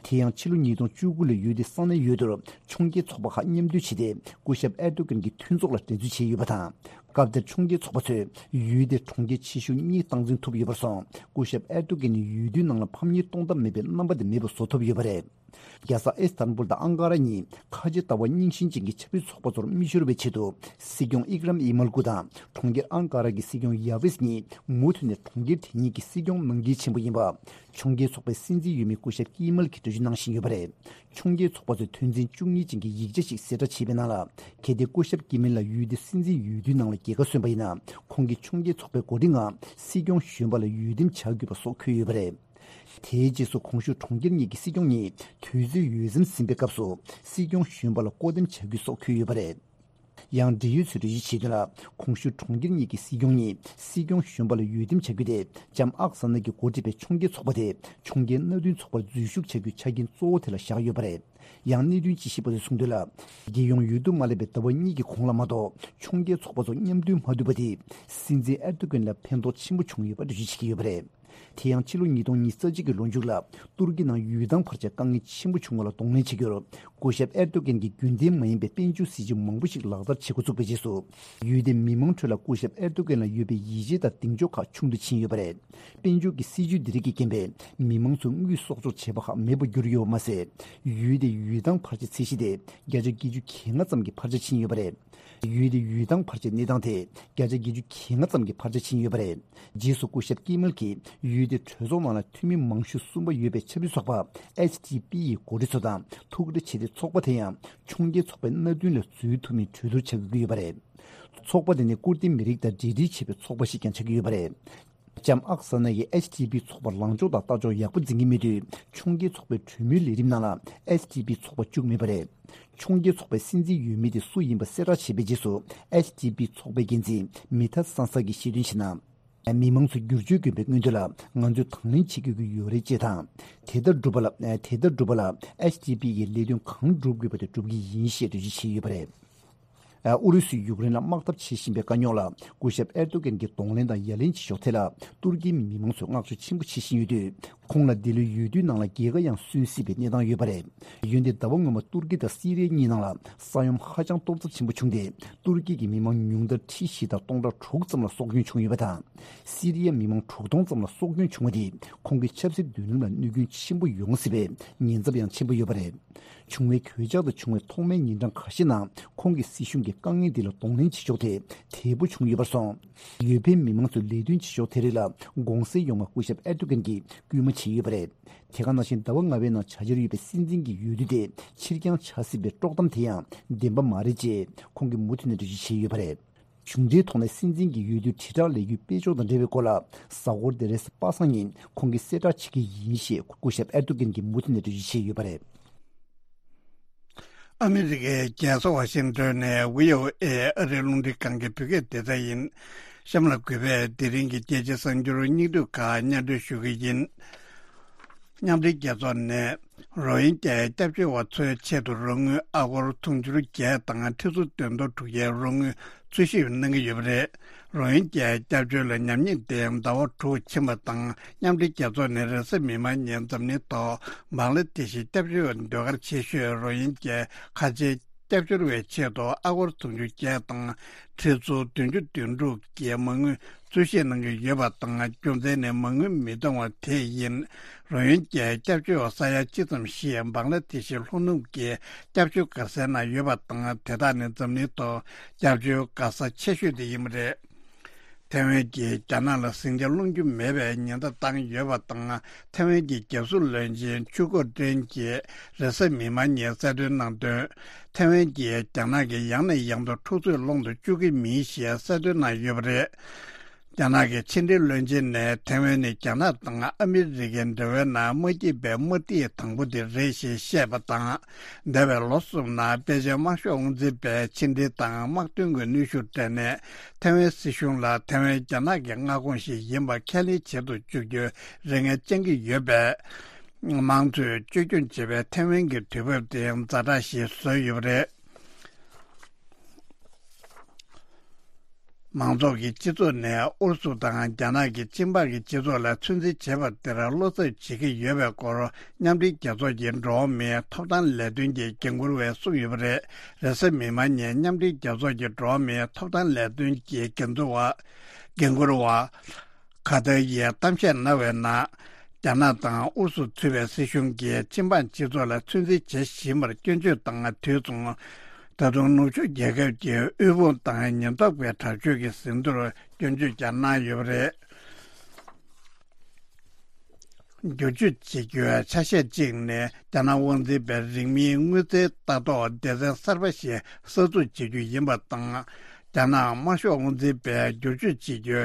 དེ་ཡང་ཕྱི་ལོ་ཉིས་སྟོང་བཅུ་དགུ་ལ་འོས་བསྡུ་ས་གནས་འོས་བསྡུར་ཕྱོགས་འགལ་ཚོགས་པ་ཁག་མཉམ་འདུས་བྱས་ཏེ། སྐུ་ཞབས་ཨེར་དོ་གན་གྱི་མཐུན་ཚོགས་ལ་འགྲན་རྩོད་བྱས་ཡོད་པ་དང་། སྐབས་དེར་ཕྱོགས་འགལ་ཚོགས་པ་ཚོས་འོས་དེ་གྲོང་ཁྱེར་ཆེ་ཤོས་གཉིས་སྟངས་འཛིན་ཐུབ་ཡོད་པར་སོང་། སྐུ་ཞབས་ཨེར་དོ་གན་ནི་འོས་བསྡུའི་ནང་ལ་ཕམ་ཉེས་གཏོང་ཐབས་མེད་པའི་རྣམ་པ་དེ་མེད་པར་བཟོ་ཐུབ་ཡོད་པ་རེད། རྒྱལ་ས་ཨིས་ཏན་བུལ་དང་ཨང་ཀ་ར་གཉིས་ཁ་ཆེ་ལྟ་བ་རྙིང་ཞེན་ཅན་གྱི་ཆབ་སྲིད་ཚོགས་པ་ཚོར་མི་ཤོར་བའི་ཆེད་དུ། སྲིད་སྐྱོང་ཨིག་རམ་ཨི་མལ་ཀུ་དང་གྲོང་ཁྱེར་ཨང་ཀ་ར་གྱི་སྲིད་སྐྱོང་ཡ་ཝེས་གཉིས་མུ་མཐུད་ནས་གྲོང་ཁྱེར་དེ་གཉིས་ཀྱི་སྲིད་སྐྱོང་གནང་འགན་ཆེན་པོ་ཡིན་པ། ཕྱོགས་འགལ་ཚོགས་པའི་སྲིད་འཛིན་འོས་མི་སྐུ་ཞབས་ཀི་མལ་གྱིས་འགྲེལ་བརྗོད་གནང་བཞིན་ཡོད་པ་རེད། ཕྱོགས་འགལ་ཚོགས་པ་ཚོས་དོན་ཚན་བཅུ་གཉིས་ཅན་གྱི་ཡིག་ཆ་ཞིག་གསལ་བསྒྲགས་བྱས་པའི་ནང་ལ། གལ་ཏེ་སྐུ་ཞབས་ཀི་མལ་ལ་འོས་བསྡུ་སྲིད་འཛིན་འོས་བསྡུའི་ནང་ལ་རྒྱལ་ཁ་སོན་པ་ཡིན་ན། ཁོང་གིས་ཕྱོགས་འགལ་ཚོགས་པའི་འགོ་ཁྲིད་ངང་སྲིད་སྐྱོང་གཞོན་པ་ལ་འོས་འདེམས་བྱ་དགོས་པ་སོགས་འཁོད་ཡོད་པ་རེད། དེའི་རྗེས་སུ་གོང་ཞུས་གྲོང་ཁྱེར་གཉིས་ཀྱི་སྲིད་སྐྱོང་གཉིས་དུས་ཚོད་འོས་འཚམ་ཟིན་པའི་སྐབས་སུ་སྲིད་སྐྱོང་གཞོན་པ་ལ་བསྐོ་འདེམས་བྱ་རྒྱུ་སོགས་འཁོད་ཡོད་པ་རེད། ཡང་འབྲེལ་ཡོད་ཚོས་འགྲེལ་བརྗོད་བྱས་དོན་ལ། གོང་ཞུས་གྲོང་ཁྱེར་གཉིས་ཀྱི་སྲིད་སྐྱོང་གཉིས་སྲིད་སྐྱོང་གཞོན་པ་ལ་འོས་འདེམས་བྱ་རྒྱུ་དེ་ལྕམ་ཨག་ས་ན་གྱིས་འགོ་ཁྲིད་པའི་ཕྱོགས་འགལ་ཚོགས་པ་དེ་ཕྱོགས་འགལ་མནའ་མཐུན་ཚོགས་པར་འཛུལ་ཞུགས་བྱ་རྒྱུའི་ཆ་རྐྱེན་གཙོ་བོ་དེ་ལ་བཞག་ཡོད་པ་རེད། ཡང་གནད་དོན་དཔྱད་ཞིབ་པ་ཚོས་གསུངས་དོན་ལ། རྒྱལ་ཡོངས་འོས་བསྡུ་མ་སླེབས་པའི་ཟླ་བ་གཉིས་ཀྱི་གོང་ལ་མ་གཏོགས་ཕྱོགས་འགལ་ཚོགས་པ་ཚོ་མཉམ་འདུས་མ་ཐུབ་པ་དེས་སྲིད་འཛིན་ཨེར་དོ་གན་ལ་ཕན་ཐོགས་ཆེན་པོ་བྱུང་ཡོད་པ་འགྲེལ་བརྗོད་བྱེད་ཀྱི་ཡོད་པ་རེད། དེ་ཡང་ཕྱི་ལོ་ཉིས་སྟོང་ཉི་ཤུ་རྩ་གཅིག་གི་ལོ་མཇུག་ལ་ཏུར་ཀི་ནང་འོས་ཐང་བར་ཆད་དཀའ་ངལ་ཆེན་པོ་བྱུང་བ་ལ་གདོང་ལེན་བྱེད་རྒྱུར། སྐུ་ཞབས་ཨེར་དོ་གན་གྱིས་རྒྱུན་ལྡན་མ་ཡིན་པའི་དཔལ་འབྱོར་སྲིད་ཇུས་མང་པོ་ཞིག་ལག་བསྟར་བྱེད་འགོ་བཙུགས་པའི་རྗེས་སུ། འོས་དེས་མི་མང་ཁྲོད་ལ་སྐུ་ཞབས་ཨེར་དོ་གན་ལ་ཡོད་པའི་ཡིད་ཆེས་དང་གདེང་འཇོག་ཁག་ཆུང་དུ་ཕྱིན་ཡོད་པ་རེད། དཔལ་འབྱོར་གྱི་སྲིད་ཇུས་འདི་རིགས་ཀྱི་རྐྱེན་པས་མི་མང་ཚོས་དངུལ་གསོག་འཇོག་བྱེད་པ་ཁག་མེད་པར་གྱུར་ཡོད་པ་མ་ཟད། འོས་དེའི་འོས་ཐང་བར་ཆད་ཚད་གཞི་དེ་བརྒྱ་ཆ་བརྒྱད་ཅུ་གྱ་ལྔ་ཙམ་གྱི་འཕར་ཆ་ཕྱིན་ཡོད་པ་རེད། འོས་དེའི་འོས་ཐང་འཕར་ཆའི་གནས་སྟངས་དེ་བརྒྱ་ཆ་བརྒྱད་ཅུ་གྱ་ལྔ་ཙམ་གྱི་འཕར་ཆ་ཕྱིན་ཡོད་པ་རེད། རྗེས་སུ་སྐུ་ཞབས་ཀི་མལ་གྱིས་འོས་དེ་གྲོས་ཚོགས་ནང་ལ་འཐུས་མི་མང་ཤོས་གསུམ་པ་ཡོད་པའི་ཆབ་སྲིད་ཚོགས་པ་ཨེཆ་ཌི་པི་ཡི་འགོ་ཁྲིད་ཚོ་དང་ཐུག་འཕྲད་བྱས་ཏེ། ཚོགས་པ་དེ་ཡང་ཕྱོགས་འགལ་ཚོགས་པའི་མནའ་མཐུན་ལ་འཛུལ་ཐུབ་མིན་གྲོས་བསྡུར་བྱ་དགོས་ཀྱི་ཡོད་པ་རེད། ཚོགས་པ་དེ་ནི་ཀུར་ཏི་མི་རིགས་དང་འབྲེལ་འདྲིས་བྱེད་པའི་ཚོགས་པ་ཞིག་ཀྱང་ཆགས་ཀྱི་ཡོད་པ་རེད། ལྕམ་ཨག་ས་ན་ཡིས་ཨེཆ་ཌི་པི་ཚོགས་པར་ལངས་ཕྱོགས་དང་ལྟ་ཕྱོགས་ཡག་པོ་འཛིན་གྱི་མེད་དུས། ཕྱོགས་འགལ་ཚོགས་པའི་གྲོས་མོལ་ལས་རིམ་ནང་ལ་ཨེཆ་ཌི་པི་ཚོགས་པ་བཅུག་མེད་པ་རེད། ཕྱོགས་འགལ་ཚོགས་པའི་སྲིད་འཛིན་འོས་མི་དེ་སུ་ཡིན་པ་གསལ་བསྒྲགས་བྱས་པའི་རྗེས་སུ། ཨེཆ་ཌི་པི་ཚོགས་པའི་འགན་འཛིན་མི་ཐ་སན་ས་གིས་བཤད་དོན་བྱས་ན། མི་མང་ཚོས་བསྒྱུར་བཅོས་དགོས་པའི་སྔོན་དུ་ལ། ང་ཚོས་དང་ལེན་བྱེད་དགོས་ཀྱི་ཡོད་རེད་ཅེས་དང་། དེ་ལྟར་བསྒྲུབ་པ་ལ། དེ་ལྟར་བསྒྲུབ་པ་ལ་ཨེཆ་ཌི་པི་ཡིས་ལས་དོན་གང་བསྒྲུབ་དགོས་པ་དེ་བསྒྲུབ་ཀྱི་ཡིན་ཞེས་འགྲེལ་བརྗོད་བྱས་ཡོད་པ་རེད། ཨུ་རུ་སུས་ཡུཀ་རེན་ལ་དམག་འཐབ་བྱེད་བཞིན་པའི་དཀའ་རྙོག་ལ། སྐུ་ཞབས་ཨེར་ཏོ་གན་གྱིས་གདོང་ལེན་དང་ཡ་ལན་བྱེད་ཕྱོགས་ཐད་ལ། ཏུར་ཀིའི་མི་མང་ཚོས་བསྔགས་བརྗོད་ཆེན་པོ་བྱེད་བཞིན་ཡོད་དུས། ཁོང་ལ་འདི་ལོའི་འོས་བསྡུའི་ནང་ལ་རྒྱལ་ཁ་ཡང་སོན་སྲིད་པའི་གནས་སྟངས་ཡོད་པ་རེད། འོན་ཏེ་ཟླ་བ་སྔོན་མ་ཏུར་ཀི་དང་སི་རི་ཡ་གཉིས་ནང་ལ་ས་ཡོམ་ཧ་ཅང་སྟོབས་ཚབས་ཆེན་པོ་བྱུང་སྟེ། ཏུར་ཀི་གི་མི་མང་ཉུང་མཐར་ཁྲི་བཞི་དང་སྟོང་ཕྲག་དྲུག་ཙམ་ལ་སྲོག་སྐྱོན་བྱུང་ཡོད་པ་དང་། སི་རི་ཡ་མི་མང་དྲུག་སྟོང་ཙམ་ལ་སྲོག་སྐྱོན་བྱུང་བ་དེས་ཁོང་གི་ཆབ་སྲིད་མདུན་ལམ་ལ་གནོད་སྐྱོན་ཆེན་པོ་ཡོང་སྲིད་པའི་ཉེན་ཚབས་ཡང་ཆེན་པོ་ཡོད་པ་རེད། བྱུང་བའི་གོད་ཆག་དང་བྱུང་བའི་ཐོག་མའི་ཉིན་གྲངས་ཁ་ཤས་ནང་ཁོང་གིས་སྲིད་གཞུང་གི་དཀའ་ངལ་འདི་ལ་གདོང་ལེན་བྱེད་ཕྱོགས་དེ་དལ་པོ་བྱུང་ཡོད་པར་སོང་། འོས་འཕེན་མི་མང་ཚོས་ལས་དོན་བྱེད་ཕྱོགས་དེ་རིགས་ལ་དགོངས་སེལ་ཡོང་བར་སྐུ་ཞབས་ཨེར་ཏོ་གན་གྱིས་སྐུལ་མ་བྱས་ཡོད་པ་རེད། དེ་ག་ནང་བཞིན་ཟླ་བ་ལྔ་པའི་ནང་བྱ་འཆར་ཡོད་པའི་སྲིད་འཛིན་གྱི་འོས་བསྡུ་དེ་ཕྱིར་འགྱངས་བྱ་སྲིད་པའི་དཀྲོག་གཏམ་དེ་ཡང་བདེན་པ་མ་རེད་ཅེས་ཁོང་གིས་མུ་མཐུད་ནས་འགྲེལ་བརྗོད་བྱས་ཡོད་པ་རེད། གཞུང་འབྲེལ་ཐོག་ནས་སྲིད་འཛིན་གྱི་འོས་བསྡུའི་དྲིལ་བསྒྲགས་ལས་འགུལ་སྤེལ་ཕྱོགས་དང་འབྲེལ་བའི་སྐོར་ལ། གཟའ་འཁོར་འདིར་པ་སངས་ཉིན་ཁོང་གིས་གསལ་བསྒྲགས་བྱེད་ཀྱི་ཡིན་ཞེས་སྐུ་ཞབས་ཨེར་ཏོ་གན་གྱིས་མུ་མཐུད་ནས་འགྲེལ་བརྗོད་བྱས་ཡོད་པ་རེད། ཨ་མི་རི་ཀའི་རྒྱལ་ས་ཝ་ཤིང་ཏོན་ནས་ཝི་ཨོ་ཨེ་ཨ་རིའི་རླུང་འཕྲིན་ཁང་གི་བོད་སྐད་སྡེ་ཚན་ཡིན། གཤམ་ལ་གུས་པས་དེ་རིང་གི་རྒྱལ་སྤྱིའི་གསར་འགྱུར་སྙིང་བསྡུས་ཁག་སྙན་སྒྲོན་ཞུ་གི་ཡིན། མཉམ་འབྲེལ་རྒྱལ་ཚོགས་ནས་རོ་ཧིན་རྒྱའི་སྐྱབས་བཅོལ་བ་ཚོའི་ཆེད་དུ་རོགས་དངུལ་ཨ་སྒོར་དུང་ཕྱུར་བརྒྱད་དང་ཁྲི་ཚོ་བདུན་སྟོང་དྲུག་བརྒྱའི་རོགས་དངུལ་འཚོལ་ཞིབ་གནང་གི་ཡོད་པ་རེད། རོ་ཧིན་རྒྱའི་སྐྱབས་བཅོལ་ལ་ཉམས་ཉེས་དེ་ཟླ་བ་དྲུག་ཕྱིན་པ་དང་། མཉམ་འབྲེལ་རྒྱལ་ཚོགས་ནས་རེས་གཟའ་མིག་དམར་ཉིན་འཛམ་གླིང་ཐོག་བང་ལ་དེ་ཤི་སྐྱབས་བཅོལ་བའི་ཟློས་གར་ཆེ་ཤོས་རོ་ཧིན་རྒྱའི་ཁ་ཆེའི་སྐྱབས་བཅོལ་བའི་ཆེད་དུ་ཨ་སྒོར་དུང་ཕྱུར་བརྒྱད་དང་ཁྲི་ཚོ་བདུན་ཅུ་དོན་དྲུག་གི་མ་དངུལ་འཚོལ་ཞིབ་གནང་གི་ཡོད་པ་དང་། རྒྱུ་མཚན་ནི་མ་དངུལ་མི་གཏོང་བ་དེ་ཡིན། རོ་ཧིན་རྒྱའི་སྐྱབས་བཅོལ་བ་ས་ཡ་གཅིག་ཙམ་ཞིག་བང་ལ་དེ་ཤི་ལྷོ་ནུབ་ཀྱི་སྐྱབས་བཅོལ་སྒར་སའི་ནང་ཡོད་པ་དང་། དེ་དག་ནི་འཛམ་གླིང་ཐོག་སྐྱབས་བཅོལ་སྒར་ས་ཆེ་ཤོས་དེ་ཡིན་པ་རེད། ཐེ་ཝན་གྱིས་རྒྱ་ནག་ལ་ཟིང་ཆ་སློང་རྒྱུ་མེད་པའི་ཉེན་བརྡ་བཏང་ཡོད་པ་དང་། ཐེ་ཝན་གྱི་རྒྱལ་སྲུང་བློན་ཆེན་ཆུ་ཀོ་ཀྲེན་གྱིས་རེས་གཟའ་མིག་དམར་ཉིན་གསལ་སྟོན་གནང་དོན། ཐེ་ཝན་གྱིས་རྒྱ་ནག་གིས་ཡང་ནས་ཡང་དུ་འཁྲུག་རྩོད་སློང་དུ་བཅུག་གི་མིན་ཞེས་གསལ་སྟོན་གནང་ཡོད་པ་རེད། རྒྱ་ནག་གི་ཕྱི་འབྲེལ་བློན་ཆེན་ནས་ཐེ་ཝན་ནི་རྒྱ་ནག་དང་ཨ་མི་རི་ཀའི་འབྲེལ་བའི་ནང་མ་སྐྱིད་པའི་དམར་ཐིག་དང་པོ་དེ་རེད་ཞེས་བཤད་པ་དང་། འདས་པའི་ལོ་གསུམ་ནང་པེ་ཅིན་དམར་ཤོག་དབང་འཛིན་པས་ཕྱི་འབྲེལ་དང་དམག་དོན་གྱི་གནོན་ཤུགས་སྤྲད་ནས། ཐེ་ཝན་སྲིད་གཞུང་ལ་ཐེ་ཝན་རྒྱ་ནག་གི་མངའ་ཁོངས་ཤིག་ཡིན་པ་ཁས་ལེན་བྱེད་དུ་བཅུག་རྒྱུའི་རེ་ངན་བཅང་གི་ཡོད་པས། དམངས་གཙོས་བཅོས་སྐྱོང་བྱེད་པའི་ཐེ་ཝན་གྱི་དུས་བབ་དེ་ཛ་དྲག་ཞིག་བཟོས་ཡོད་པ་རེད། མང་ཚོགས་ཀྱི་སྤྱི་ཚོགས་ནས་ཨུ་རུ་སུ་དང་རྒྱ་ནག་གི་ཆིན་ཕག་གི་སྤྱི་ཚོགས་ལ་ཚོད་འཛིན་བྱེད་པ་དེར་བློ་འཚབ་བྱེད་ཀྱི་ཡོད་པའི་སྐོར། མཉམ་འབྲེལ་རྒྱལ་ཚོགས་ཀྱི་འགྲོ་བ་མིའི་ཐོབ་ཐང་ལས་དོན་གྱི་འགན་འཁུར་བས་གསུངས་ཡོད་པ་རེད། རེས་གཟའ་མིག་དམར་ཉིན་མཉམ་འབྲེལ་རྒྱལ་ཚོགས་ཀྱི་འགྲོ་བ་མིའི་ཐོབ་ཐང་ལས་དོན་གྱི་འགན་འཛིན་པ། འགན་འཁུར་བ། གྷ་ཐར་ཡིས་གཏམ་བཤད་གནང་བའི་ནང་། རྒྱ་ནག་དང་ཨུ་རུ་སུ་གཙོས་པའི་སྲིད་གཞུང་གིས་ཆིན་ཕག་སྤྱི་ཚོགས་ལ་ཚོད་འཛིན་བྱེད་བཞིན་པར་སྐྱོན་བརྗོད་དང་། དུས་མཚུངས། ད་དུང་ནུབ་ཕྱོགས་རྒྱལ་ཁབ་ཀྱི་དབུལ་ཕོངས་དང་ཉེན་རྟོག་པའི་དྲག་སྤྱོད་ཀྱི་ཟིན་ཐོར་སྐྱོན་བརྗོད་ཀྱང་གནང་ཡོད་པ་རེད། བསྒྱུར་བཅོས་བྱེད་རྒྱུའི་ཆ་ཤས་གཅིག་ནི། རྒྱ་ནག་དབང་འཛིན་པའི་རིང་མིན་དངུལ་རྩའི་ལྟ་རྟོག་སྡེ་ཚན་གསར་པ་ཞིག་གསར་འཛུགས་བྱེད་རྒྱུ་ཡིན་པ་དང་། རྒྱ་ནག་དམར་ཤོག་དབང་འཛིན་པས་བསྒྱུར་བཅོས་བྱེད་རྒྱུའི་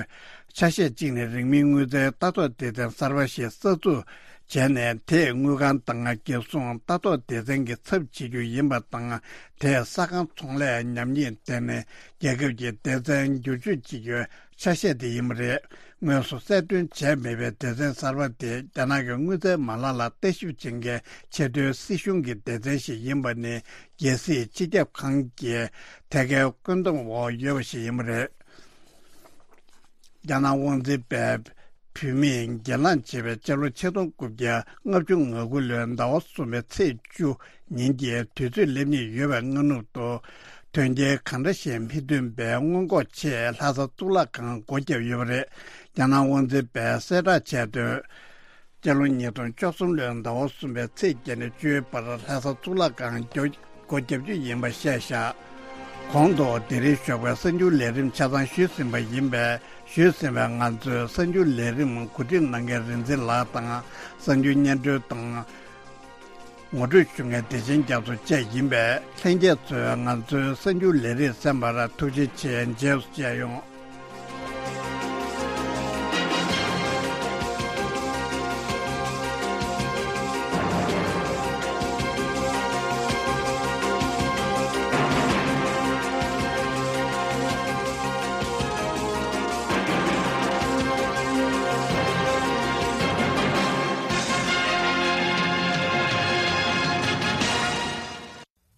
ཆ་ཤས་གཅིག་ནི། རིང་མིན་དངུལ་རྩའི་ལྟ་རྟོག་སྡེ་ཚན་གསར་པ་ཞིག་གསར་འཛུགས་བྱས་ནས། དེས་དངུལ་ཁང་དང་རྒྱལ་སྲུང་ལྟ་རྟོག་སྡེ་ཚན་གྱི་ཚབ་བྱེད་རྒྱུ་ཡིན་པ་དང་། དེས་ས་ཁང་ཚོང་ལས་ཉམས་ཉེས་ལྡན་ནས་རྒྱལ་ཁབ་ཀྱི་སྡེ་ཚན་བསྒྱུར་བཅོས་བྱེད་རྒྱུའི་ཆ་ཤས་དེ་ཡིན་པ་རེད། དངོས་སུ་གསལ་སྟོན་བྱས་མེད་པའི་སྡེ་ཚན་གསར་པ་དེ། རྒྱ་ནག་གི་དངུལ་རྩའི་མ་ལག་ལ་ལྟ་ཞིབ་བྱེད་མཁན་ཆེས་མཐོའི་སྲིད་གཞུང་གི་སྡེ་ཚན་ཞིག་ཡིན་པ་ནི། རྒྱལ་སྲིད་སྤྱི་ཁྱབ་ཁང་གི་ཐད་ཀའི་བཀོད་འདོམས་འོག་ཡོད་པ་ཞིག་ཡིན་པ་རེད། རྒྱ་ནག་དབང་འཛིན་པས་བུད་མེད་སྒེར་ལངས་བྱས་པའི་སྤྱི་ལོ་ཆིག་སྟོང་དགུ་བརྒྱ་ལྔ་བཅུ་ང་དགུ་ལོའི་ཟླ་བ་གསུམ་པའི་ཚེས་བཅུ་ཉིན་གྱི་དུས་ཚོད་སླེབས་ཉེན་ཡོད་པའི་སྔ་ནུབ་ཏུ། དོན་རྐྱེན་གང་འདྲ་ཞིག་མི་ཐོན་པའི་སྔོན་འགོག་ཆེད་ལྷ་ས་གཙུག་ལག་ཁང་སྒོ་བརྒྱབ་ཡོད་པ་རེད། རྒྱ་ནག་དབང་འཛིན་པས་གསལ་བསྒྲགས་བྱས་དོན། སྤྱི་ལོ་ཉིས་སྟོང་བཅུ་གསུམ་ལོའི་ཟླ་བ་གསུམ་པའི་ཚེས་བརྒྱད་ནས་བཅུའི་བར་ལྷ་ས་གཙུག་ལག་ཁང་སྒོ་བརྒྱབ་རྒྱུ་ཡིན་པ་བཤད་བཞག་གོང་དུ་དེ་རིང་ཞོགས་པའི་གསར་འགྱུར་ལས་རིམ་ཆ་ཚང་ཞུས་ཟིན་པ་ཡིན་པས། ཞུས་ཟིན་པའི་ང་ཚོའི་གསར་འགྱུར་ལས་རིམ་གོ་སྒྲིག་གནང་མཁན་རིག་འཛིན་ལགས་དང་། གསར་འགྱུར་སྙན་སྒྲོན་དང་ངོ་སྤྲོད་ཞུ་མཁན་བདེ་ཆེན་རྒྱ་མཚོ་བཅས་ཡིན་པས། ལྷན་རྒྱས་ཚོས་ང་ཚོའི་གསར་འགྱུར་ལས་རིམ་གསན་པར་ཐུགས་རྗེ་ཆེ། རྗེས་སུ་མཇལ་ཡོང་།